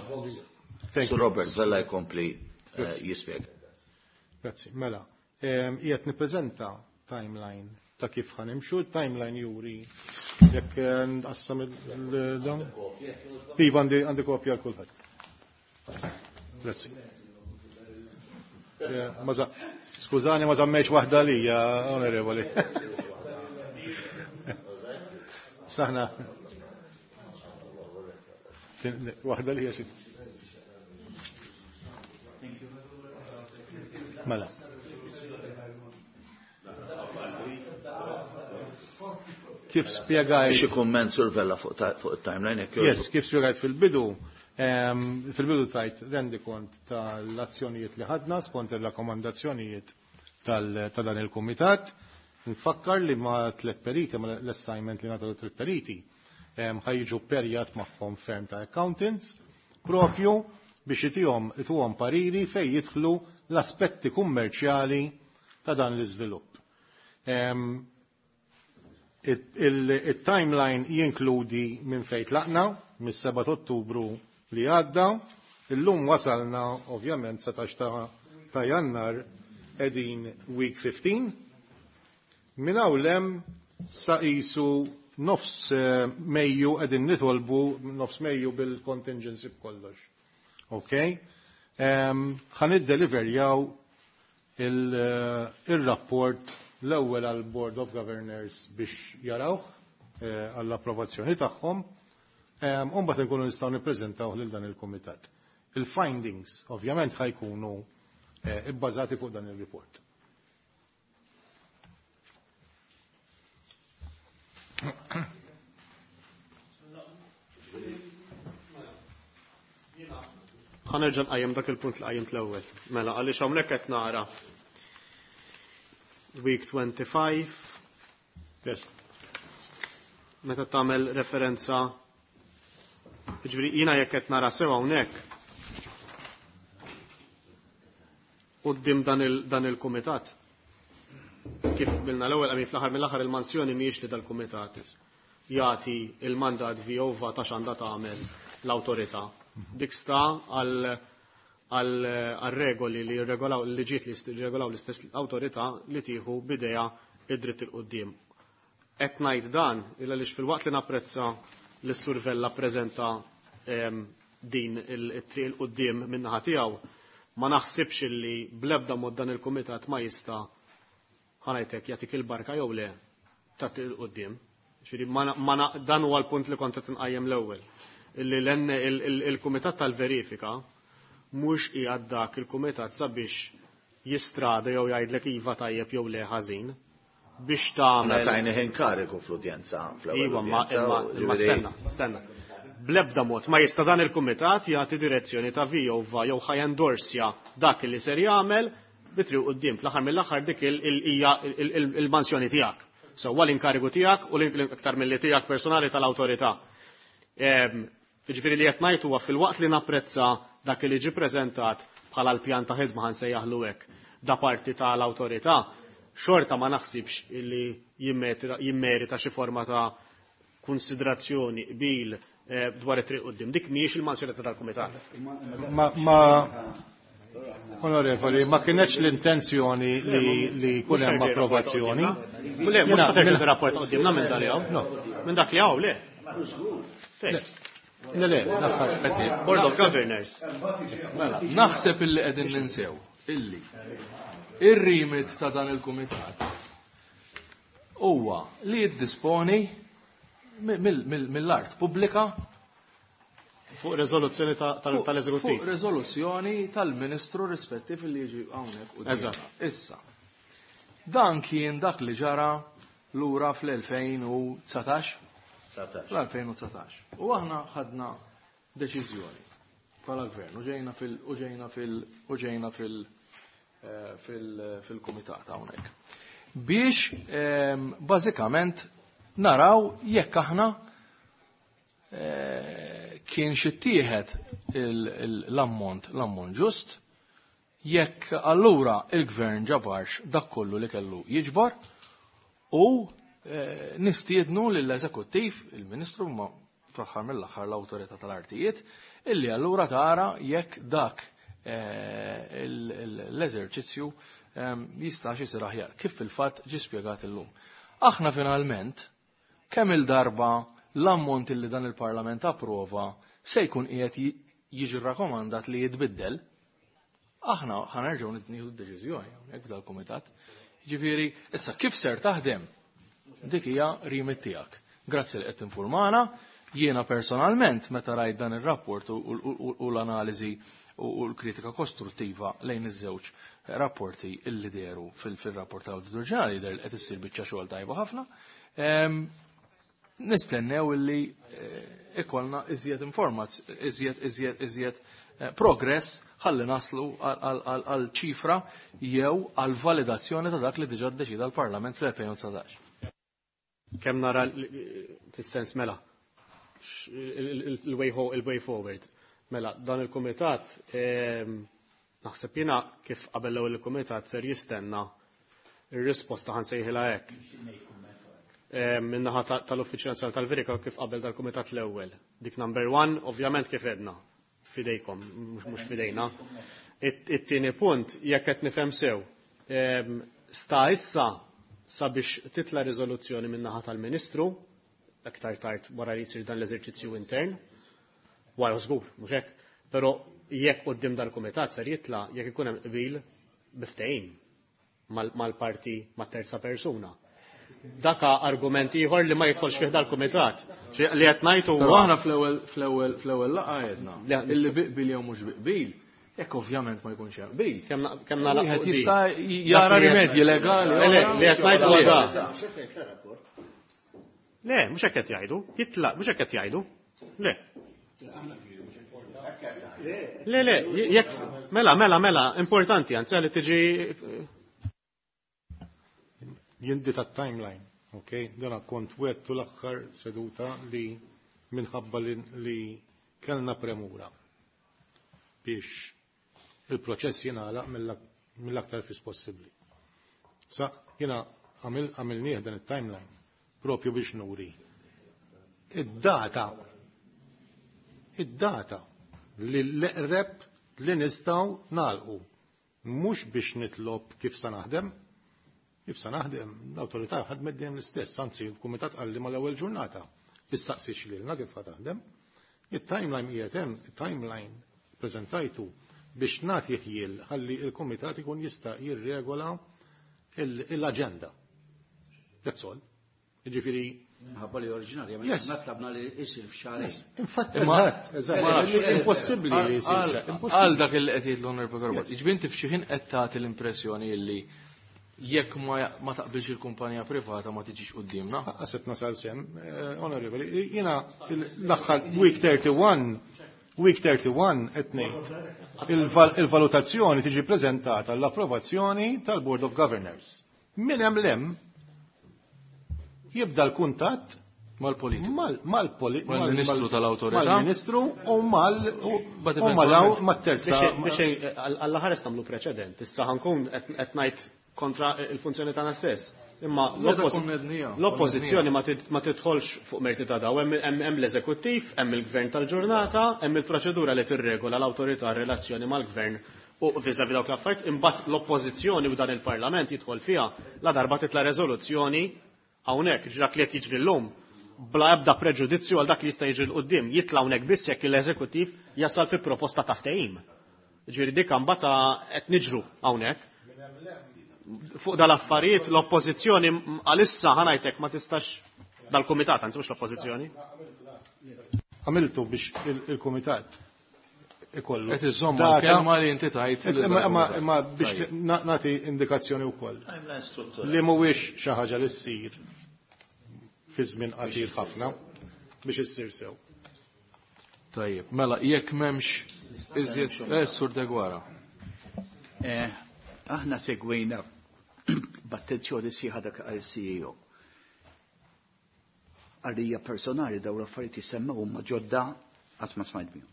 Sur Robert Vella jkompli eh, jispjega. Grazzi. Mela, qiegħed nippreżenta timeline ta' kif ħanimxu, timeline juri jekk eh, nqassam il-dawn. Iva għandi għandi kopja għal kulħadd. Grazzi. Eh, skużani ma żammejx waħda lija, onorevoli. Saħna. Waħda li xi. Mela. Kif spjegajt. Xi kumment Sur Vella fuq it-timeline jekk Yes, kif spjegajt fil-bidu, fil-bidu tajt rendi kont tal-azzjonijiet li ħadna skont ir-rakkomandazzjonijiet ta' dan il-kumitat. Nfakkar li ma' tliet periti, ma' l-assignment li nagħtu tliet periti, ħajġu perjat magħhom ferm ta' accountants propju biex itihom ituhom pariri fejn jidħlu l-aspetti kummerċjali ta' dan l-iżvilupp. Il-timeline jinkludi minn fejn tlaqna, mis-seba' Ottubru li għadda, illum wasalna ovvjament setax ta' Jannar qegħdin week fifteen, minn hawn lem sa qisu nofs Mejju qegħdin nitolbu nofs Mejju bil-contingency b'kollox. Ok? Ħa niddeliverjaw il-rapport l-ewwel għal Board of Governors biex jarawh għall-approvazzjoni tagħhom, u mbagħad inkunu nistgħu nippreżentaw lil dan il-kumitat. Il-findings ovvjament ħajkunu ibbażati fuq dan il-report. Ħa nerġa' nqajjem dak il-punt li qajjimt l-ewwel. Mela għaliex hawnhekk qed nara week twenty-five. Yes. Meta tagħmel referenza, jiġifieri jiena jekk qed nara sew hawnhekk quddiem dan il-kumitat. Kif bilna l-ewwel għamil fl-aħħar mill-aħħar il-mansjoni mhijiex li dal-kumitat jagħti il-mandat vjova ta' x'għandha tagħmel l-awtorità. Dik sta għal regoli li jirregolaw il-liġijiet li jirregolaw l-istess awtorità li tieħu bidejha id-dritt il quddiem. Qed ngħid dan illa għaliex fil-waqt li napprezza li s-Sur Vella ppreżenta din it-triq il quddiem min-naħa tiegħu, ma naħsibx illi bl-ebda mod dan il-kumitat ma jista' ħanajtek jagħtik il-barka jew le ta' triq il quddiem. Ġifieri dan huwa l-punt li kont qed inqajjem l-ewwel. Illi il-kumitat tal-verifika mhux qiegħed dak il-kumitat sabiex jistrada jew jgħidlek iva tajjeb jew le ħażin. biex tagħmel. Tajni inkarigu fl-udjenza. Iva, ma imma stenna, stenna. Bl-ebda mod ma jista' dan il-kumitat jagħti direzzjoni ta' vijova jew ħa jendorsja dak li ser jagħmel bitri quddiem. Fl-aħħar mill-aħħar dik hija il-mansjoni tiegħek. Sewwa l-inkarigu tiegħek u l-iktar milli tiegħek personali tal-awtorità. Jiġifieri li qed ngħid huwa filwaqt li napprezza dak li ġie preżentat bħala l-pjan ta' ħidma ħa nsejjaħlu hekk da parti tal-awtorità, xorta ma naħsibx li jimmerita xi forma ta' konsiderazzjoni qbil dwar it-triq quddiem. Dik mhijiex il-mansjonetta tal-kumitat. Ma onorevoli, ma kienx l-intenzjoni li jkun hemm approvazzjoni. Le, mhux ħa rapport quddiemna minn dak li hawn. Minn dak li hawn, le. Le, le, l-aħħar. Board of Governors. Mela, naħseb illi qegħdin ninsew illi ir-remit ta' dan il-kumitat huwa li jiddisponi mill-art pubblika fuq rezoluzzjoni tal-eżekuttiv. Fuq rezoluzzjoni tal-ministru rispettiv li jiġi hawnhekk. Eżatt. Issa. Dan kien dak li ġara lura fl-elfejn u dsatax. Fl-elfejn u dsatax. U aħna ħadna deċiżjoni bħala gvern u ġejna fil u ġejna fil u ġejna fil fil-kumitat hawnhekk. Biex bażikament naraw jekk aħna kien xittieħed l-ammont l-ammont ġust, jekk allura il-gvern ġabarx dak kollu li kellu jiġbar u nistiednu lill-eżekuttiv, il-ministru ma fl-aħħar mill-aħħar l-awtorità tal-artijiet, illi allura tara jekk dak l-eżerċizzju jistax isir aħjar, kif fil-fatt ġie spjegat illum. Aħna finalment kemm il-darba l-ammont illi dan il-Parlament approva se jkun qiegħed jiġi rrakkomandat li jitbiddel, aħna ħanerġgħu nieħdu d-deċiżjoni hawnhekk f'dal-kumitat. Ġifieri, issa kif ser taħdem? Dik hija remit tiegħek. Grazzi li qed tinfurmana. Jiena personalment meta rajt dan ir-rapport u l-analiżi u l-kritika kostruttiva lejn iż-żewġ rapporti illi dehru fil-rapport tal-Awditur Ġenerali jidher li qed issir biċċa xogħol tajba ħafna. Nistennew illi ikollna iżjed informazzjoni, iżjed iżjed iżjed progress ħalli naslu għal ċifra jew għal validazzjoni ta' dak li diġà ddeċida l-Parlament fl-elfejn u dsatax. Kemm nara fis-sens mela il-way il-way forward. Mela, dan il-kumitat naħseb jiena kif qabel l-ewwel il-kumitat ser jistenna ir-risposta ħa nsejħilha hekk. Min-naħa tal-Uffiċċju Nazzjonali tal-Verika kif qabel dal-kumitat l-ewwel. Dik number one, ovvjament kif edna, fidejkom, mhux fidejna. It-tieni punt, jekk qed nifhem sew, sta issa sabiex titla' riżoluzzjoni min-naħa tal-Ministru, aktar tard wara li jsir dan l-eżerċizzju intern, wara żgur, mhux hekk, però jekk quddiem dal-kumitat ser jitla' jekk ikun hemm qbil biftehim mal-parti mat-terza persuna. Daka argument ieħor li ma jidħolx fih dal-kumitat. Li qed ngħid huwa Però aħna fl-ewwel fl-ewwel fl-ewwel laqgħa għedna illi biqbil jew mhux biqbil, jekk ovvjament ma jkunx hemm qbil. Kemm nagħlaq Wieħed jista' jara rimedji legali. Le, li qed ngħid huwa da. Le, mhux hekk qed jgħidu. Jitlaq, mhux hekk qed jgħidu. Le. Le, le, jekk mela, mela, mela, importanti, anzi li tiġi Jindi ta' timeline, ok? Dana kont wettu l-aħħar seduta li minħabba li kellna premura biex il-proċess jingħalaq mill-aktar fis possibbli. Sa jiena għamilnieh dan it-timeline propju biex nuri. Id-data, id-data li l-eqreb li nistgħu nagħlqu, mhux biex nitlob kif sa naħdem, kif sa naħdem, l-awtorità ħadmet dejjem l-istess, anzi l-kumitat qalli mal-ewwel ġurnata issaqsix lilna kif ħa taħdem. Il-timeline qiegħed hemm, il-timeline preżentajtu biex nagħti ħjiel ħalli l-kumitat ikun jista' jirregola l-aġenda. That's all. Jiġifieri Minħabba li oriġinarja, ma tlabna li jsir f'xahrejn. Infatti, eżatt, eżatt, impossibbli li jsir. Għal dak li qed jgħid l-Onorevoli Garbat. Jiġifieri inti f'xi ħin qed tagħti l-impressjoni illi Jekk ma taqbilx il-kumpanija privata ma tiġix quddiemna. Qasib nasal sem, onorevoli, jiena l-aħħar week thirty-one, week thirty-one qed ngħid il-valutazzjoni tiġi preżentata l-approvazzjoni tal-Board of Governors. Min hemm lem jibda l-kuntatt mal-politiku, mal-ministru tal-awtorità, mal-ministru u mal mat-terza. Biex għall-aħħar nagħmlu preċedent, issa ħankun qed ngħid kontra il-funzjoni tagħna stess. Imma l-oppożizzjoni ma tidħolx fuq merti ta' daw, hemm l-eżekuttiv, hemm il-gvern tal-ġurnata, hemm il-proċedura li tirregola l-awtorità relazzjoni mal-gvern u vis-à-vis dawk l-affarijiet, imbagħad l-oppożizzjoni u dan il-Parlament jidħol fiha la darba titla' reżoluzzjoni hawnhekk dak li qed jiġri llum bla ebda preġudizzju għal dak li jista' jiġri l quddiem, jitla' hawnhekk biss jekk l-eżekuttiv jasal fi proposta ta' ftehim. Ġifieri dik imbagħad qed niġru hawnhekk. Fuq dal-affarijiet l-oppożizzjoni għalissa ħanajtek ma tistax dal-kumitat, anzi mhux l-oppożizzjoni. Għamiltu biex il-kumitat ikollu. Qed iżomm kelma li inti tajt. Imma biex nagħti indikazzjoni wkoll. Li mhuwiex xi ħaġa li ssir fi żmien qasir ħafna biex issir sew. Tajjeb, mela jekk m'hemmx iżjed eh Sur Degwara. Aħna segwejna b'attenzjoni sieħa dak għal C E O. Għalija personali dawn l-affarijiet jissemmew huma ġodda qatt ma smajt bihom.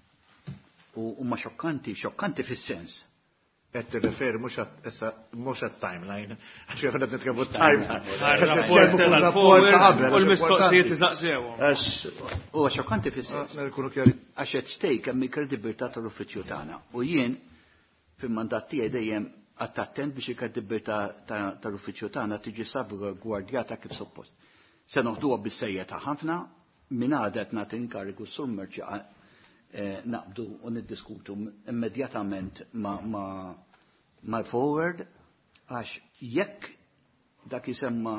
U huma xokkanti, xokkanti fis-sens. Qed tirreferi mhux mhux għat-timeline, għax kif qed nitkellmu timeline. Rapport ta' qabel u l-mistoqsijiet iżaqsewhom. Huwa xokkanti fis-sens. Għax qed stake hemm il-kredibilità tal-uffiċċju tagħna. U jien fil-mandat tiegħi dejjem għadd attent biex il-kredibilità tal-uffiċċju tagħna tiġi salvagwardjata kif suppost. Se noħduha bis-sejja ħafna minn għada qed nagħti inkarigu sur Merċi naqbdu u niddiskutu immedjatament ma' mal-forward għax jekk dak jisemma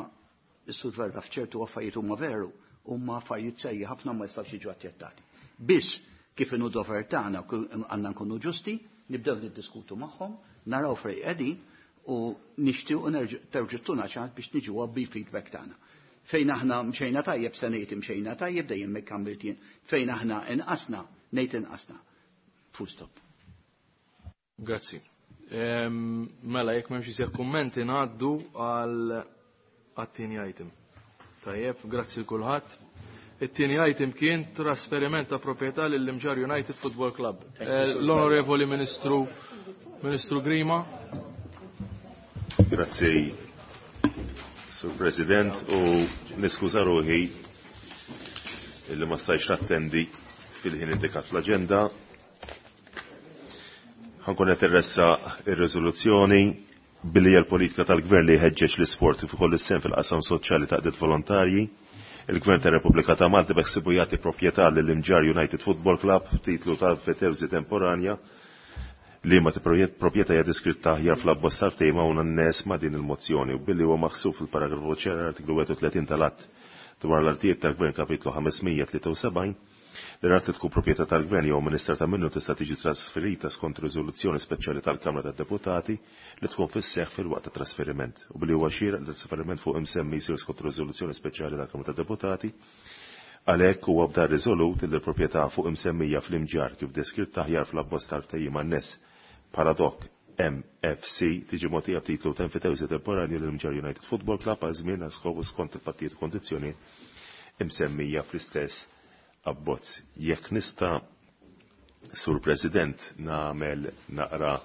s-Sur Verra f'ċertu affarijiet huma veru, huma affarijiet sejja ħafna ma jistgħux jiġu aċċettati. Biss kif inhu dover tagħna għandna nkunu ġusti, nibdew niddiskutu magħhom, naraw fejn qegħdin u nixtiequ terġittuna ċans biex niġu bi feedback tagħna. Fejn aħna mxejna tajjeb se ngħid imxejna tajjeb dejjem hekk għamilt jien. Fejn aħna inqasna ngħid inqasna. Full stop. Grazzi. Mela jekk m'hemmx iżjed kummenti ngħaddu għal għat-tieni item. Tajjeb, grazzi l kulħadd. It-tieni item kien trasferiment ta' proprjetà lill-Imġarr United Football Club. L-Onorevoli Ministru Ministru Grima. Grazzi, Sur President, u niskuża ruħi illi ma stajtx nattendi fil-ħin indikat fl-aġenda. Ħankun qed irressaq ir-riżoluzzjoni billi hija l-politika tal-Gvern li jħeġġeġ l-isport kif ukoll is-sehem fil-qasam soċjali taqdiet volontarji. Il-Gvern tar-Repubblika ta' Malta beħsibu jagħti proprjetà lill-Imġarr United Football Club titlu ta' fetewżi temporanja li ma proprjetà hija deskritta aħjar fl-abbozz tal-ftehim hawn n-nies ma' din il-mozzjoni u billi huwa maħsub fil-paragrafu ċer artiklu wieħed u tletin tal-Att dwar l-artijiet tal-Gvern kapitlu ħamesmija tlieta u sebgħin li l-art li tkun proprjetà tal-Gvern jew amministrata minnu tista' tiġi trasferita skont riżoluzzjoni speċjali tal-Kamra tad-Deputati li tkun fis-seħħ fil-waqt ta' trasferiment u billi huwa xieraq li trasferiment fuq imsemmi jsir skont riżoluzzjoni speċjali tal-Kamra tad-Deputati. Għalhekk huwa bda riżolut li l-proprjetà fuq imsemmija fl-Imġarr kif deskritta aħjar fl-abbozz tal-ftehim anness bħala dok M F C tiġi mogħtija b'titlu ta' enfitewżi temporanju lill-Imġarr United Football Club għal żmien għal skopu skont il-fattijiet u kondizzjonijiet imsemmija fl-istess abbozz. Jekk nista', Sur President, nagħmel naqra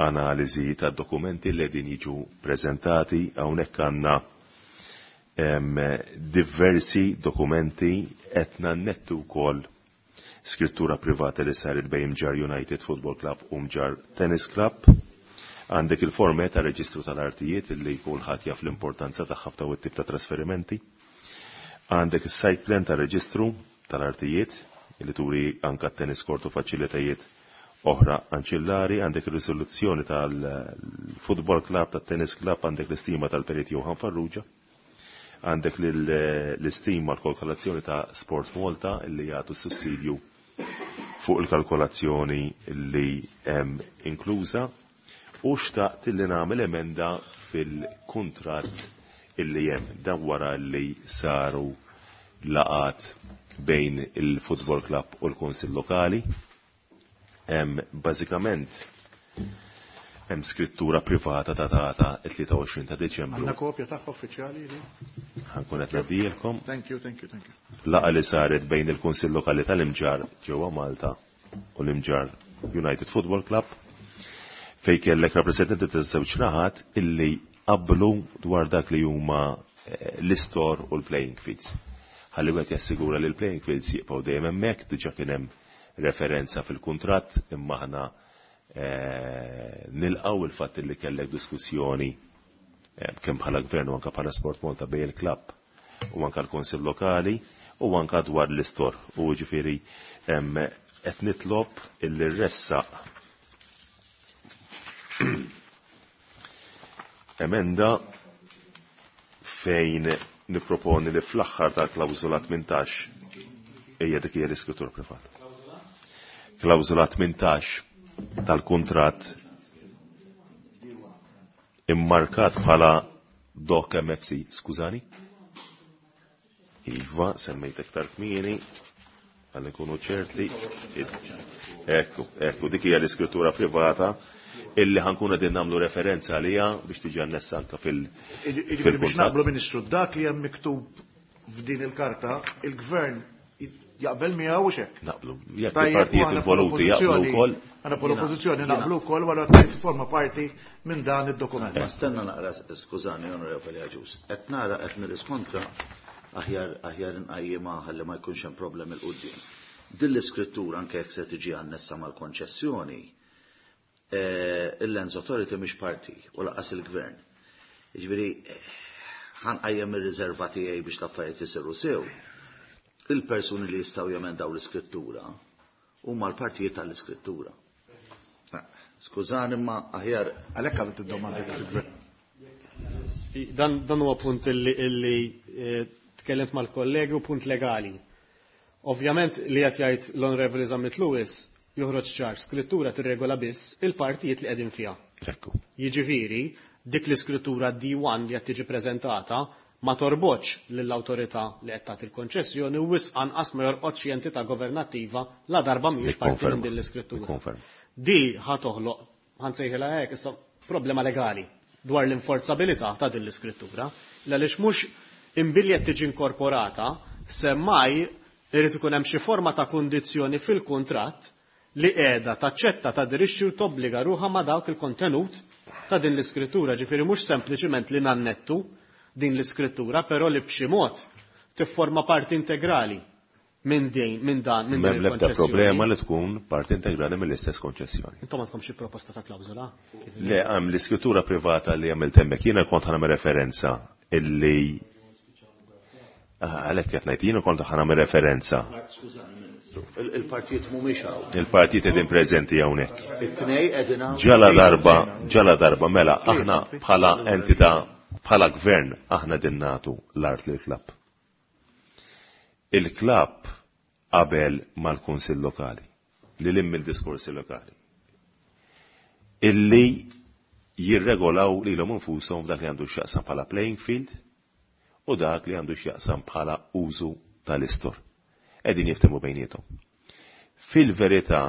analiżi tad-dokumenti li qegħdin jiġu preżentati, hawnhekk għandna diversi dokumenti qed nannettu wkoll skrittura privata li saret bejn Mġarr United Football Club u Mġarr Tennis Club. Għandek il-forme ta' reġistru tal-artijiet li kulħadd jaf l-importanza tagħha f'dawn it-tip ta' trasferimenti. Għandek is-site plan ta' reġistru tal-artijiet li turi anka tennis court u faċilitajiet oħra anċillari, għandek ir-riżoluzzjoni tal-Football Club, tat-Tennis Club, għandek l-istima tal-Perit Johan Farrugia, għandek l-istima l-kalkolazzjoni ta' Sport Malta li jagħtu sussidju fuq il-kalkolazzjoni li hemm inkluża, u xtaqt li nagħmel emenda fil-kuntratt illi hemm. Dan wara li saru laqat bejn il-Football Club u l-Kunsill Lokali. Bażikament hemm skrittura privata datata it-tlieta u għoxrin ta' Deċembru. Għandna kopja tagħha uffiċjali li? Ħankun qed ngħaddilkom. Thank you, thank you, thank you. Laqa li saret bejn il-Kunsill Lokali tal-Imġarr ġewwa Malta u l-Imġarr United Football Club, fej kellek rappresentanti taż-żewġ naħat illi qablu dwar dak li huma l-istor u l-playing fields. Ħalli wieħed jassigura li l-playing fields jibqgħu dejjem hemmhekk, diġà kien hemm referenza fil-kuntratt, imma aħna nilqgħu il-fatt li kellek diskussjoni kemm bħala gvern u anke bħala Sport Malta bejn il-klabb u anke l-Kunsill Lokali u anke dwar l-istor. U ġifieri qed nitlob illi ressaq emenda fejn niproponi li fl-aħħar tal-klawżola tmintax hija dik hija l-iskrittura privata. Klawżola tmintax tal-kuntratt immarkat bħala Doc M F C, skużani? Iva, semmejt iktar kmieni, għal nkunu ċerti. Ekku, ekku, dik hija l-iskrittura privata illi ħankun qegħdin nagħmlu referenza għaliha biex tiġi annessa anke fil- Jiġifieri biex fil-kuntratt. naqblu, Ministru, dak li hemm miktub f'din il-karta, il-Gvern jaqbel miegħu u xek. Naqblu. Jekk Tajjeb, il-partijiet u aħna involuti jaqblu bħala wkoll. Aħna bħala oppożizzjoni Jiena- naqblu wkoll wara qed forma parti minn dan id-dokument. Ma stenna naqra, skużani, Onorevoli Agius. Qed nara qed nirriskontra aħjar, aħjar inqajjimha ħalli ma jkunx hemm problemi l quddiem. Din l-iskrittura anke jekk se tiġi annessa mal-konċessjoni, eh, il-Lands Authority mhix parti u laqas il-Gvern. Jiġifieri, ħanqajjem ir-riserva tiegħi biex l-affarijiet isiru sew. Il-persuni li jistgħu jemendaw l-iskrittura huma l-partijiet tal-iskrittura. Skużani, ma aħjar. Għalhekk għamilt id-domanda fil-Gvern. Dan, dan huwa punt illi, illi, eh, tkellimt mal-kollegi u punt legali. Ovvjament li qed jgħid l-Onorevoli Zammit Lewis joħroġ ċar, skrittura tirregola biss il-partijiet li qegħdin fiha. Ekku. Jiġifieri, dik l-iskrittura D one li qed tiġi preżentata ma torbotx lill-awtorità li qed tagħti l-konċessjoni u wisq anqas ma jorqodx xi entità governattiva la darba mhijiex parti minn din l-iskrittura. Nikkonferma. Di ħa toħloq, ħansejħilha hekk issa, problema legali dwar l-inforzabilità ta' din l-iskrittura, għaliex mhux imbilli qed tiġi inkorporata, semmai irid ikun hemm xi forma ta' kundizzjoni fil-kuntratt li qiegħda taċċetta tadirixxi u tobbliga ruħha ma' dawk il-kontenut ta' din l-iskrittura, ġifieri mhux sempliċiment li nannettu din l-iskrittura, però li b'xi mod tifforma parti integrali minn din, minn dan, minn din M'hemm l-ebda il-konċessjoni. problema li tkun parti integrali mill-istess konċessjoni. Intom għandkom xi proposta ta' klawżola? Le, hemm l-iskrittura privata li għamilt hemmhekk, jiena kont ħanagħmel referenza illi Ah, għalhekk qed ngħid, jiena kont ħanagħmel referenza. Skużani, Ministru, il-, il-partijiet mhumiex hawn. Il-partijiet qegħdin preżenti hawnhekk. It-tnej qegħdin hawn. Ġala darba, ġala darba, mela aħna bħala entità, bħala gvern, aħna din nagħtu l-art lil klabb. Il-klabb qabel mal-Kunsill Lokali, li lim minn diskorsi lokali, illi jirregolaw lilhom infushom dak li għandu x'jaqsam bħala playing field u dak li għandu x'jaqsam bħala użu tal-istor. Qegħdin jiftehmu bejniethom. Fil-verità,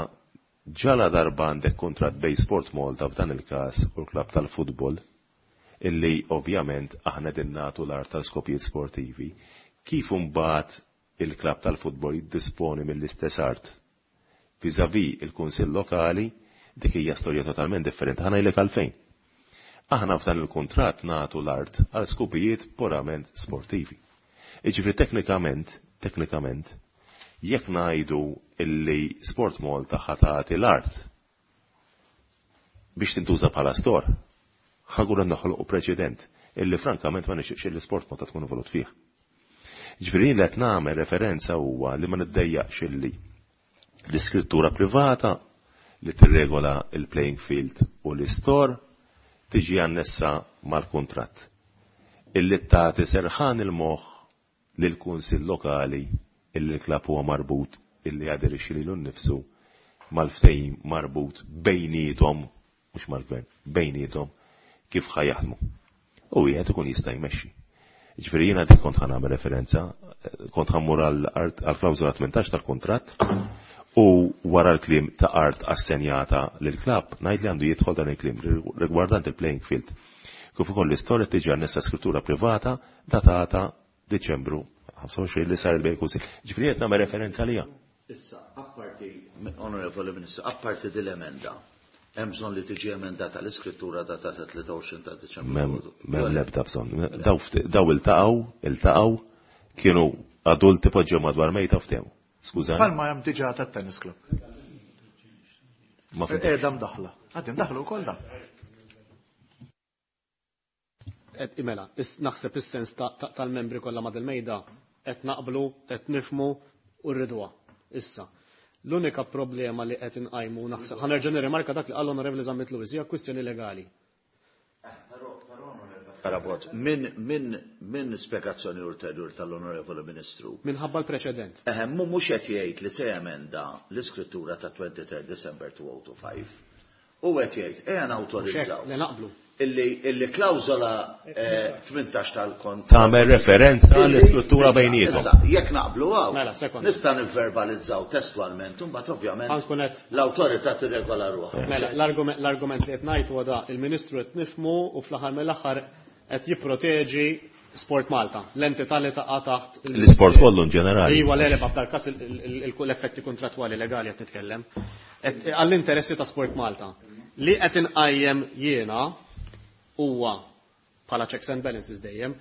ġala darba għandek kuntratt bej Sport Malta f'dan il-każ u l-klabb tal-futbol, illi ovvjament aħna din nagħtu l-art tal-skopijiet sportivi, kif imbagħad il-klabb tal-futbol jiddisponi mill-istess art vis-à-vis il-Kunsill Lokali, dik hija storja totalment differenti. Ħa ngħidlek għalfejn. Aħna f'dan il-kuntratt nagħtu l-art għal skopijiet purament sportivi. Jiġifieri teknikament, teknikament, jekk ngħidu illi Sport Malta ħatati l-art biex tintuża bħala stor, ħagura noħolqu preċedent illi frankament ma nixtieqx illi Sport Malta tkun involut fih. Ġifieri li qed nagħmel referenza huwa li ma niddejjaqx illi l-iskrittura privata li tirregola il-playing field u l-istor tiġi annessa mal-kuntratt. Illi tagħti serħan il-moħħ lill-Kunsill Lokali illi l-klabb huwa marbut illi jaderixxi lilu nnifsu mal-ftehim marbut bejniethom, mhux mal-gvern, bejniethom kif ħajaħdmu. u wieħed ikun jista' jmexxi. Ġifieri jiena dik kont ħa nagħmel referenza, kont ħa mmur għall-klawżola tmintax tal-kuntratt u wara l-kliem ta' art assenjata lill-klabb ngħid li għandu jidħol dan il-kliem rigwardant il-playing field. Kif ukoll l-istorja tiġi annessa skrittura privata datata Diċembru ħamsa u għoxrin li sar il-bejn kunsill. Ġifieri qed nagħmel referenza għaliha. Issa, apparti, Onorevoli Ministru, apparti dil-emenda, hemm bżonn li tiġi emendata l-iskrittura datata tlieta u għoxrin ta' Diċembru. M'hemm l-ebda bżonn. Daw iltaqgħu, iltaqgħu, kienu adulti poġġew madwar mejta u ftehmu. Skużani. Bħalma hemm diġà tat-tennis club. Ma fimtx. Qiegħda mdaħla. Għaddi mdaħlu wkoll da. Mela, naħseb is-sens tal-membri kollha ma' dil-mejda qed naqblu, qed nifmu u rridwa. Issa, l-unika problema li qed inqajmu naħseb ħanerġa' nirrimarka dak li qal Onorevoli Zammit Lewis hija kwistjoni legali. Karabot, min, min, min spjegazzjoni ulterjur tal-Onorevoli Ministru? Minħabba l-preċedent. Eħe, mu mhux qed jgħid li se jemenda l-iskrittura ta' twenty-third December two oh two five. U qed jgħid ejja nawtorizzaw. Le naqblu. Illi, illi klawżola, eh, tmintax tal-kont. Tagħmel referenza l-istruttura bejniethom. Issa, jekk naqblu hawn, Mela, sekonda. nista' nivverbalizzaw testwalment, u mbagħad ovvjament Ħa nkun qed l-awtorità tirregola ruħha. Mela, l-argument, l-argument li qed ngħid huwa da, il-Ministru qed nifhmu u fl-aħħar mill-aħħar qed jipproteġi Sport Malta, l-entità li taqa' taħt il- L-isport kollu in ġenerali. Iva, le, le, f'dal każ il-, il-, il-, l-effetti kontrattwali legali qed nitkellem. Qed, għall-interessi ta' Sport Malta. Li qed inqajjem jiena huwa bħala checks and balances dejjem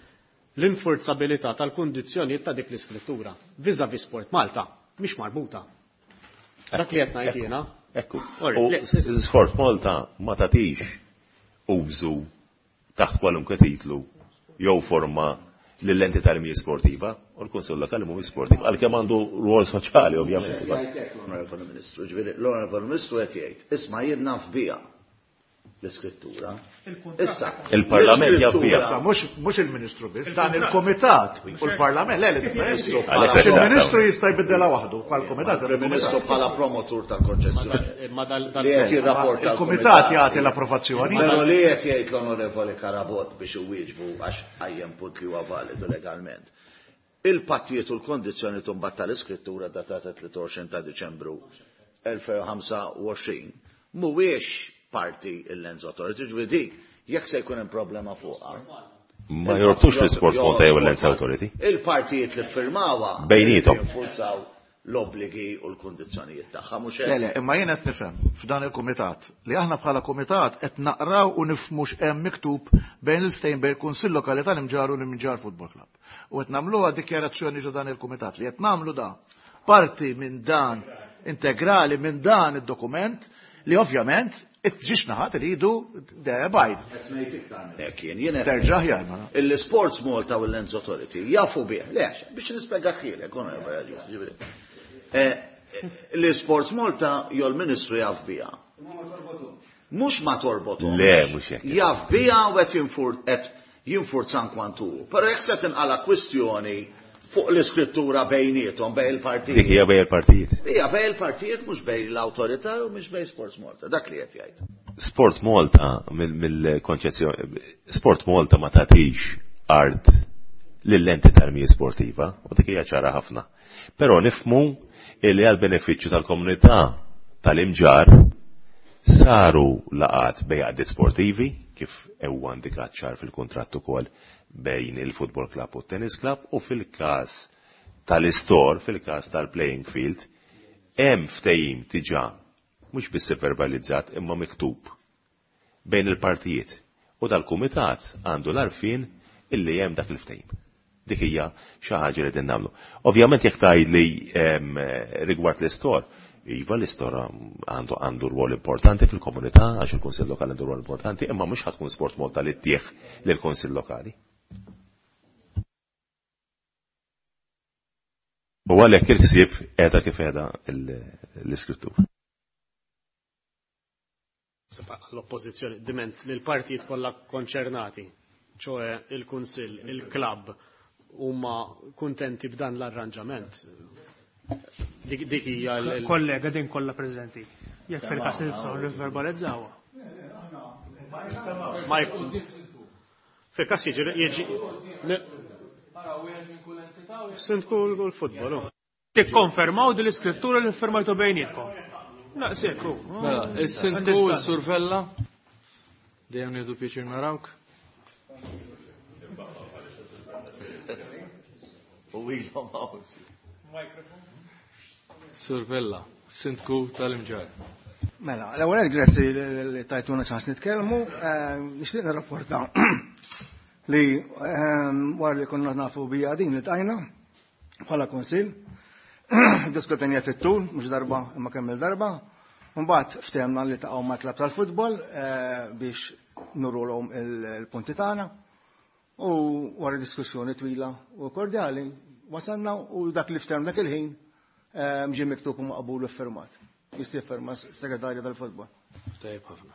l-infurzabilità tal-kundizzjonijiet ta' dik l-iskrittura vis-à-vis Sport Malta mhix marbuta. Dak li qed ngħid jiena. Ekku. Ori, U le, s-, Sport Malta ma tagħtix użu taħt kwalunkwe titlu jew forma lill-entità li mhijiex sportiva u l-Kunsill Lokali mhuwiex sportiv, għalkemm għandu rwol soċjali ovvjament. L-Onorevoli Ministru, ġifieri l-Onorevoli Ministru qed jgħid, isma' jien naf biha l-iskrittura. Issa, Il-Parlament jaf biha. Issa, mhux, mhux il-Ministru biss, dan il-Kumitat u l-Parlament, le, le, il-Ministru. Għalhekk Għax il-Ministru jista' jbiddela waħdu bħal-Kumitat, Il-Ministru bħala promotur tal-konċessjoni. Ma dal-, dal- Li qed jirrapporta Il-Kumitat l-Kumitat. jagħti l-approvazzjoni. Però li qed jgħid l-Onorevoli Carabott biex iwieġbu għax qajjem punt li huwa validu legalment. Il-pattijiet u l-kondizzjoni mbagħad tal-iskrittura datata tlieta u għoxrin ta' Diċembru elfejn u ħamsa u għoxrin mhuwiex parti il-Lands Authority, ġifieri dik, jekk se jkun hemm problema fuqha. Ma jorbtux l-Sport Malta jew il-Lands Authority. Il-partijiet li ffirmawha Bejnietom. jinfurzaw l-obbligi u l-kundizzjonijiet tagħha, mhux hekk. Le, le, imma jien qed nifhem f'dan il-kumitat li aħna bħala kumitat qed naqraw u nifhmu x'hemm miktub bejn il-ftehim bejn il-Kunsill Lokali tal-Imġarr u l-Imġarr Football Club. U qed nagħmluha dikjarazzjoni ġo dan il-kumitat li qed nagħmlu da parti minn dan integrali minn dan id-dokument li ovvjament it-ġiex naħat iridu bajd. Qed ngħid iktar minn hekk jien, jien qed Terġa' aħjar, ma. Il-Sports Malta u l-Lands Authority jafu bih, le, biex nispjega ħielek, onorevoli Agius, ġifieri. Eh, L-Sports Malta jew l-Ministru jaf biha. Mhux ma torbothomx. Le, mhux hekk. Jaf biha u qed jinfur-, qed jinfurzan kwantu. Però jekk se tinqala kwistjoni fuq l-iskrittura bejniethom, bejn il-partijiet. Dik hija bejn il-partijiet. Hija bejn il-partijiet, mhux bejn l-awtorità u mhux bejn Sports Malta. Dak li qed jgħid. Sport Malta mill-, mill-konċezzjoni, Sport Malta ma tagħtix art lill-entità li mhijiex sportiva, u dik hija ċara ħafna. Però nifhmu li għal benefiċċju tal-komunità tal-Imġarr saru laqat bejn għaqdiet sportivi, kif huwa indikat ċar fil-kuntratt ukoll bejn il-Football Club u t-Tennis Club, u fil-każ tal-istor, fil-każ tal-playing field, hemm ftehim diġà mhux biss verbalizzat imma miktub bejn il-partijiet, u dal-kumitat għandu l-arfin illi hemm dak il-ftehim. Dik hija xi ħaġa li qegħdin nagħmlu. Ovvjament jekk tgħidli, ehm, rigward l-istor, iva l-istor għandu, għandu rwol importanti fil-komunità, għax il-Kunsill Lokali għandu rwol importanti, imma mhux ħadd tkun Sport Malta li ttieħ lill-Kunsill Lokali. U għalhekk il-ħsieb qiegħda kif qiegħda l-, l-iskrittur. L-oppożizzjoni diment li l-partijiet kollha konċernati, ċoe il-Kunsill, il-klabb, huma kuntenti b'dan l-arranġament. Dik, dik hija l-, l- Kollega din kollha preżenti. Jekk fil-każ nistgħu nivverbalizzawha. Ma jkun. Fil-każ jiġi jiġi Sindku l-futbol. Tikkonfermaw din l-iskrittura li ffirmajtu bejnietkom. Naqsek hu. Mela, is-sindku s-Sur Vella. Dejjem nieħdu pjaċir narawk. U ilhom hawn. Sur Vella, sindku tal-Imġarr. Mela, l-ewwel grazzi li tajtuna ċans nitkellmu. Nixtieq nirrapporta li wara li konna nafu bija din li tajna bħala kunsill, diskutenja fit-tul, mhux darba imma kemm il-darba. Mbagħad ftehemna li taqgħu mal-klabb tal-futbol biex nurulhom il-punti tagħna. U wara diskussjoni twila u kordjali wasalna u dak li ftehemna dak il-ħin ġie miktub u maqbul u ffirmat. Jista' jiffirma s-segretarju tal-futbol. Tajjeb ħafna.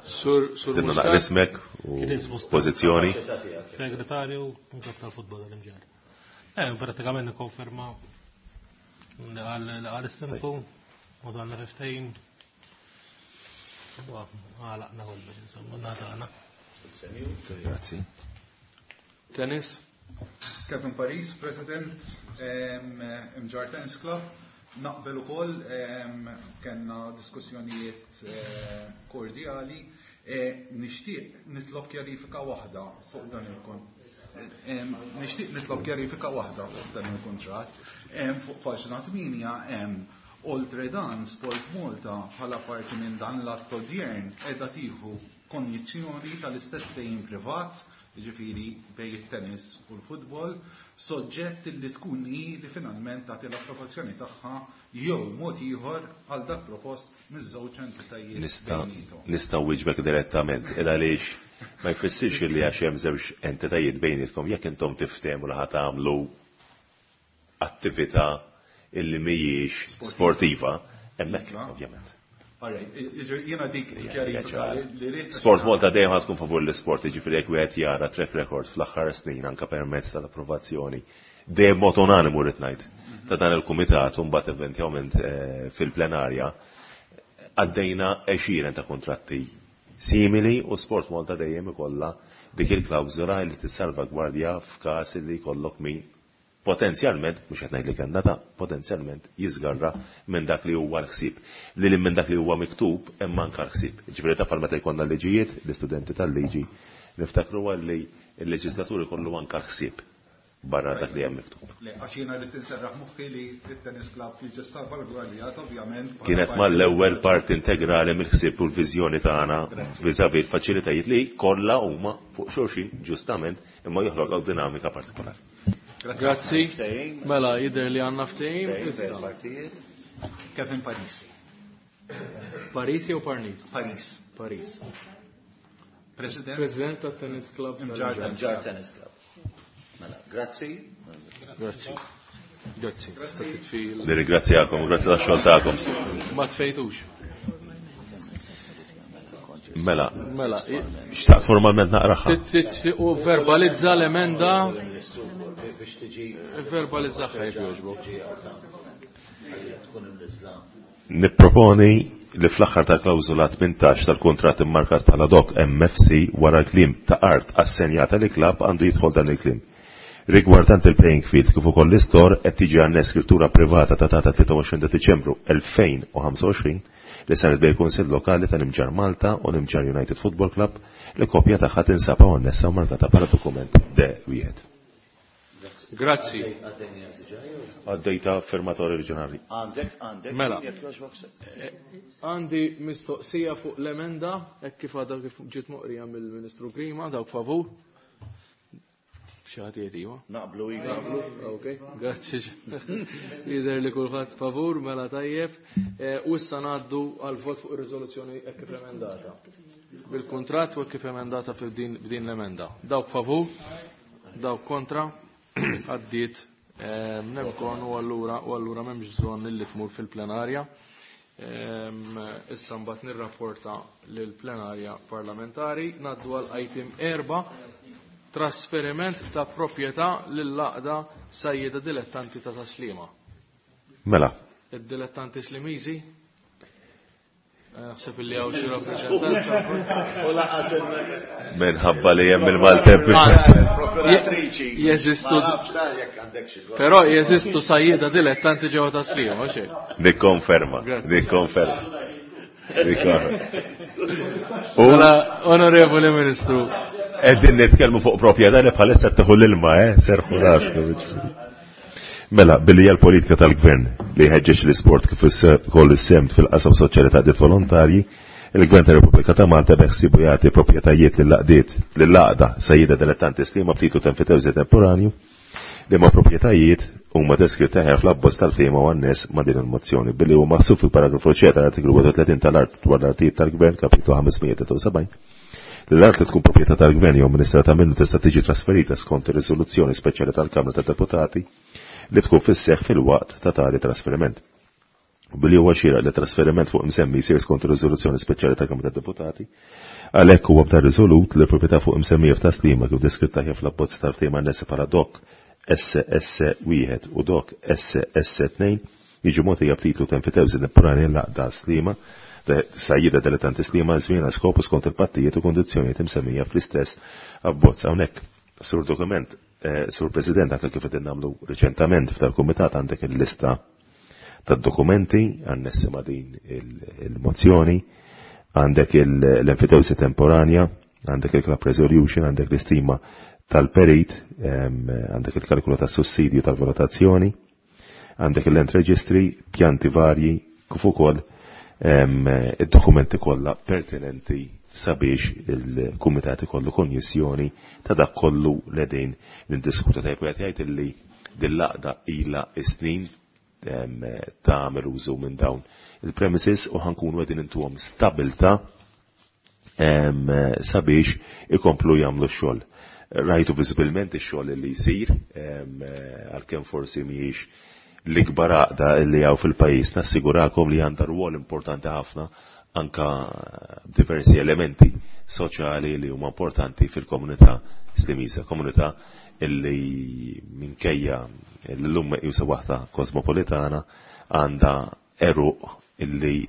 Sur Sur Dinna naqra ismek u pożizzjoni. Segretarju tal-futbol tal-Imġarr. Eh, pratikament nikkonferma li qal is-sindku, wasalna fi ftehim. Għalaqna kollox, insomma, natana. Grazzi. Tennis? Kevin Paris, President Imġarr Tennis Club. Naqbel ukoll kellna diskussjonijiet kordjali. Nixtieq nitlob kjarifika waħda fuq dan il-kont. Nixtieq nitlob kjarifika waħda fuq dan il-kuntratt. Fuq paġna tmienja hemm oltre dan Sport Malta bħala parti minn dan l-att odjern qiegħda tieħu konjizzjoni tal-istess ftehim privat, jiġifieri bejn it-tennis u l-futbol, soġġett li tkun hi li finalment tagħti l-approvazzjoni tagħha jew mod ieħor għal dak propost miż-żewġ entitajiet. Nista' nista' wieġbek direttament il għaliex ma jfissirx li għax hemm żewġ entitajiet bejnietkom jekk intom tiftehmu li ħa tagħmlu attività illi mhijiex sportiva, hemmhekk ovvjament. Jiena dik kjarifika li rrid. Sport Malta dejjem ħad tkun favur l-isport, jiġifieri jekk wieħed jara track record fl-aħħar snin anke permezz tal-approvazzjoni. Dejjem mod unanimu rrid ngħid ta' dan il-kumitat u mbagħad eventwalment fil-plenarja għaddejna għexieren ta' kuntratti simili u Sport Malta dejjem ikollha dik il-klawżola li tissalvagwardja f'każ li jkollok min potenzjalment, mhux qed ngħid li kellna ta' potenzjalment jiżgarra minn dak li huwa l-ħsieb. Li minn dak li huwa miktub hemm anke l-ħsieb. Ġifieri ta' bħal meta jkollna liġijiet, l-istudenti tal-liġi niftakru li l-leġislatur ikollu anke l-ħsieb barra dak li hemm miktub. Le, għax jiena rrid inserraħ moħħi li t-tennis club jiġi salvagwardjat ovvjament. Kienet mal-ewwel parti integrali mill-ħsieb u l-viżjoni tagħna vis-à-vis l-faċilitajiet li kollha huma fuq xulxin ġustament imma joħloqu dinamika partikolari. Grazzi. Mela, jidher li għandna ftehim. Kevin Paris. Paris jew Parnis? Paris. Paris. President. President tat-Tennis Club. Imġarr Tennis Club. Mela, grazzi. Grazzi. Grazzi. Tista' titfi. Nirringrazzjakom, grazzi tax-xogħol tagħkom. Ma tfejtux. Mela, mela, xtaqt formalment naqraha. U verbalizza l-emenda. Verbalizza jekk jogħġbok. Nipproponi li fl-aħħar ta' klawżola tmintax tal-kuntratt immarkat bħala dok M F C wara l-kliem ta' art assenjata li klabb għandu jidħol dan il-kliem. Rigwardant il-playing field kif ukoll l-istor qed tiġi għannes skrittura privata ta' data tlieta u għoxrin ta' Diċembru elfejn u ħamsa u għoxrin li saret bejn Kunsill Lokali ta' Nimġarr Malta u Nimġarr United Football Club li kopja tagħha tinsab annessa u markata bħala dokument D wieħed. Grazzi. Għaddejta firmatori reġjonali. Għandek, għandek. Mela. Għandi mistoqsija fuq l-emenda, hekk kif għadha kif ġiet moqrija mill-Ministru Grima, dawk favur. Xi ħadd jgħid iva? Naqblu iva. Ok, grazzi. Jidher li kulħadd favur, mela tajjeb. U issa ngħaddu għal vot fuq ir-riżoluzzjoni hekk kif emendata. Bil-kuntratt u hekk kif emendata b'din l-emenda. Dawk favur, dawk kontra, għaddiet nemkon u allura u allura m'hemmx bżonn li tmur fil-plenarja. Issa mbagħad nirrapporta lill-plenarja parlamentari. Ngħaddu għal item erba', trasferiment ta' proprjetà lill-għaqda sajjieda dilettanti ta' Taslima. Mela. Id-dilettanti Slimiżi? Naħseb li hawn xi rappreżentanza. U laqas Minħabba li hemm il-Maltemp. Prokuratriċi. Jeżistu. Ma nafx ta' jekk għandek xi Però jeżistu sajjieda dilettanti ġewwa ta' Sliema, mhux hekk? Nikkonferma, nikkonferma. Nikkonferma. U Mela, Onorevoli Ministru. Qegħdin nitkellmu fuq proprjetà li bħalissa tieħu l-ilma, eh, serħu raskom. Mela, billi hija l-politika tal-gvern li jħeġġeġ l-isport kif ukoll is-sehem fil-qasam soċjali ta' għaqdiet volontarji, il-Gvern tar-Repubblika ta' Malta beħsiebu jagħti proprjetajiet lill-għaqdiet lill-għaqda Sajjieda Dilettanti Sliema b'titlu ta' enfitewżi temporanju li ma' proprjetajiet huma deskritti aħjar fl-abbozz tal-ftehim u anness ma' din il-mozzjoni billi huwa maħsub fil-paragrafu C tal-artiklu wieħed u tletin tal-Art dwar l-artijiet tal-Gvern kapitlu ħames mija tlieta u sebgħin li l-art li tkun proprjetà tal-Gvern jew amministrata minnu tista' tiġi trasferita skont ir-riżoluzzjoni speċjali tal-Kamra tad-Deputati li tkun fis-seħħ fil-waqt ta' tali trasferiment. U billi huwa xieraq li trasferiment fuq imsemmi jsir skont ir-riżoluzzjoni speċjali tal-Kamra tad-Deputati, għalhekk huwa b'dan riżolut li l-proprjetà fuq imsemmija f'Tas-Sliema kif deskritta aħjar fl-abbozz tal-ftehim annessi bħala dok S S wieħed u dok S S tnejn jiġu mogħtija b'titlu ta' enfitewżi temporanja l-għaqda Sliema Sajjieda Dilettanti Sliema żmien għal skopu skont il-pattijiet u kondizzjonijiet imsemmija fl-istess abbozz hawnhekk. Sur dokument, eh, Sur President, anke kif qegħdin nagħmlu riċentament f'dal-kumitat għandek il-lista tad-dokumenti annessi ma' din il-mozzjoni, għandek l-enfitewsi temporanja, għandek il-club resolution, għandek l-istima tal-perit, em, għandek il-kalkulu tas-sussidju tal-valutazzjoni, għandek il-land registry, pjanti varji, kif ukoll, em, id-dokumenti kollha pertinenti sabiex il-kumitat ikollu konjissjoni ta' dak kollu li qegħdin niddiskutu. Tajjeb wieħed jgħid illi din l-għaqda ilha snin, em, tagħmel użu minn dawn il-premises u ħankunu qegħdin intuhom stabilta, em, sabiex ikomplu jagħmlu x-xogħol. Rajtu viżibilment ix-xogħol li jsir, em, għalkemm forsi mhijiex l-ikbar għaqda li hawn fil-pajjiż, nassigurakom li għandha rwol importanti ħafna anka diversi elementi soċjali li huma importanti fil-komunità Slimiża, komunità illi minkejja l-lum meqjusa waħda kosmopolitana għandha eruq illi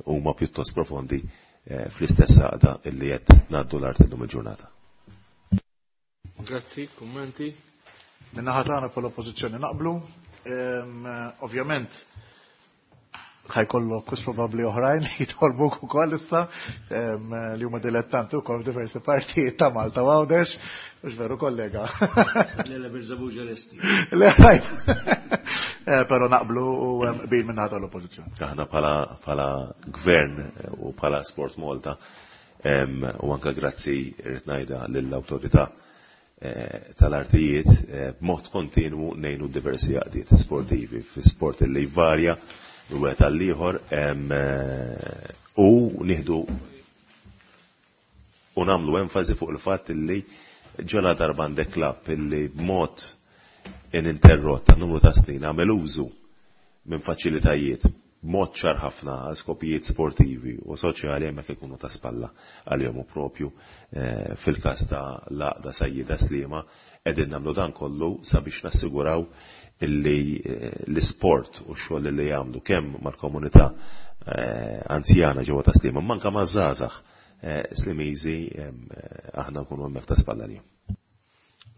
huma pjuttost profondi, eh, fl-istess għaqda illi qed ngħaddu l-art illum il-ġurnata. Grazzi, kummenti. Min-naħa tagħna bħala oppożizzjoni naqblu. Ehm, ovvjament ħajkollok kus probabbli oħrajn li jitolbuk ukoll issa, ehm, li huma dilettanti wkoll f'diversi partijiet ta' Malta u Għawdex, mhux veru kollega? Le, le, Birżebbuġa lesti. Le, rajt. Eh, però naqblu u, ehm, qbil minn naħa tal-oppożizzjoni. Aħna bħala, bħala gvern u bħala Sport Malta, ehm, u anke grazzi rrid ngħidha lill-awtorità, eh, tal-artijiet, eh, b'mod kontinwu ngħinu diversi għaqdiet sportivi fi sport li jvarja minn wieħed għall-ieħor, ehm, eh, u nieħdu u nagħmlu enfasi fuq il-fatt li ġola darba għandek klabb illi b'mod ininterrott ta' numru ta' snin għamel użu minn faċilitajiet b'mod ċar ħafna għal skopijiet sportivi u soċjali hemmhekk ikunu ta' spalla għalihom u propju, eh, fil-każ ta' l-għaqda Sajjieda Sliema qegħdin nagħmlu dan kollu sabiex nassiguraw illi, eh, l-isport u x-xogħol li jagħmlu kemm mal-komunità, eh, anzjana ġewwa ta' Sliema, manka maż-żgħażagħ, eh, Slimiżi, ehm, eh, aħna nkunu hemmhekk ta' spalla lihom.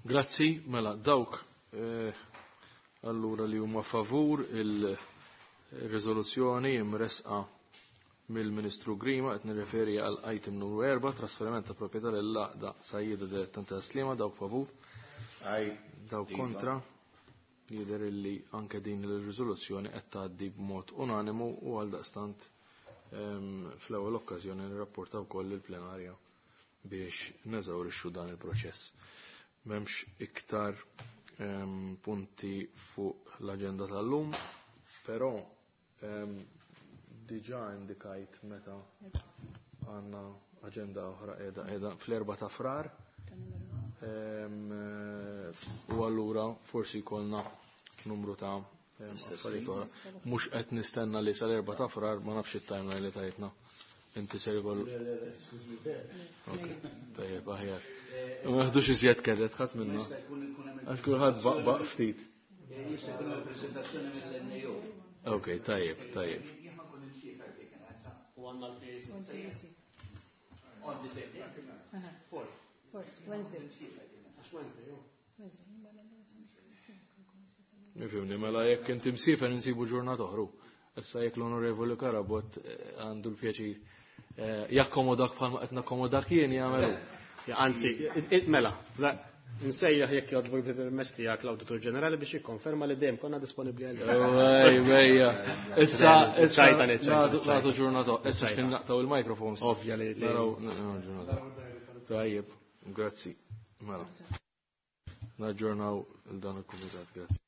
Grazzi, mela dawk, eh, allura li huma favur il-riżoluzzjoni imresqa mill-Ministru Grima, qed nirreferi għal item numru erba', trasferiment ta' proprjetà lill-għaqda Sajjieda Dilettanti ta' Sliema, dawk favur, Aj, dawk iva. kontra. Jidher illi anke din il-riżoluzzjoni qed tgħaddi b'mod unanimu u għaldaqstant, ehm, fl-ewwel okkażjoni nirrapporta wkoll lill-plenarja biex neżawrixxu dan il-proċess. M'hemmx iktar, ehm, punti fuq l-aġenda tal-lum, però, ehm, diġà indikajt meta għandna aġenda oħra qiegħda qiegħda fl-erba' ta' Frar. Ehm, u allura forsi jkollna numru ta' ehm, affarijiet oħra. Mhux qed nistenna li sal-erba' ta' Frar, ma nafx it-timeline li tajtna. Inti ser ikollu. Le, le, le, skużi, le. Ok, tajjeb, aħjar. Ma naħdux iżjed kedet ħadd minna. Jista' jkun ikun hemm Għax kulħadd baqbaq ftit. Jista' jkun hemm preżentazzjoni mill-N A O. Ok, tajjeb, tajjeb. Jien ma nkun imsiefer dik, u U għandna l-P A C. On the same day. Fourth. Fourth, Wednesday. Għax Wednesday, jo. Nifhimni, mela jekk inti msiefer insibu ġurnata oħra. Issa jekk l-Onorevoli Carabott eh, għandu l-pjaċir eh, jakkomodak bħalma qed nakkomodak jien, jagħmelu. Ja, anzi, mela, nsejjaħ, jekk jogħġbok, bil-permess tiegħek, l-Awditur Ġenerali biex jikkonferma li dejjem konna disponibbli għal. Ej, bejja. Issa, issa, ċajta, ċajta, nagħtu ġurnata. Issa x'kien naqtaw il-microphones. Ovvja li. Naraw, naraw ġurnata. Tajjeb, grazzi. Mela. Naġġornaw dan il-kumitat, grazzi.